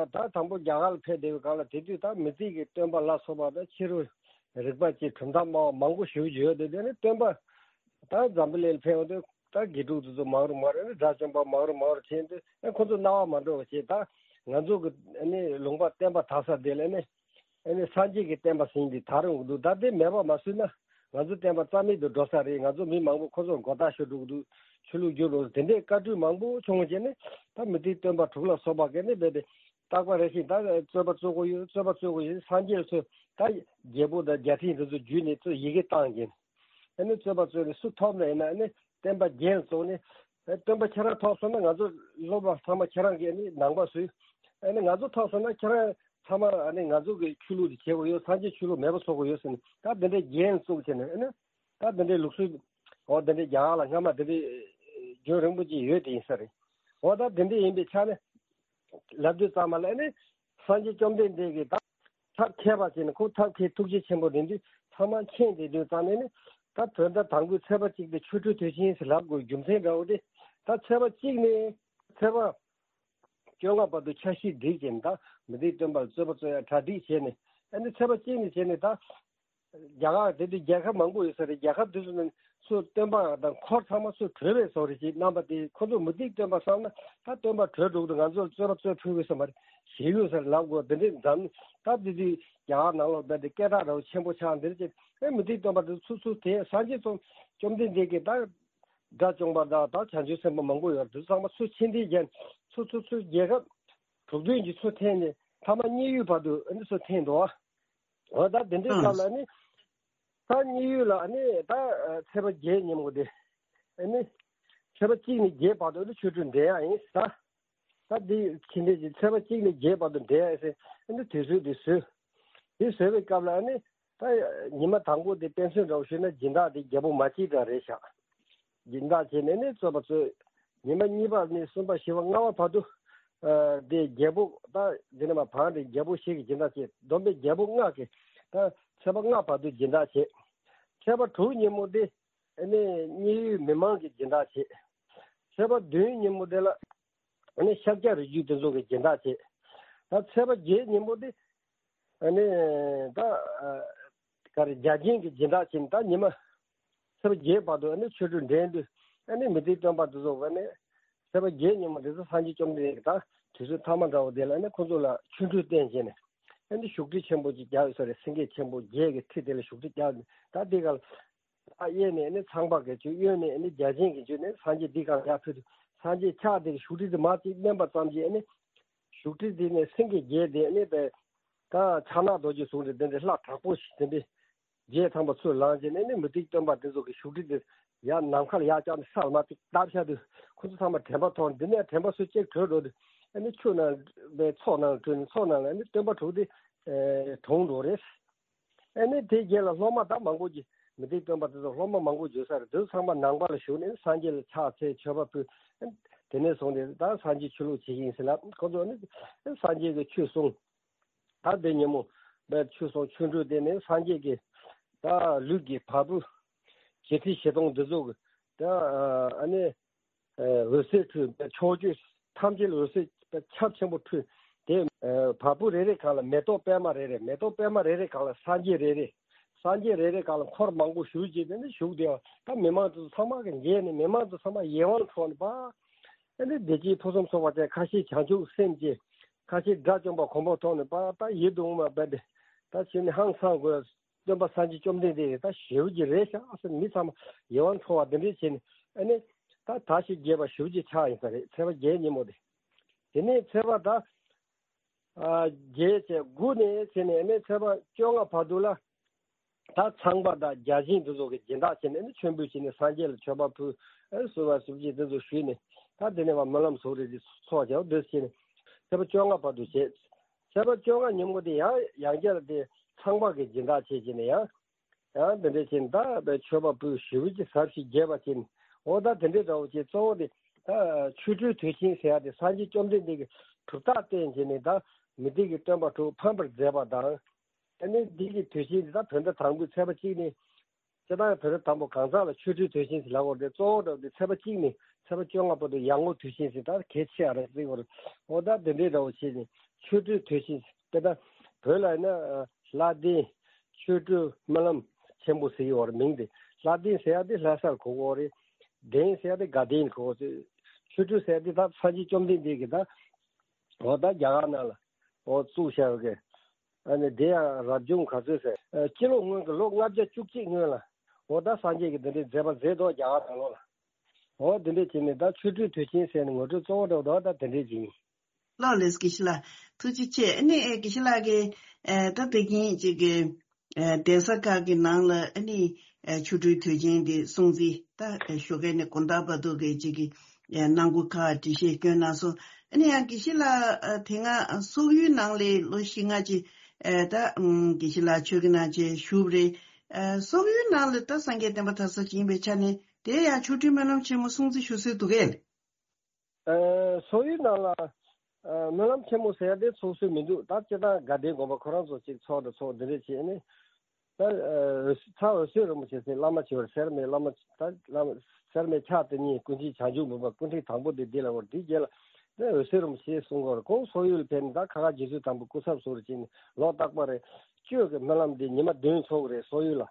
ད་དང་པོ་རྒྱ་གར་ལ་ཕེབས་བསྡད་པའི་སྐབས་ལ། དེ་དུས་ད་མུ་སྟེགས་ཀྱི་སྟོན་པ་ལ་སོགས་པ་དང་ཕྱི་རོལ་རིག་པ་བཅས་གྲུབ་མཐའ་སྨྲ་བ་མང་པོ་ཞེ་པོ་ཅིག་ཡོད་དེ། དེ་ནི་སྟོན་པ་ད་འཛམ་བུ་གླིང་ལ་ཕེབས་ཡོང་དུས་ད་དགེ་ཕྲུག་དེ་ཚོ་མང་རུ་མང་རུ། ཨ་ནི་དགྲ་བཅོམ་པ་མང་རུ་མང་རུ་ཕྱིན་དུས་ཨ་ཁོ་ཚོ་སྣང་བ་མ་འགྲོ་བ་བྱས། ད་ང་ཚོ་གི་ཨ་ནི་ལུང་པ་བསྟན་པ་དར་ས་དེ་ལ་ཨ་ནི་ཨ་ནི་སངས་རྒྱས་ཀྱི་བསྟན་པ་ཟིན་ཏེ་དར་ཡོང་གི་འདུག་ད་དེ་མེད་པ་མ་བཟོས་ན་ང་ཚོ་བསྟན་པ་རྩ་མེད་དུ་འགྲོ་ས་རེད། ང་ཚོ་མི་མང་པོ་ཁོ་ཚོར་མགོ་བཏགས་ཤོར་འགྲོ་གི་འདུག་ཆོས་ལུགས་བསྒྱུར་འགྲོ་དེ་འདྲའི་བཀའ་འཁྲོལ་མང་པོ་བྱུང་བ་བྱས་ནས། ད་མུ་སྟེགས་སྟོན་པ་དྲུག་ལ་སོགས་པ་གིས་ནི་རྦད་དེ་རྟག་པ་རེ་བཞིན་ད་རྩོད་པ་རྩོད་དགོས་ཡོད། རྩོད་པ་རྩོད་དགོས་ཡོད། སངས་རྒྱས་ཚོས་ད་རྒྱལ་པོ་དང་རྒྱལ་ཕྲན་དེ་ཚོ་བརྒྱུད་ནས་ཚོས་ཡི་གེ་བཏང་གིན། ཨ་ནི་རྩོད་པ་རྩོད་ནས་སུ་ཐོབ་ན་ཡིན་ན་ཨ་ནི་བསྟན་པ་རྒྱན་བཙུགས་ནས། ཨ་སྟོན་པ་ཁྱེད་རང་ཐོབ་སོང་ན་ང་ཚོ་སློབ་མ་ཚང་མ་ཁྱེད་རང་གིས་ཨ་ནི་ནང་པ་བཟོས། ཨ་ནི་ང་ཚོ་ཐོབ་སོང་ན་ཁྱེད་རང་ཚང་མ་ཨ་ནི་ང་ཚོ་གི་ཆོས་ལུགས་དེ་བྱེད་དགོས་ཡོད། སངས་རྒྱས་ཆོས་ལུགས་མེད་པ་བཟོ་དགོས་ཡོད་ཟེར་ནས། ད་འདི་འདྲའི་རྒྱན་བཙུགས་བྱས་ནས། ཨ་ནི་ད་འདི་འདྲའི་ལུགས་སྲོལ་འོ་འདི་འདྲའི་རྒྱ་གར་ལ་སྔ་མ་འདི་འདྲའི་རྒྱུན་རིང་པོ་ཅིག་ཡོད་དེ་ཡིན་ས་རེད། འོ་ད་འདི་འདྲའི་ཡིན་པའི་ཆ་ནས་ལབ་དུས་ཙམ་པ་ལ་ཨ་ནི་སངས་རྒྱས་བཅོམ་ལྡན་འདས་ཀྱིས་ད་ཐབས་མཁས་པ་བྱས་ནས། ཁོ་ཐབས་མཁས་ཐུགས་རྗེ་ཆེན་པོ་ལྡན་དུས་ཚང་མ་མཁྱེན་བསྡད་དུས་ཙམ་ནས་ནི། ད་བོད་ཟླ་དང་པོའི་ཚེས་པ་གཅིག་དེ་ཆོ་འཕྲུལ་དུས་ཆེན་ཟེར་ལབ་དགོས་རྒྱུ་མཚན་འདྲ་བོ་དེ། ད་ཚེས་པ་གཅིག་ནས་ཚེས་པ་བཅོ་ལྔ་བར་དུ་འཆར་གཞི་སྒྲིག་བྱས་ནས། ད་མུ་སྟེགས་སྟོན་པ་ལ་རྩོད་པ་རྩོད་ཡ་གྲ་སྒྲིག་བྱས་ནས། ཨ་ནི་ཚེས་པ་གཅིག་ནས་བྱས་ནས་ད་རྒྱ་གར་དེ་དུས་རྒྱལ་ཁབ་མང་པོ་ཡོད་ས་རེད། རྒྱལ་ཁབ་དེ་ཚོ་ནང་ཚོ་སྟོན་པ་དང་འཁོར་ཚང་མ་ཚོ་བྲོས་པའི་བཟོ་རེད་ཅེས་གནང་བ་དེ། ཁོ་ཚོ་མུ་སྟེགས་སྟོན་པ་བསམ་ན་ད་སྟོན་པ་བྲོས་འགྲོ་གི་འདུག་ང་ཚོར་རྩོད་པ་རྩོད་ཕོད་ཀྱི་ས་མ་རེད། ཞེ་གཡོ་ས་རེད་ལབ་དགོས། དེ་འདྲའི་འཛམ་ད་དེ་དུས་རྒྱ་གར་ནང་ལོགས་རྦད་དེ་སྐད་གྲགས་འདྲ་བོ་ཆེན་པོ་ཆགས་འདིར་ཅེས། ཨེ་མུ་སྟེགས་སྟོན་པ་དེ་ཚོ་ཚུར་དེ་སངས་རྒྱས་ཚོ་བཅོམ་ལྡན་འདས་ཀྱིས་ད་དགྲ་བཅོམ་པ་དང་ད་བྱང་ཆུབ་སེམས་དཔའ་མང་པོ་ཡོད་དུས་ཚང་མ་ཚུར་ཕྱིར་འཐེན་བརྒྱབ། ཚུར་ཚུར་ཚུར་རྒྱལ་ཁབ་དྲུག་བདུན་གྱིས་ཚུར་འཐེན་ནས་མཐའ་མ་མཉན་ཡོད་བར་དུ་ཨ་ནི་ཚུར་འཐེན་འདུག་འོ་ད་དེ་འདྲའི་སྐབས་ལ་ནི་ད་མཉན་ཡོད་ལ་ནི་ད་ཚེས་པ་བརྒྱད་ཉིན་མོ་དེ་ཨ་ནི་ཚེས་པ་གཅིག་ནས་བརྒྱད་བར་དུ་ནི་ཆོ་འཕྲུལ་འགྲན་ཡག་ཡིན་ད། ད་འདི་ཕྱི་འབྲེལ་གྱི་ཚེས་པ་གཅིག་ནས་བརྒྱད་བར་དུ་འགྲན་ཡག་ཟེར་ཨ་ནི་དུས་ཚོད་དེ་བཟོས། དེ་བཟོས་པའི་སྐབས་ལ་ཨ་ནི་ད་ཉི་མ་དང་པོ་དེ་དཔེ་མཚོན་འདྲ་བོ་ཞུས་ན་སྦྱིན་བདག་དེ་རྒྱལ་པོ་མ་སྐྱེས་དགྲ་རེད་ཤག་སྦྱིན་བདག་བྱས་ནས་ནི་རྩོད་པ་རྩོད། ཉི་མ་གཉིས་པ་ནས་གསུམ་པ་བཞི་པ་ལྔ་པ་བར་དུ་ཨ་དེ་རྒྱལ་པོ་ད་འདི་ནས་མ་བང་དེ་རྒྱལ་པོ་ཞིག་གིས་སྦྱིན་བདག་བྱས། བསྡོམས་པས་རྒྱལ་པོ་ལྔ་གིས་ད་ཚེས་པ་ལྔ་བར་དུ་སྦྱིན་བདག་བྱས། ཚེས་པ་དྲུག་ཉིན་མོ་དེ་ཨ་ནི་མཉན་ཡོད་མི་མང་གིས་སྦྱིན་བདག་བྱས། ཚེས་པ་བདུན་ཉིན་མོ་དེ་ལ་ཨ་ནི་ཤཱཀྱ་རིགས་རྒྱུད་དེ་ཚོ་གིས་སྦྱིན་བདག་བྱས། ད་ཚེས་པ་བརྒྱད་ཉིན་མོ་དེ་ཨ་ནི་ད་ཨ་ག་རེ་རྒྱ་ཆེན་གྱིས་སྦྱིན་བདག་བྱས་ནས། ད་ཉི་མ་ཚེས་པ་བརྒྱད་བར་དུ་ཨ་ནི་ཆོ་འཕྲུལ་འགྲན་དུས་ཨ་ནི་མུ་སྟེགས་སྟོན་པ་དེ་ཚོ་ཨ་ནི་ཚེས་པ་བརྒྱད་ཉིན་མོ་དེ་ཚོ་སངས་རྒྱས་བཅོམ་ལྡན་འདས་ཀྱིས་ད་དུས་ཚོད་མཐའ་མ་འདྲ་བོ་དེ་ལ་ཨ་ནི་ཁོ་ཚོ་ལ་ཆོ་འཕྲུལ་བསྟན་བྱས་ནས་ཨ་ནི་བཞུགས་ཁྲི་ཆེན་པོ་ཅིག་བརྒྱབ་ཡོད་ས་རེད། སེང་གེ་ཆེན་པོ་བརྒྱད་ཀྱི་ཁྲི་དེ་ལ་བཞུགས་ཁྲི་བརྒྱབ་ནས། ད་དེ་ག་ལ་ད་གཡས་ནས་ཨ་ནི་ཚངས་པ་བརྒྱད་ཅུ། གཡོན་ནས་ཨ་ནི་བརྒྱ་བྱིན་གྱིས་བརྒྱུད་ནས་སངས་རྒྱས་འདི་ག་ལ་ཡར་ཕེབས་དུས་སངས་རྒྱས་ཕྱག་དེ་གི་བཞུགས་ཁྲི་དེ་མར་ཅིག་མནན་པ་ཙམ་གྱིས་ཨ་ནི་བཞུགས་ཁྲི་དེ་ནས་སེང་གེ་བརྒྱད་དེ་ཨ་ནི་དཔེ་ད་ཕྱག་ན་རྡོ་རྗེ་བཟུང་སྟེ་དེ་འདྲའི་ལྷ་དྲག་པོ་ཞིག་དེ་འདྲའི་བརྒྱད་ཐམ་པ་ཚུར་ལངས་བྱས་ནས་ཨ་ནི་མུ་སྟེགས་སྟོན་པ་དེ་ཚོ་གི་བཞུགས་ཁྲི་དེ་ཡར་ནམ་མཁའ་ལ་ཡར་བཀྱགས་ནས་ས་ལ་མར་ཅིག་བརྡབས་བཞག་དུས་ཁོ་ཚོ་ཚང་མ་དྲན་པ་ཐོར། འདི་ནས་དྲན་པ་སུ་གཅིག་གྲོལ་འགྲོ་དུས་ ཨ་ནི་ཆུ་ནང་པའི་མཚོ་ནང་བྲོས་ནས་མཚོ་ནང་ལ་ཨ་ནི་སྟོན་པ་དྲུག་དེ་གྲོངས་འགྲོ་རེད། ཨ་ནི་དེ་རྗེས་ལ་སློབ་མ་ད་མང་པོ་ཅིག་མི་ཚེ་སྟོན་པ་དེ་ཚོ་སློབ་མ་མང་པོ་འཇུ་ས་རེད། དེ་ཚོ་ཚང་མ་ནང་པ་ལ་ཞུགས་ནས་སངས་རྒྱས་ལ་ཕྱག་འཚལ་མཆོད་པ་ཕུལ། དེ་ནས་བཟུང་སྟེ་ད་སངས་རྒྱས་ཆོས་ལུགས་བྱེད་ཀྱི་ཡིན་ཟེར་ལ་ཁོ་ཚོ་ནི་སངས་རྒྱས་ཀྱི་ཆོས་གསུངས། ད་དེ་ཉིན་མོ་བས་ཆོས་གསུང་ཆོ་འཕྲུལ་དེ་ནི་སངས་རྒྱས་ཀྱི་ད་ལུས་ཀྱི་བ་སྤུ་བྱེ་ཁྲི་བྱེ་སྟོང་འདི་ཚོ་གི་ད་ཨ་ནི་འོད་ཟེར་འཕྲོས་པའི་ཕྱོགས་བཅུ་ཐམས་ཅད་ལ་འོད་ཟེར་ཁྱབ་ཆེན་པོ་འཕྲོས་ཏེ། བ་སྤུ་རེ་རེ་སྒང་ལ་མེ་ཏོག་པད་མ་རེ་རེ། མེ་ཏོག་པད་མ་རེ་རེ་སྒང་ལ་སངས་རྒྱས་རེ་རེ། སངས་རྒྱས་རེ་རེ་སྒང་ལ་འཁོར་མང་པོ་བཞུགས་བྱས་ཏེ་ནི་བཞུགས་བསྡད་པ། ད་མི་མང་ཚོ་ཚང་མ་གི་མཇལ་ནས་མི་མང་ཚོ་ཚང་མ་ཡིད་དབང་འཕྲོག་ནས་པ། ཨ་ནི་བདེ་སྐྱིད་ཕུན་སུམ་ཚོགས་པ་ཅན། ཁ་ཤས་བྱང་ཆུབ་སེམས་ཅན། ཁ་ཤས་དགྲ་བཅོམ་པ་གོ་འཕང་ཐོབ་ནས་པ་ད་ཡིད་དུ་འོང་བ་འབད་དེ། ད་ཕྱིན་ནས་ཧང་སང་དགོས། སྟོན་པ་སངས་རྒྱས་བཅོམ་ལྡན་འདས་ཀྱི་ད་ཞེ་པོ་ཅིག་རེད་ཤག་ཟེར་མི་ཚང་མ་ཡིད་དབང་འཕྲོག་པ་འདི་འདྲས་བྱས་ནས། ཨ་ནི་ད་ད་ཞིག་རྒྱས་པ་ཞེ་པོ་ཅིག་ཆགས་ཡིན་ས་རེད། ཚེས་པ་བརྒྱད་ཉིན་མོ་དེ། དེ་ནས་ཚེས་པ་ད་ཨ་བརྒྱད་བྱས་དགུ་ནས་བྱས་ནས་ཨ་ནི་ཚེས་པ་བཅོ་ལྔ་བར་དུ་ལ། ད་ཚངས་པ་དང་བརྒྱ་བྱིན་དེ་ཚོ་གི་སྦྱིན་བདག་བྱས་ནས་ཨ་ནི་མཆོད་འབུལ་བྱས་ནས་སངས་རྒྱས་ལ་མཆོད་པ་ཕུལ། ཨ་ནི་གསོལ་བ་གསོལ་ཇ་དེ་ཚོ་ཞུས་ནས། ད་དེ་ནས་བ་སྨོན་ལམ་གསོག་རེས་ཀྱི་ཚོགས་བྱའོ་འདོད་བྱས་ནས། ཚེས་པ་བཅོ་ལྔ་བར་དུ་བྱས། ཚེས་པ་བཅོ་ལྔ་ཉིན་མོ་དེ་ཡང་ཡང་བསྐྱར་དེ་ཚངས་པ་གི་སྦྱིན་བདག་བྱས་བྱས་ནས་ཡང་། ཡང་དེ་འདྲས་བྱས་ནས་ད་མཆོད་པ་ཕུལ། ཞེ་པོ་ཅིག་ཟབ་ཞིང་རྒྱས་པ་བྱས་ནས། འོ་ད་དེ་འདྲས་འདྲ་བོ་བྱས། གཙོ་བོ་དེ་ད་ཆོ་འཕྲུལ་དུས་ཆེན་ཟེར་ཡ་དེ་སངས་རྒྱས་བཅོམ་ལྡན་འདས་ཀྱི་གྲུབ་རྟགས་བསྟན་བྱས་ནས་ད་མི་སྡེ་གི་སྟོན་པ་དྲུག་ཕམ་པར་མཛད་པ་དང་། ཨ་ནི་འདི་གི་དུས་ཆེན་འདི་ད་བོད་ཟླ་དང་པོའི་ཚེས་པ་གཅིག་ནས། སྤྱིར་བཏང་བོད་ཟླ་དང་པོ་གང་ཟག་ལ་ཆོ་འཕྲུལ་དུས་ཆེན་ཟེར་ལབ་ཡོད་རེད། གཙོ་བོ་འདྲ་བོ་དེ་ཚེས་པ་གཅིག་ནས་ཚེས་པ་བཅོ་ལྔ་བར་དུ་ཡར་ངོ་དུས་ཆེན་ཟེར་ད་གལ་ཆེ་བ་རེད་ཟེར་གྱི་ཡོད་རེད། འོ་ད་དེ་འདྲའི་འདྲ་བོ་བྱས་ནས་ཆོ་འཕྲུལ་དུས་ཆེན་དཔེར་ན་བོད་ལ་ཡིན་ན་ལྷ་ལྡན་ཆོ་འཕྲུལ་སྨོན་ལམ་ཆེན་པོ་ཟེར་གྱི་ཡོད་རེད། མིང་དེ་ལྷ་ལྡན་ཟེར་ཡ་དེ་ལྷ་སར་གོ་གི་ཡོད་རེད། ལྡན་ཟེར་ཡ་དེ་དགའ་ལྡན་གོ་གི་ཡོད་རེད། ཆོ་འཕྲུལ་ཟེར་ཡ་དེ་ད་སངས་རྒྱས་བཅོམ་ལྡན་འདས་ཀྱིས་ད་འོ་ད་རྒྱ་གར་ནང་ལ་འོ་བཙུགས་བཞག་གི། ཨ་ནི་དེ་ཡང་རབ་བྱུང་ག་ཚོད་ཟེར། ཨ་སྤྱི་ལོ་སྔོན་གྱི་ལོ་ལྔ་བརྒྱ་བཅུ་གཅིག་སྔོན་ལ། འོ་ད་སངས་རྒྱས་ཀྱིས་འདི་འདྲའི་མཛད་པ་མཛད་དོ་རྒྱ་གར་ནང་ལོགས་ལ། འོ་དེ་འདྲས་བྱས་ནས་ད་ཆོ་འཕྲུལ་དུས་ཆེན་ཟེར་ནས་ངོ་སྤྲོད་གཙོ་བོ་འདྲ་བོ་ད་དེ་འདྲས་ཅིག་ཡིན། ལགས་ལགས་དགེ་བཤེས་ལགས། ཐུགས་རྗེ་ཆེ། ཨ་ནི་ཨེ་དགེ་བཤེས་ལགས་ཀྱིས་ཨེ་ད་དེ་གིན་ཅིག་གི་ཨེ་གདན་ས་ཁག་གི་ནང་ལ་ཨ་ནི་ཨེ་ཆོ་འཕྲུལ་དུས་ཆེན་འདི་སྲུང་བརྩི་ད་ཨེ་ཞོགས་ཀས་ནས་དགོང་དག་བར་དུ་གི་ཅིག་གི་ཨེ་གནང་སྒོ་ཁག་འགྲེལ་བཤད་བསྐྱོན་གནང་སོང་། ཨ་ནི་ཡང་དགེ་བཤེས་ལགས་ཨེ་དེ་སྔ་སོག་ཡུལ་ནང་ལ་ལོ་བཞི་ལྔ་ཅིག་ཨེ་ད་ཨམ་དགེ་བཤེས་ལགས་ཆོས་ཀྱི་ནང་ཆེན་ཞུགས་པ་རེད། ཨེ་སོག་ཡུལ་ནང་ལ་ད་སངས་རྒྱས་བསྟན་པ་དར་ས་ཅིག་ཡིན་པའི་ཆ་ནས་དེ་ཡང་ཆོ་འཕྲུལ་སྨོན་ལམ་ཆེན་མོ་སྲུང་བརྩི་ཞུ་སྲོལ་འདུག་གས། ཨ་སོག་ཡུལ་ནང་ལ་ཨ་སྨོན་ལམ་ཆེན་མོ་ཟེར་ཡ་དེ་ཚོགས་སྲོལ་མི་འདུག་ད་སྤྱིར་བཏང་དགའ་ལྡན་དགོན་པ་ཁོ་རང་ཚོ་ཅིག་ཚོགས་དང་ཚོགས་འདི་འདྲས་བྱས་ནས། ད་ཨ་ཚ་འོད་ཟེར་རིན་པོ་ཆེ་ཟེར་བླ་མ་ཆེ་བར་སེར་སྨད་བླ་མ་ད་བླ་མ་སེར་སྨད་ཕྱག་དེ་གཉིས་ཀུན་མཁྱེན་བྱང་ཆུབ་མུན་པ་སྐུ་ཕྲེང་དང་པོ་དེ་འདི་ལ་བར་དེའི་རྗེས་ལ་ད་འོད་ཟེར་རིན་པོ་ཆེ་གསུང་གི་ཡོད་རེད། ཁོང་སོག་ཡུལ་ཕེབས་ནས་ད་ཁ་ཁ་རྗེ་བཙུན་དམ་པའི་སྐུ་ཚབ་ཟུར་བྱས་ནས་ལོ་རྟག་པར་གཅོད་ཀྱི་སྨོན་ལམ་འདི་ཉི་མ་བདུན་ཚོགས་ཀྱི་རེད་སོག་ཡུལ་ལ།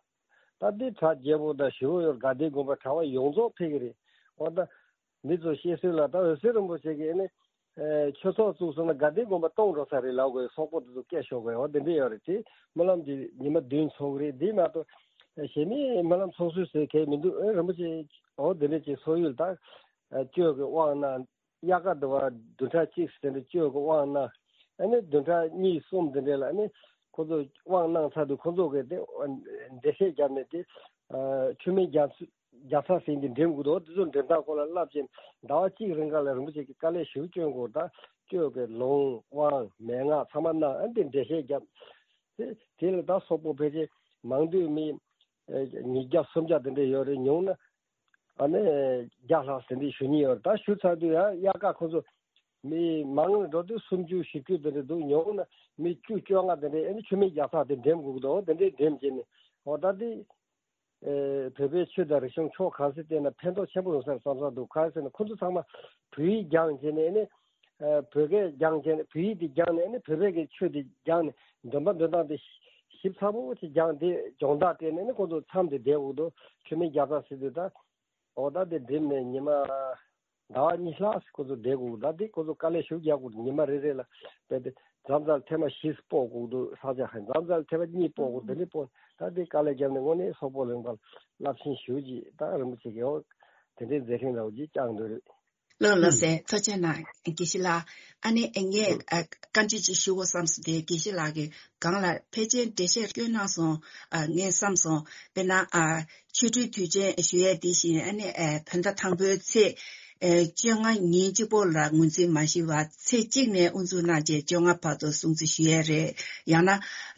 ད་འདི་གྲ་རྒྱས་པོ་དང་ཞེ་པོ་ཡོད། དགའ་ལྡན་དགོན་པ་གྲྭ་པ་ཡོངས་རྫོགས་ཕེབས་ཀྱི་རེད། འོ་ད་མི་ཚོ་བཤད་སྲོལ་ལ་ད་འོད་ཟེར་རིན་པོ་ཆེ་གིས་ནི་ཨེ་ཆོས་ཚོགས་བཙུགས་སོང་ན་དགའ་ལྡན་དགོན་པ་སྟོངས་འགྲོ་ས་རེད་ལབ་དགོས། སོག་པོ་དེ་ཚོ་སྐད་ཤོར་དགོས། འོ་དེ་འདྲས་ཡོད་རེད། དེ་སྨོན་ལམ་འདི་ཉི་མ་བདུན་ཚོགས་ཀྱི་རེད། འདི་མ་གཏོགས་གཞན་མི་སྨོན་ལམ་ཚོགས་སྲོལ་ཟེར་གང་ཡང་མི་འདུག་ཨེ་རིན་པོ་ཆེ་འོ་དེ་འདྲས་ཅིག་སོག་ཡུལ་ད་གཅོད་ཀྱི་དབང་གནང་། དབྱར་ཁ་དུ་བ་བདུན་ཕྲག་གཅིག་ཙམ་དེ་འདྲ་གཅོད་ཀྱི་དབང་གནང་། ཨ་ནི་བདུན་ཕྲག་གཉིས་གསུམ་དེ་འདྲ་ལ་ཨ་ནི་ཁོ་ཚོ་དབང་གནང་ཚར་དུས་ཁོ་ཚོ་གིས་དེ་འགྲེལ་བཤད་བརྒྱབ་ནས་དེ་ཆུ་སྨན་རྒྱག་རྒྱག་ཚར་ཟིན་དེ་འགྲེམས་དགོས་འདུག་དེ་ཚོ་འགྲེམས་སྟངས་སྐོར་ལ་བསླབ་ཅིང་ཟླ་བ་གཅིག་རིང་ག་ལ་རིན་པོ་ཆེ་གིས་དཀའ་ལས་ཞེ་པོ་བསྐྱོན་དགོས། ད་གཅོད་ཀྱི་ལུང་དབང་མན་ངག་ཚང་མ་གནང་། ཨ་ནི་དེ་འགྲེལ་བཤད་བརྒྱབ། དེ་དེ་ལ་ད་སོག་པོ་ཕལ་ཆེར་མང་དུས་མི་ཉིས་བརྒྱ་སུམ་བརྒྱ་དེ་འདྲ་ཡོད་རེད། ཉུང་ན། ཨ་ནི་བརྒྱ་ལྷག་ཟིན་བྲིས་ཞུ་མཁན་ཡོད་རེད། ད་ཞུ་ཚར་དུས་ཡང་དབྱར་ཁ་ཁོ་ཚོ་མི་མང་ལ་འགྲོ་དུས་སུམ་ཅུ་བཞི་བཅུ་དེ་འདྲ་འདུག་ཉུང་ན་མི་བཅུ་བཅོ་ལྔ་དེ་འདྲ་ཨ་ནི་ཆུ་སྨན་རྒྱག་ཚར་དེ་འགྲེམས་དགོས་ཀྱི་འདུག་དེ་འདྲས་འགྲེམས་བྱས་ནས་འོ་ད་དེ་ཨེ་བོད་པའི་ཆོས་དང་རིག་གཞུང་ཕྱོགས་གང་སེ་བལྟས་ན་ཕན་ཐོགས་ཆེན་པོ་ཡོང་ས་རེད་བསམ་བསམ་འདུག་གང་ཟེར་ན་ཁོ་ཚོ་ཚང་མ་བོད་ཡིག་སྦྱངས་བྱས་ནས་ཨ་ནི་ཨ་བོད་སྐད་སྦྱངས་བྱས་ནས་བོད་ཡིག་དེ་སྦྱངས་ནས་ཨ་ནི་བོད་པའི་གི་ཆོས་དེ་སྦྱངས་ནས་འདོན་པ་འདོན་སྟངས་དེ་ཞིབ་ཚགས་པོ་ཅིག་སྦྱངས་ཏེ་སྦྱོང་བརྡར་སྤྲད་ནས་ཨ་ནི་ཁོ་ཚོ་མཚམས་དེ་བསྡད་དགོས་འདུག་ཆུ་སྨན་རྒྱག་ཚར་ཟེར་དུས་ད། འོ་ད་དེ་འགྲིམས་ནས་ཉི་མ་ཟླ་བ་གཉིས་ལྷག་ཁོ་ཚོ་བསྡད་དགོས། ད་དེ་ཁོ་ཚོ་དཀའ་ལས་ཞེ་པོ་རྒྱག་དགོས། ཉི་མ་རེ་རེ་ལ་བས་ཏེ་མཚམས་མཚམས་ཐེངས་མ་བཞི་སྤོ་དགོས་འདུག་ས་ཆ་ཧན་མཚམས་མཚམས་ཐེངས་མ་གཉིས་སྤོ་དགོས། དེ་འདྲ་སྤོ་ད་དེ་དཀའ་ལས་བརྒྱབ་ནས་དངོས་གནས་སོག་པོ་གླིང་པ་རླབས་ཆེན་ཞེ་པོ་ཅིག་ད་རིན་པོ་ཆེ་གིས་འོ་དེ་འདྲའི་མཛད་འཕྲིན་ར་བ་ཅིག་བསྐྱངས་འདུག་རེད། ལགས་ལགས་སེ། ཐུགས་རྗེ་གནང་དགེ་བཤེས་ལགས། ཨ་ནི་ངས་ཨ་བཀའ་འདྲི་ཅིག་ཞུ་དགོས་བསམ་སོང་། དེ་དགེ་བཤེས་ལགས་ཀྱིས་གང་ལ་ཕལ་ཆེར་འགྲེལ་བཤད་བསྐྱོན་གནང་སོང་། ཨ་ངས་བསམ་སོང་། དཔེར་ན་ཨ་ཆོ་འཕྲུལ་དུས་ཆེན་ཞུ་ཡས་དེ་བཞིན་ཨ་ནི་ཨ་བོད་ཟླ་དང་པོའི་ཚེས་ ཨེ། བཅོ་ལྔ་ཉིན་གཅིག་པོ་ལ་ངོས་འཛིན་མ་ཞུས་པར་ཚེས་གཅིག་ནས་དབུ་འཛུགས་གནང་རྗེས་བཅོ་ལྔ་བར་དུ་སྲུང་བརྩི་ཞུ་ཡས་རེད། ཡང་ན་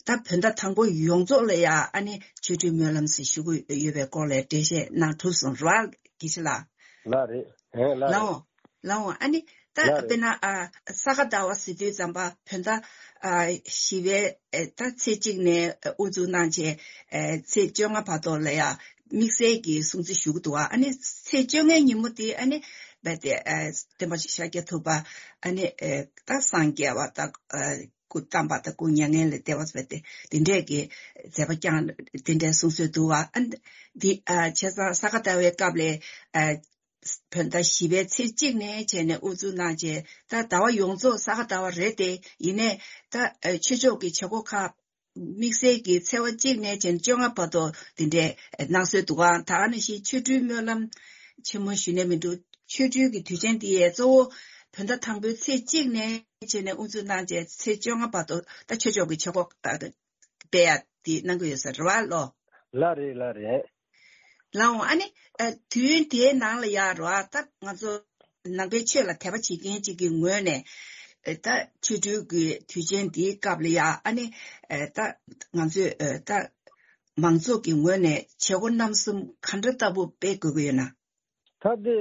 ད་བོད་ཟླ་དང་པོ་ཡོངས་རྫོགས་ལ་ཡང་ཨ་ནི་ཆོ་འཕྲུལ་སྨོན་ལམ་ཟེར་ཞུ་གི་ཡོད་པའི་སྐོར་ལ་འགྲེལ་བཤད་གནང་གྲུབ་སོང་རེད་བ། དགེ་བཤེས་ལགས། ལགས་རེད། ཨེ། ལགས་རེད། ལགས་འོང་། ལགས་འོང་། ཨ་ནི་ད་ལགས་རེད། དཔེར་ན་ཨ་ས་ག་ཟླ་བ་ཟེར་དུས་ཙམ་པ་བོད་ཟླ་ཨ་བཞི་པའི་ཨེ་ད་ཚེས་གཅིག་ནས་ཨ་དབུ་འཛུགས་གནང་རྗེས་ཨེ་ཚེས་བཅོ་ལྔ་བར་དུ་ལ་ཡང་དམིགས་བསལ་གྱི་སྲུང་བརྩི་ཞུ་གི་འདུག་བ། ཨ་ནི་ཚེས་བཅོ་ལྔའི་ཉིན་མོ་དེ་ཨ་ནི་རྦད་དེ་ཨ་སྟོན་པ་ཤཱཀྱ་ཐུབ་པ་ཨ་ནི་ཨེ་ད་སངས་རྒྱས་པ་དང་ཨ་སྐུ་བལྟམས་པ་དང་སྐུ་མྱ་ངན་ལས་འདས་པ་རྦད་དེ་དེ་འདྲས་ཀྱི་མཛད་པ་བསྐྱངས། དེ་འདྲས་གསུང་སྲོལ་འདུག་བ། ཨ་འདི་ཨ་བྱས་ཙང་ས་ག་ཟླ་བའི་སྐབས་ལ་ཨ་བོད་ཟླ་བཞི་པའི་ཚེས་གཅིག་ནས་བྱས་ནས་དབུ་འཛུགས་གནང་རྗེས་ད་ཟླ་བ་ཡོངས་རྫོགས་ས་ག་ཟླ་བ་རེད་དེ། ཡིན་ནའི་ད་ཨ་ཆོས་ཕྱོགས་ཀྱི་བྱེད་སྒོ་ཁག་དམིགས་བསལ་གྱི་ཚེས་པ་གཅིག་ནས་བྱས་ནས་བཅོ་ལྔ་བར་དུ་དེ་འདྲས་གནང་སྲོལ་འདུག་ག། ད་ག་ནང་བཞིན་ཆོ་འཕྲུལ་སྨོན་ལམ་ཆེན་མོ་ཞུས་ནས་མི་འདུག། ཆོ་འཕྲུལ་གྱི་དུས་ཆེན་འདི་ཡས་གཙོ་བོ་བོད་ཟླ་དང་པོའི་ཚེས་གཅིག་ནས་བྱས་ནས་དབུ་འཛུགས་གནང་རྗེས་ཚེས་བཅོ་ལྔ་བར་དུ་ད་ཆོས་ཕྱོགས་ཀྱི་བྱེད་སྒོ་སྤེལ་ཡ་དེ་གནང་གི་ཡོད་ས་རེད་བ་ལོ། ལགས་རེད། ལགས་རེད། ལགས་འོང་། ཨ་ནི་ཨ་དུས་ཡུན་དེའི་ནང་ལ་ཡ་རོ་ཨ་ད་ང་ཚོ་ནང་པའི་ཆོས་ལ་དད་པ་བྱེད་མཁན་ཅིག་གི་ངོས་ནས་ཨ་ད་ཆོ་འཕྲུལ་གྱི་དུས་ཆེན་འདིའི་སྐབས་ལ་ཡ་ཨ་ནི་ཨ་ད་ང་ཚོས་ཨ་ད་མང་ཚོགས་ཀྱི་ངོས་ནས་བྱེད་སྒོ་རྣམ་གསུམ་ག་འདྲ་ལྟ་བུ་སྤེལ་དགོས་ཀྱི་ཡོད་ན། ད་དེ་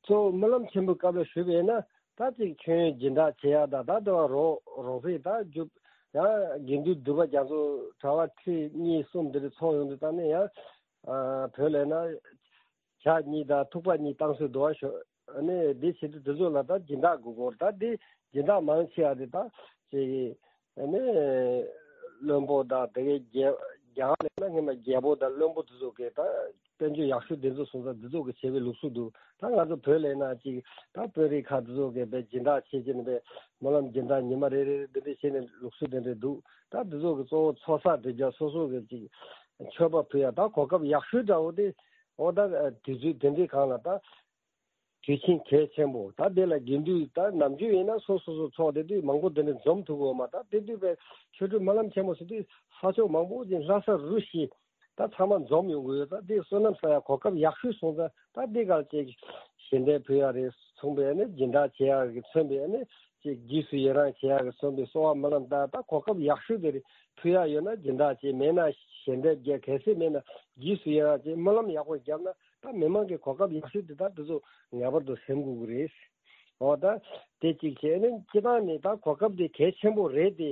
གཙོ་བོ་སྨོན་ལམ་ཆེན་པོའི་སྐབས་ལ་ཞུས་པ་ཡིན་ན་ད་ཅིག་མཆོད་ཡོན་སྦྱིན་བདག་བྱེད་ཡག་དང་ད་དེ་བ་རོགས་རོགས་ཕེབས་ད་རྒྱུ་ཡང་དགེ་འདུན་འདུས་པ་རྒྱ་མཚོ་གྲྭ་པ་ཁྲི་གཉིས་གསུམ་དེ་འདྲ་ཚོགས་ཡོང་དུས་ད་ནི་ཡང་ཨ་བོད་ལས་ན་ཇ་གཉིས་དང་ཐུག་པ་གཉིས་བཏང་སྲོལ་འདུག་བ་ཞོ་ཨ་ནི་དེ་བྱེད་དུས་དེ་ཚོ་ལ་ད་སྦྱིན་བདག་དགོས་སྐོར་ད་དེ་སྦྱིན་བདག་མང་ཆེ་བ་དེ་ད་ཅིག་ཨ་ནི་བློན་པོ་དང་དེ་གའི་རྒྱལ་རྒྱལ་ཁབ་ལས་ན་སྔོན་མ་རྒྱལ་པོ་དང་བློན་པོ་དེ་ཚོ་གིས་ད་དཔལ་འབྱོར་ཡག་ཤོས་དེ་ཚོ་སོང་ཙང་དེ་ཚོ་གིས་བྱེད་པའི་ལུགས་སྲོལ་འདུག་ད་ང་ཚོ་བོད་ལས་ན་ཅིག་ད་དཔོན་རིགས་ཁག་དེ་ཚོ་གིས་པའི་སྦྱིན་བདག་བྱེད་ཀྱི་ནི་པའི་སྨོན་ལམ་སྦྱིན་བདག་ཉི་མ་རེ་རེ་འདི་འདྲ་བྱས་ནས་ལུགས་སྲོལ་དེ་འདྲ་འདུག་ད་དེ་ཚོ་གིས་གཙོ་བོ་ཚོགས་བསགས་སྒྲིབ་སྦྱང་སོ་སོ་གིས་ཅིག་མཆོད་པ་ཕུལ་ཡ་ད་གོ་སྐབས་ཡག་ཤོས་འདྲ་བོ་དེ་འོ་ད་དུས་ཚོད་དེ་འདྲའི་སྒང་ལ་ད། དུས་ཆེན་གལ་ཆེན་པོ་ད་དེ་ལ་དགེ་འདུན་ད་ནམ་རྒྱུན་ཡིན་ན་སོ་སོ་སོ་ཚོགས་བསྡད་དུས་མང་པོ་དེ་འདྲ་འཛོམས་ཐུབ་ཀྱི་ཡོད་མ་ད་དེ་དུས་པའི་ཆོ་འཕྲུལ་སྨོན་ལམ་ཆེན་མོ་ཟེར་དུས་ས་ཕྱོགས་མང་པོ་ཅིག་ལྷ་ས་རུ་བཞི་ད་ཚང་མ་འཛོམས་ཡོང་གི་ཡོད་ད་དེ་བསོད་ནམས་བསགས་ཡ་གོ་སྐབས་ཡག་ཤོས་སོང་ཙང་ད་དེ་གར་ཅིག་ཞལ་འདེབས་ཕུལ་ཡ་རེད་མཚུངས་པའི་ནི་སྦྱིན་བདག་བྱེད་ཡ་གི་མཚོན་པའི་ནི་ཅིག་རྗེས་སུ་ཡི་རང་བྱེད་ཡ་གི་མཚོན་པའི་གསོལ་བ་སྨོན་ལམ་ད་ད་གོ་སྐབས་ཡག་ཤོས་དེ་རེད་ཕུལ་ཡ་ཡོད་ན་སྦྱིན་བདག་བྱེད་མེད་ན་ཞལ་འདེབས་རྒྱག་གལ་སྲིད་མེད་ན་རྗེས་སུ་ཡི་རང་བྱེད་སྨོན་ལམ་ཡག་པོ་བརྒྱབ་ན། ད་མི་མང་གི་གོ་སྐབས་ཡག་ཤོས་དེ་དག་དེ་ཚོ་ངེས་པར་དུ་ཟིན་དགོས་ཀྱི་རེད། འོ་ད་དེ་གཅིག་བྱས་ནས་སྤྱི་བཏང་ནས་ད་གོ་སྐབས་དེ་གལ་ཆེན་པོ་རེད་དེ།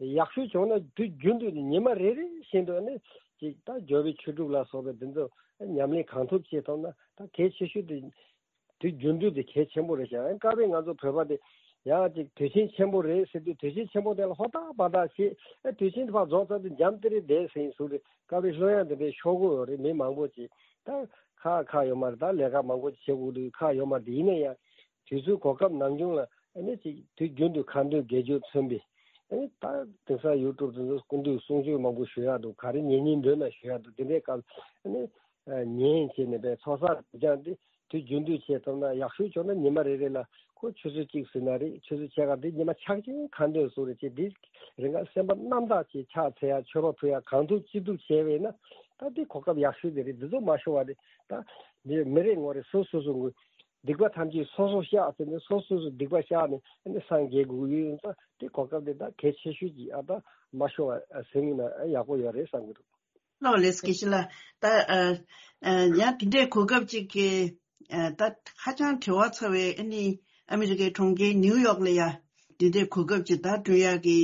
ཡག་ཤོས་བྱུང་ན་དུས་རྒྱུན་དུ་ཉི་མ་རེ་རེ་བཞིན་དུ་ནི་ཅིག་ད་འབྱོར་པའི་ཆོས་དྲུག་ལ་སོགས་པའི་དེ་ཚོ་ཉམས་ལེན་གང་ཐུབ་བྱེད་ཐུབ་ན་ད་གལ་ཆེ་ཤོས་དེ་དུས་རྒྱུན་དུ་དེ་གལ་ཆེན་པོ་རེད་ཤག་ཨ་སྐབས་རེ་ང་ཚོ་བོད་པ་དེ་ཡང་ཅིག་དུས་ཆེན་ཆེན་པོ་རེད་ཟེར་དུས་དུས་ཆེན་ཆེན་པོ་དེ་ལ་ཧོ་ཐག་བ་ཐག་བྱེད་ཨ་དུས་ཆེན་དེ་ཕར་རྫོགས་ཚར་དུས་འཇམ་ཏི་རེ་བསྡད་ཟིན་སོང་རེད། སྐབས་རེ་བློ་ཡང་དེ་འདྲའི་ཤོར་གི་ཡོད་རེད། མི་མང་པོ་ཅིག་ད་ཁག་ཁག་ཡོད་མ་རེད། ད་ལས་ཀ་མང་པོ་ཅིག་བྱེད་དགོས་དུས་ཁག་ཡོད་མ་རེད། ཡིན་ན་ཡང་དུས་ཚོད་གོ་སྐབས་ནམ་བྱུང་ལ་ཨ་ནི་ཅིག་དུས་རྒྱུན་དུ་ཁ་འདོན་དགེ་སྦྱོར་མཚོན་པའི་ཨ་ནི་ད་དེང་སང་ཡུ་ཊུབ་དེ་ཚོ་སྐུ་མདུན་གསུང་ཆོས་མང་པོ་ཞུ་ཡག་འདུག་ག་རེ་ཉན་ཉན་འདོད་ན་ཞུ་ཡག་འདུག་དེ་འདྲའི་སྐབས་ཨ་ནི་ཉན་བྱས་ནས་པའི་ཚོགས་བསགས་སྒྲིབ་སྦྱང་དེ་དུས་རྒྱུན་དུ་བྱེད་ཐུབ་ན་ཡག་ཤོས་བྱུང་ན་ཉི་མ་རེ་རེ་ལ་ཁོ་ཆུ་ཚོད་གཅིག་ཟིན་ན་རེད། ཆུ་ཚོད་ཕྱེད་ཀ་འདི་ཉི་མ་ཕྱག་ཆེན་ཁ་འདོན་སོགས་རེ་བྱེད་འདི་རེ་འགའ་སེམས་པ་རྣམ་དག་ཅིག་ཕྱག་འཚལ་ཡ་མཆོད་པ་ཕུལ་ཡ་གང་ཐུབ་ཅི་ཐུབ་བྱས་པས་ན་ད་འདི་གོ་སྐབས་ཡག་ཤོས་དེ་རེད། འདི་ཚོ་མ་ཤོར་བ་རེད། ད་འདི་མི་རེ་ངོ་རེ་སོ་སོ་སོ་ངོས་སྡིག་པ་ཐམས་ཅད་སོ་སོ་བཤགས་ཟེར་ནས་སོ་སོ་སོ་སྡིག་པ་བཤགས་ནས་ཨ་ནི་སངས་རྒྱས་དགོས་ཀྱི་ཡོད་ཙང་འདི་གོ་སྐབས་དེ་ད་གལ་ཆེ་ཤོས་ཅིག་ཨ་ད་མ་ཤོར་བ་ཟིན་ན་ཡག་པོ་ཡོད་རེད་བསམ་གྱི་འདུག་ལགས་ལགས་དགེ་བཤེས་ལགས། ད་ཨ་ཨ་ཡང་དེ་འདྲའི་གོ་སྐབས་ཅིག་གི་ཨ་ད་ཧ་ཅང་བྲེལ་བ་ཚ་བའི་ཨ་ནི་ཨ་མི་རི་ཀའི་གྲོང་ཁྱེར་ནིའུ་ཡོག་ལ་ཡ་དེ་འདྲའི་གོ་སྐབས་ཅིག་ད་བསྐྲུན་ཡག་གི་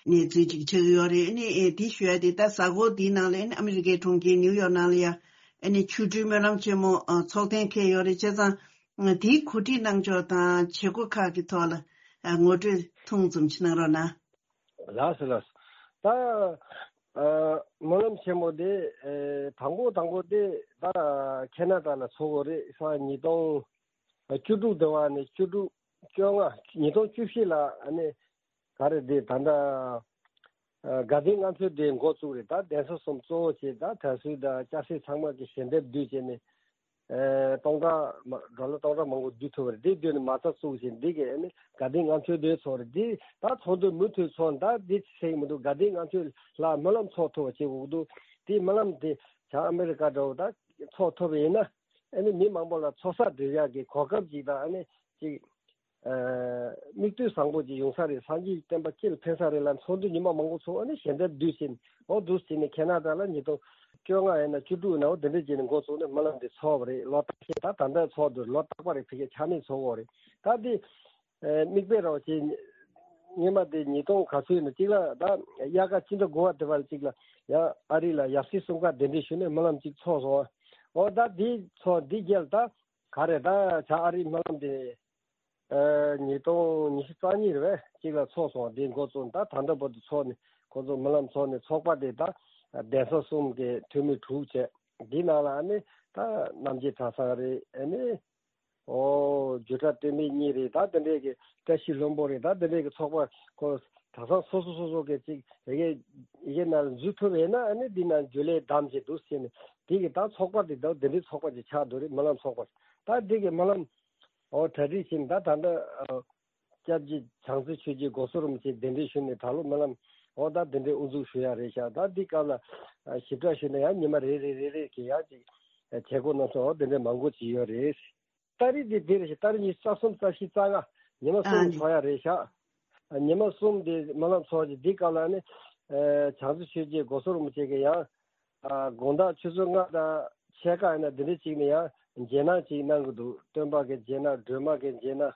གནས་ཚུལ་ཅིག་ཆགས་ཀྱི་ཡོད་རེད། ཨ་ནི་ཨེ་དེ་ཞུ་ཡ་དེ་ད་གཟའ་འཁོར་འདིའི་ནང་ལ་ཨ་ནི་ཨ་མི་རི་ཀའི་གྲོང་ཁྱེར་ནིའུ་ཡོག་ནང་ལ་ཡ་ཨ་ནི་ཆོ་འཕྲུལ་སྨོན་ལམ་ཆེན་མོ་ཨ་ཚོགས་ཐེངས་འཁེལ་ཡོད་རེད། བྱས་ཙང་ཨ་དེའི་གོ་སྒྲིག་གནང་ཕྱོགས་དང་བྱེད་སྒོ་ཁག་གི་ཐོག་ལ་ཨ་ངོ་སྤྲོད་ཐུང་ཙམ་ཅིག་གནང་རོགས་གནང་། ལགས་སོ་ལགས་སོ། ད་ཨ་སྨོན་ལམ་ཆེན་མོ་དེ་ཨེ་དང་པོ་དང་པོ་དེ་ད་ཁེ་ན་ཌ་ལ་ཚོགས་ཀྱི་ཡོད་རེད། ས་ཉིས་སྟོང་བཅུ་དྲུག་དེ་བ་ནས་བཅུ་དྲུག་བཅོ་ལྔ་ཉིས་སྟོང་བཅུ་བཞི་ལ་ཨ་ནི་ག་རེ་དེ་ད་ལྟ་ཨ་དགའ་ལྡན་ལྔ་མཆོད་དེ་འགོ་བཙུགས་རེད། ད་གདན་ས་གསུམ་གཙོ་བོ་བྱས་ད་དར་སྲོལ་དང་སྐྱ་སེར་ཚང་མ་གི་ཞལ་འདེབས་བསྡུས་བྱས་ནས། ཨེ་སྟོང་ཕྲག་མ་ཌོ་ལར་སྟོང་ཕྲག་མང་པོ་བསྡུ་ཐུབ་པ་རེད། དེ་བསྡུས་ནས་མ་རྩ་བཙུགས་ཤིང་འདི་གའི་ནི་དགའ་ལྡན་ལྔ་མཆོད་དེ་ཚོགས་རེད། འདི་ད་ཚོགས་འདུ་མུ་མཐུད་ཚོགས་ད་འདི་ཟེར་གྱི་མི་འདུག་དགའ་ལྡན་ལྔ་མཆོད་ལ་སྨོན་ལམ་ཚོགས་ཐུབ་པ་བྱེད་དགོས་ཀྱི་འདུག་དེ་སྨོན་ལམ་དེ་བྱང་ཨ་མེ་རི་ཀ་འདྲ་བོ་ད་ཚོགས་ཐུབ་པ་ཡིན་ན་ ཨ་ནི་མི་མང་པོ་ལ་ཚོགས་བསགས་སྒྲུབ་ཡག་གི་གོ་སྐབས་ཅིག་དང་། ཨ་ནི་ཅིག་ཨ་མིག་ལྟོས་བཟང་པོ་ཅིག་ཡོང་ས་རེད། སངས་རྒྱས་བསྟན་པ་སྤྱི་ལ་ཕན་ས་རེད་ལབ། ཚོགས་འདུ་ཉི་མ་མང་པོ་ཚོགས། ཨ་ནི་ཞལ་འདེབས་བསྡུས་ཕྱིན། འོ་འདུག་ཟེར་ནས་ཁྱེད་རྣམ་དག་ལ་ཉིས་སྟོང་བཅོ་ལྔ་ཡིན་ན་བཅུ་དྲུག་ཡིན་ན། འོ་དེ་འདྲ་བྱས་ནས་འགོ་བཙུགས་ནས་སྨོན་ལམ་འདི་ཚོགས་པ་རེད། ལོ་རྟག་པར། ད་ད་ལྟ་ཚོགས་འདུག་ལོ་རྟག་པ་རེད། ཕ་གིར་ཆག་མེད་ཚོགས་ཀྱི་ཡོད་རེད། ད་འདི་ཨ་མིག་དཔེ་ར་བ་ཅིག་སྔོན་མ་དེ་ཉིས་སྟོང་ག་ཚོད་ཡིན་ན་གཅིག་ལ། ད་དབྱར་ཁ་སྤྱི་ཟླ་དགུ་པ་དེ་བར་གཅིག་ལ་ཡང་ཨ་རི་ལ་ཡབ་སྲས་གསུམ་ཀ་གདན་འདྲེན་ཞུས་ནས་སྨོན་ལམ་གཅིག་ཚོགས་སོང་། འོ་ད་དེ་ཚོགས་འདི་རྗེས་ད་ག་རེ་ད་བྱ། ཨ་རི་སྨོན་ལམ་དེ་ཨ་ཉིས་སྟོང་ཉི་ཤུ་རྩ་གཉིས་རེད་པས། གཅིག་ལ་ཚོགས་སོང་། དེ་འགོ་བཙུགས། ད་ད་ལྟ་བར་དུ་ཚོགས་ནས་ཁོང་ཚོ་སྨོན་ལམ་ཚོགས་ནས། ཚོགས་པ་དེ་ད་གདན་ས་གསུམ་གྱི་འཐུས་མི་དྲུག་བྱས། འདི་ནང་ལ་ཨ་ནི་ད་རྣམ་རྒྱལ་གྲྭ་ཚང་རེད། ཨ་ནི་ཨོ་རྒྱུད་གྲྭ་སྟོད་སྨད་གཉིས་རེད། ད་དེ་འདྲས་ཀྱི་བཀྲ་ཤིས་ལྷུན་པོ་རེད། ད་དེ་འདྲས་ཀྱི་ཚོགས་པ་ཁོ་གྲྭ་ཚང་སོ་སོ་སོ་སོ་གི་ཅིག་ཡི་གེ་ཡི་གེ་ནང་འཛུལ་ཐུབ་ཡོད་ན། ཨ་ནི་འདི་ནང་རྒྱུན་ལས་བདམས་བྱས་འདུག་ཟེར་ནས། དེ་གི་ད་ཚོགས་པ་དེ་ད་དེ་འདྲས་ཚོགས་པ་ཅིག་ཆགས་འདུག་རེད། སྨོན་ལམ་ཚོགས་པ། ད་དེ་གི་སྨོན་ལམ་ཨོ་གྲ་སྒྲིག་བྱས་ནས། ད་ད་ལྟ་ཨོ་སྐྱབས་རྗེ་བྱང་རྩེ་ཆོས་རྗེ་སྒོ་སོ་རིན་པོ་ཆེ་གདན་འདྲེན་ཞུས་ནས་ད་ལོ་སྨོན་ལམ་འོ་ད་དེ་འདྲའི་དབུ་འཛུགས་ཞུ་ཡ་རེད་ཤག་ད་འདི་སྐབས་ལ་ཨ་ཞིབ་ཕྲ་ཞུས་ན་ཡང་ཉི་མ་རེ་རེ་རེ་རེ་གི་ཡང་ཅིག་ཨ་བྱེད་སྒོ་རྣམ་གསུམ་འོ་དེ་འདྲའི་མང་པོ་ཅིག་ཡོད་རེད། ཏ་རིག་དེ་དེ་རེད་ཤག་ཏ་རིག་ཉི་ཤུ་རྩ་གསུམ་རྩ་བཞི་རྩ་ལྔ་ཉི་མ་གསུམ་ཨ་ཚོགས་ཡ་རེད་ཤག་ཨ་ཉི་མ་གསུམ་དེ་སྨོན་ལམ་ཚོགས་ཀྱི། འདི་སྐབས་ལ་ནི་ཨ་བྱང་རྩེ་ཆོས་རྗེ་སྒོ་སོ་རིན་པོ་ཆེ་གི་ཡང་ཨ་དགོང་དག་ཆུ་ཚོད་ལྔ་དང་ཕྱེད་ཀ་ཡིན་ན་འདི་འདྲ་ཅིག་ནས་ཡང་རྗེས་གནང་ཅིག་གནང་གི་འདུག་སྟོན་པ་གི་རྗེས་གནང་། སྒྲོལ་མ་གི་རྗེས་གནང་།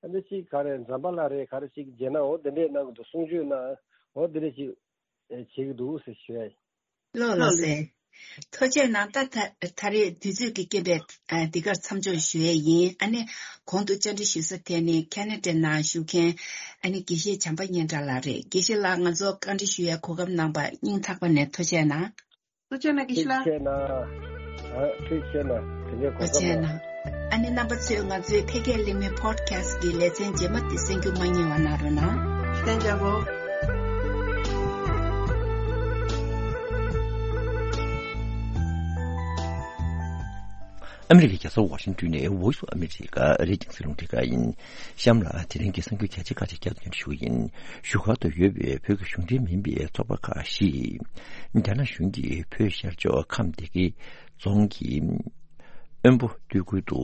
ཨ་ནི་ཅིག་ག་རེ་འཛམ་བྷ་ལ་རེད། ག་རེ་ཅིག་རྗེས་གནང་འོ་འདི་འདྲས་གནང་གི་འདུག་གསུང་ཆོས་གནང་འོ་འདི་འདྲས་ཅིག་ཨེ་བྱེད་ཀྱི་འདུག་ཟེར་ཞུ་ཡ་ཡིན། ལགས་ལགས་སེ། ཐུགས་རྗེ་གནང་། ད་ད་ད་རེས་དུས་ཚོད་ཀྱི་རྐྱེན་པས་ཨ་འདི་གར་མཚམས་འཇོག་ཞུ་ཡས་ཡིན། ཨ་ནི་གོང་དུ་བཅར་འདྲི་ཞུ་ས་དེ་ནི་ཁེ་ན་ཌ་ནང་བཞུགས་མཁན་ཨ་ནི་དགེ་བཤེས་བྱམས་པ་སྙན་གྲགས་ལགས་རེད། དགེ་བཤེས་ལགས། ང་ཚོ་བཀའ་འདྲི་ཞུ་ཡས་གོ་སྐབས་གནང་བར་སྙིང་ཐག་པ་ནས་ཐུགས་རྗེ་གནང་། ཐུགས་རྗེ་གནང་། དགེ་བཤེས་ལགས། ཐུགས་རྗེ་གནང་། ཨ་ཐུགས་རྗེ་གནང་། དེ་འདྲའི་གོ་ཐུགས་རྗེ་སྐབས་གནང་། ཨ་ནི་རྣམ་པ་ཚོས་ང་ཚོའི་ཕལ་སྐད་གླེང་མོལ་ཕོ་ཌི་ཁ་སི་ཊི་གི་ལེ་ཚན་རྗེས་མ་དེ་གསན་རྒྱུ་མ་བསྙེལ་བ་གནང་རོགས་གནང་། བསྟན་འཇགས་པོ། ཨ་མི་རི་ཀའི་རྒྱལ་ས་ཝ་ཤིང་ཏོན་ནས་Voice of America ཨ་རིའི་རྒྱང་སྲིང་རླུང་འཕྲིན་ཁང་ཡིན། གཤམ་ལ་དེ་རིང་གི་གསར་འགྱུར་རྒྱ་ཆེ་ཁག་ཅིག་བསྐྱར་དུ་སྙན་སྒྲོན་ཞུ་གི་ཡིན། བཞུགས་སྒར་དུ་ཡོད་པའི་བོད་ཀྱི་གཞུང་འབྲེལ་མིན་པའི་ཚོགས་པ་ཁག་བཞི། རྒྱ་ནག་གཞུང་གིས་བོད་ཤར་ཕྱོགས་ཁམས་སྡེ་དགེ་རྫོང་གི་དབོན་པོ་སྟོད་ཁུལ་དུ་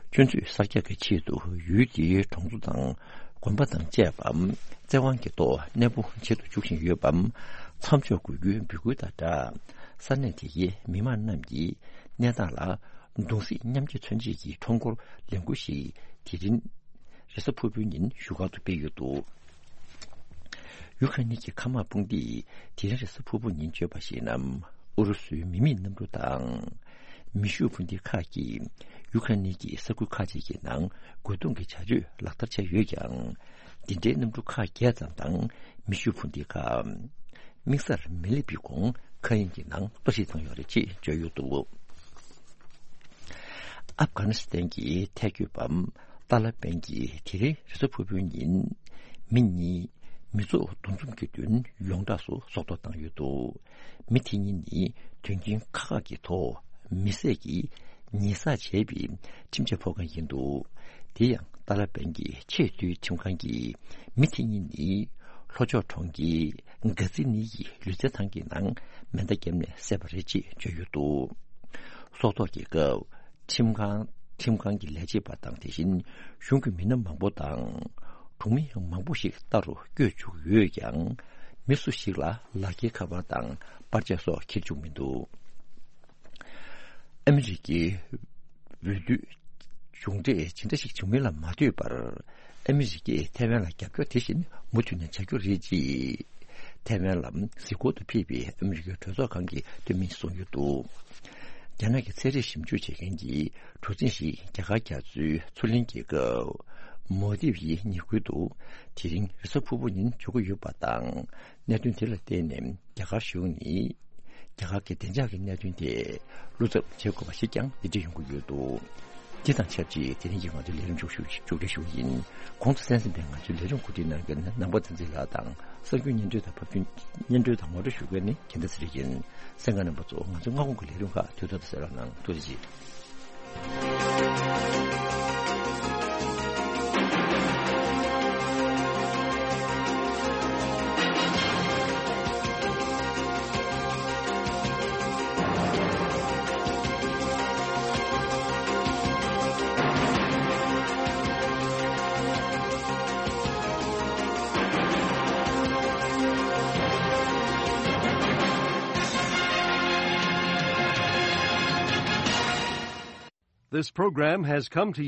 སྤྱོད་ཚུལ་གསར་རྒྱག་གི་ཆེད་དུ་ཡུལ་དེའི་གྲོང་ཚོ་དང་དགོན་པ་དང་བཅས་པ་བཙན་དབང་གི་ཐོག་གནས་སྤོ་བྱེད་དུ་འཇུག་བཞིན་ཡོད་པ་མཚམས་འཇོག་དགོས་རྒྱུའི་འབོད་སྐུལ་དང་སྦྲགས། ས་གནས་དེ་གའི་མི་མང་རྣམས་ཀྱིས་གནས་སྟངས་ལ་གདུང་སེམས་མཉམ་སྐྱེད་མཚོན་ཆེད་ཀྱི་ཁྲོམ་སྐོར་ལས་འགུལ་ཞིག་དེ་རིང་རེས་གཟའ་ཕུར་བུའི་ཉིན་བཞུགས་སྒར་དུ་སྤེལ་ཡོད་འདུག་ཡུ་ཁ་ནི་གི་མཁའ་དམག་དཔུང་སྡེས་དེ་རིང་རེས་གཟའ་ཕུར་བུ་ཉིན་བརྗོད་པར་གཞིགས་ན། ཨུ་རུ་སུའི་མི་མེད་གནམ་གྲུ་དང་མེ་ཤུགས་འཕུར་མདེལ་ཁག་གིས་ཡུ་ཁ་ནི་གི་ས་ཁུལ་ཁག་ཅིག་གི་ནང་རྒོལ་རྡུང་གི་བྱ་སྤྱོད་ལག་བསྟར་བྱས་ཡོད་ཀྱང་། འདི་འདྲའི་གནམ་གྲུ་ཁག་བརྒྱད་ཙམ་དང་མེ་ཤུགས་འཕུར་མདེལ་ཁག་དམིགས་སར་མི་སླེབས་པའི་གོང་མཁའ་དབྱིངས་ཀྱི་ནང་གཏོར་བཤིག་བཏང་ཡོད་རེད་ཅེས་བརྗོད་ཡོད་འདུག་ཨབ་གྷ་ནི་སི་ཐན་གྱི་ཐལ་འགོ་པ་ཏཱ་ལ་པན་གྱིས་དེ་རིང་རེས་གཟའ་ཕུར་བུའི་ཉིན་མི་གཉིས་མི་ཚོགས་འདུ་འཛོམས་ཀྱི་མདུན་ཡོངས་གྲགས་སུ་སྲོག་ཐོག་བཏང་ཡོད་འདུག་མི་དེ་གཉིས་ནི་དོན་རྐྱེན་ཁག་ཁག་གི་ཐོག་མེ་བསྲེགས་ཀྱིས་ཉེས་བསགས་བྱས་པའི་ཁྲིམས་ཆད་ཕོག་མཁན་ཡིན་འདུག་དེ་ཡང་ཏཱ་ལ་པན་གྱི་ཆེས་མཐོའི་ཁྲིམས་ཁང་གིས་མི་དེ་གཉིས་ནི་ལྷོ་ཕྱོགས་གྲོང་ཁྱེར་གྷ་ཛི་ནི་ཡི་ལུས་རྩལ་ཐང་གི་ནང་མེ་མདའ་བརྒྱབ་ནས་བསད་པ་རེད་ཅེས་བརྗོད་ཡོད་འདུག་སྲོག་ཐོག་གི་སྐབས་ཁྲིམས་ཁང་ཁྲིམས་ཁང་གི་ལས་བྱེད་པ་དང་། དེ་བཞིན་གཞུང་གི་མི་སྣ་མང་པོ་དང་གྲོང་མི་ཡང་མང་པོ་ཞིག་ལྟ་རུ་བསྐྱོད་བཅུག་ཡོད་ཀྱང་། མི་སུ་ཞིག་ལ་ལག་འཁྱེར་ཁ་པར་དང་པར་ཆས་སོགས་འཁྱེར་བཅུག་མི་འདུག་ཨ་མི་རི་ཀའི་འོས་བསྡུ་མཇུག་འབྲས་ཇི་འདྲ་ཞིག་བྱུང་མིན་ལ་མ་ལྟོས་པར། ཨ་མི་རི་ཀས་ཐའེ་ཝན་ལ་རྒྱབ་སྐྱོར་དེ་བཞིན་མུ་མཐུད་ནས་བྱ་རྒྱུ་རེད་ཅེས། ཐའེ་ཝན་ལ་གཟིགས་སྐོར་དུ་ཕེབས་པའི་ཨ་མི་རི་ཀའི་གྲོས་ཚོགས་ཁང་གི་འཐུས་མི་གསུངས་ཡོད་འདུག་རྒྱ་ནག་གི་ཚན་རིག་ཞིབ་འཇུག་བྱེད་མཁན་གྱི་གྲུ་གཟིངས་ཤིག་རྒྱ་གར་རྒྱ་མཚོའི་མཚོ་གླིང་རྒྱལ་ཁབ་མོ་དིབ་ཡི་ཉེ་ཁུལ་དུ་དེ་རིང་རེས་གཟའ་ཕུར་བུ་ཉིན་འབྱོར་གྱི་ཡོད་པ་དང་། གནད་དོན་དེ་ལ་བརྟེན་ནས་རྒྱ་གར་གཞུང་ནས་རྒྱ་གར་གྱི་བདེ་འཇགས་ཀྱི་གནད་དོན་ཐད་བློ་འཚབ་བྱེད་དགོས་པ་ཞིག་ཀྱང་འདི་འདྲ་ཡོང་གི་ཡོད་འདུག་འདི་དང་ཆབས་ཅིག་དེ་རིང་གི་ང་ཚོའི་ལས་རིམ་མཇུག་ཞུ་མཇུག་སྒྲིལ་ཞུ་གི་ཡིན། གོང་དུ་གསན་གཟིགས་པའི་ང་ཚོའི་ལས་རིམ་གོ་སྒྲིག་གནང་མཁན་ནང་པ་བསྟན་འཛིན་ལགས་དང་། གསར་འགྱུར་སྙན་སྒྲོན་དང་ཕབ་སྒྱུར་སྙན་སྒྲོན་དང་ངོ་སྤྲོད་ཞུ་མཁན་ནི་རྒྱལ་མཚན་ཚེ་རིང་ཡིན། གསན་མཁན་རྣམ་པ་ཚོ། ང་ཚོའི་སྔ་དགོང་གི་ལས་རིམ་ཁག་དུས་ཐོག་ཏུ་གསན་རོགས་གནང་། ཐུགས་རྗེ་ཆེ། This program has come to you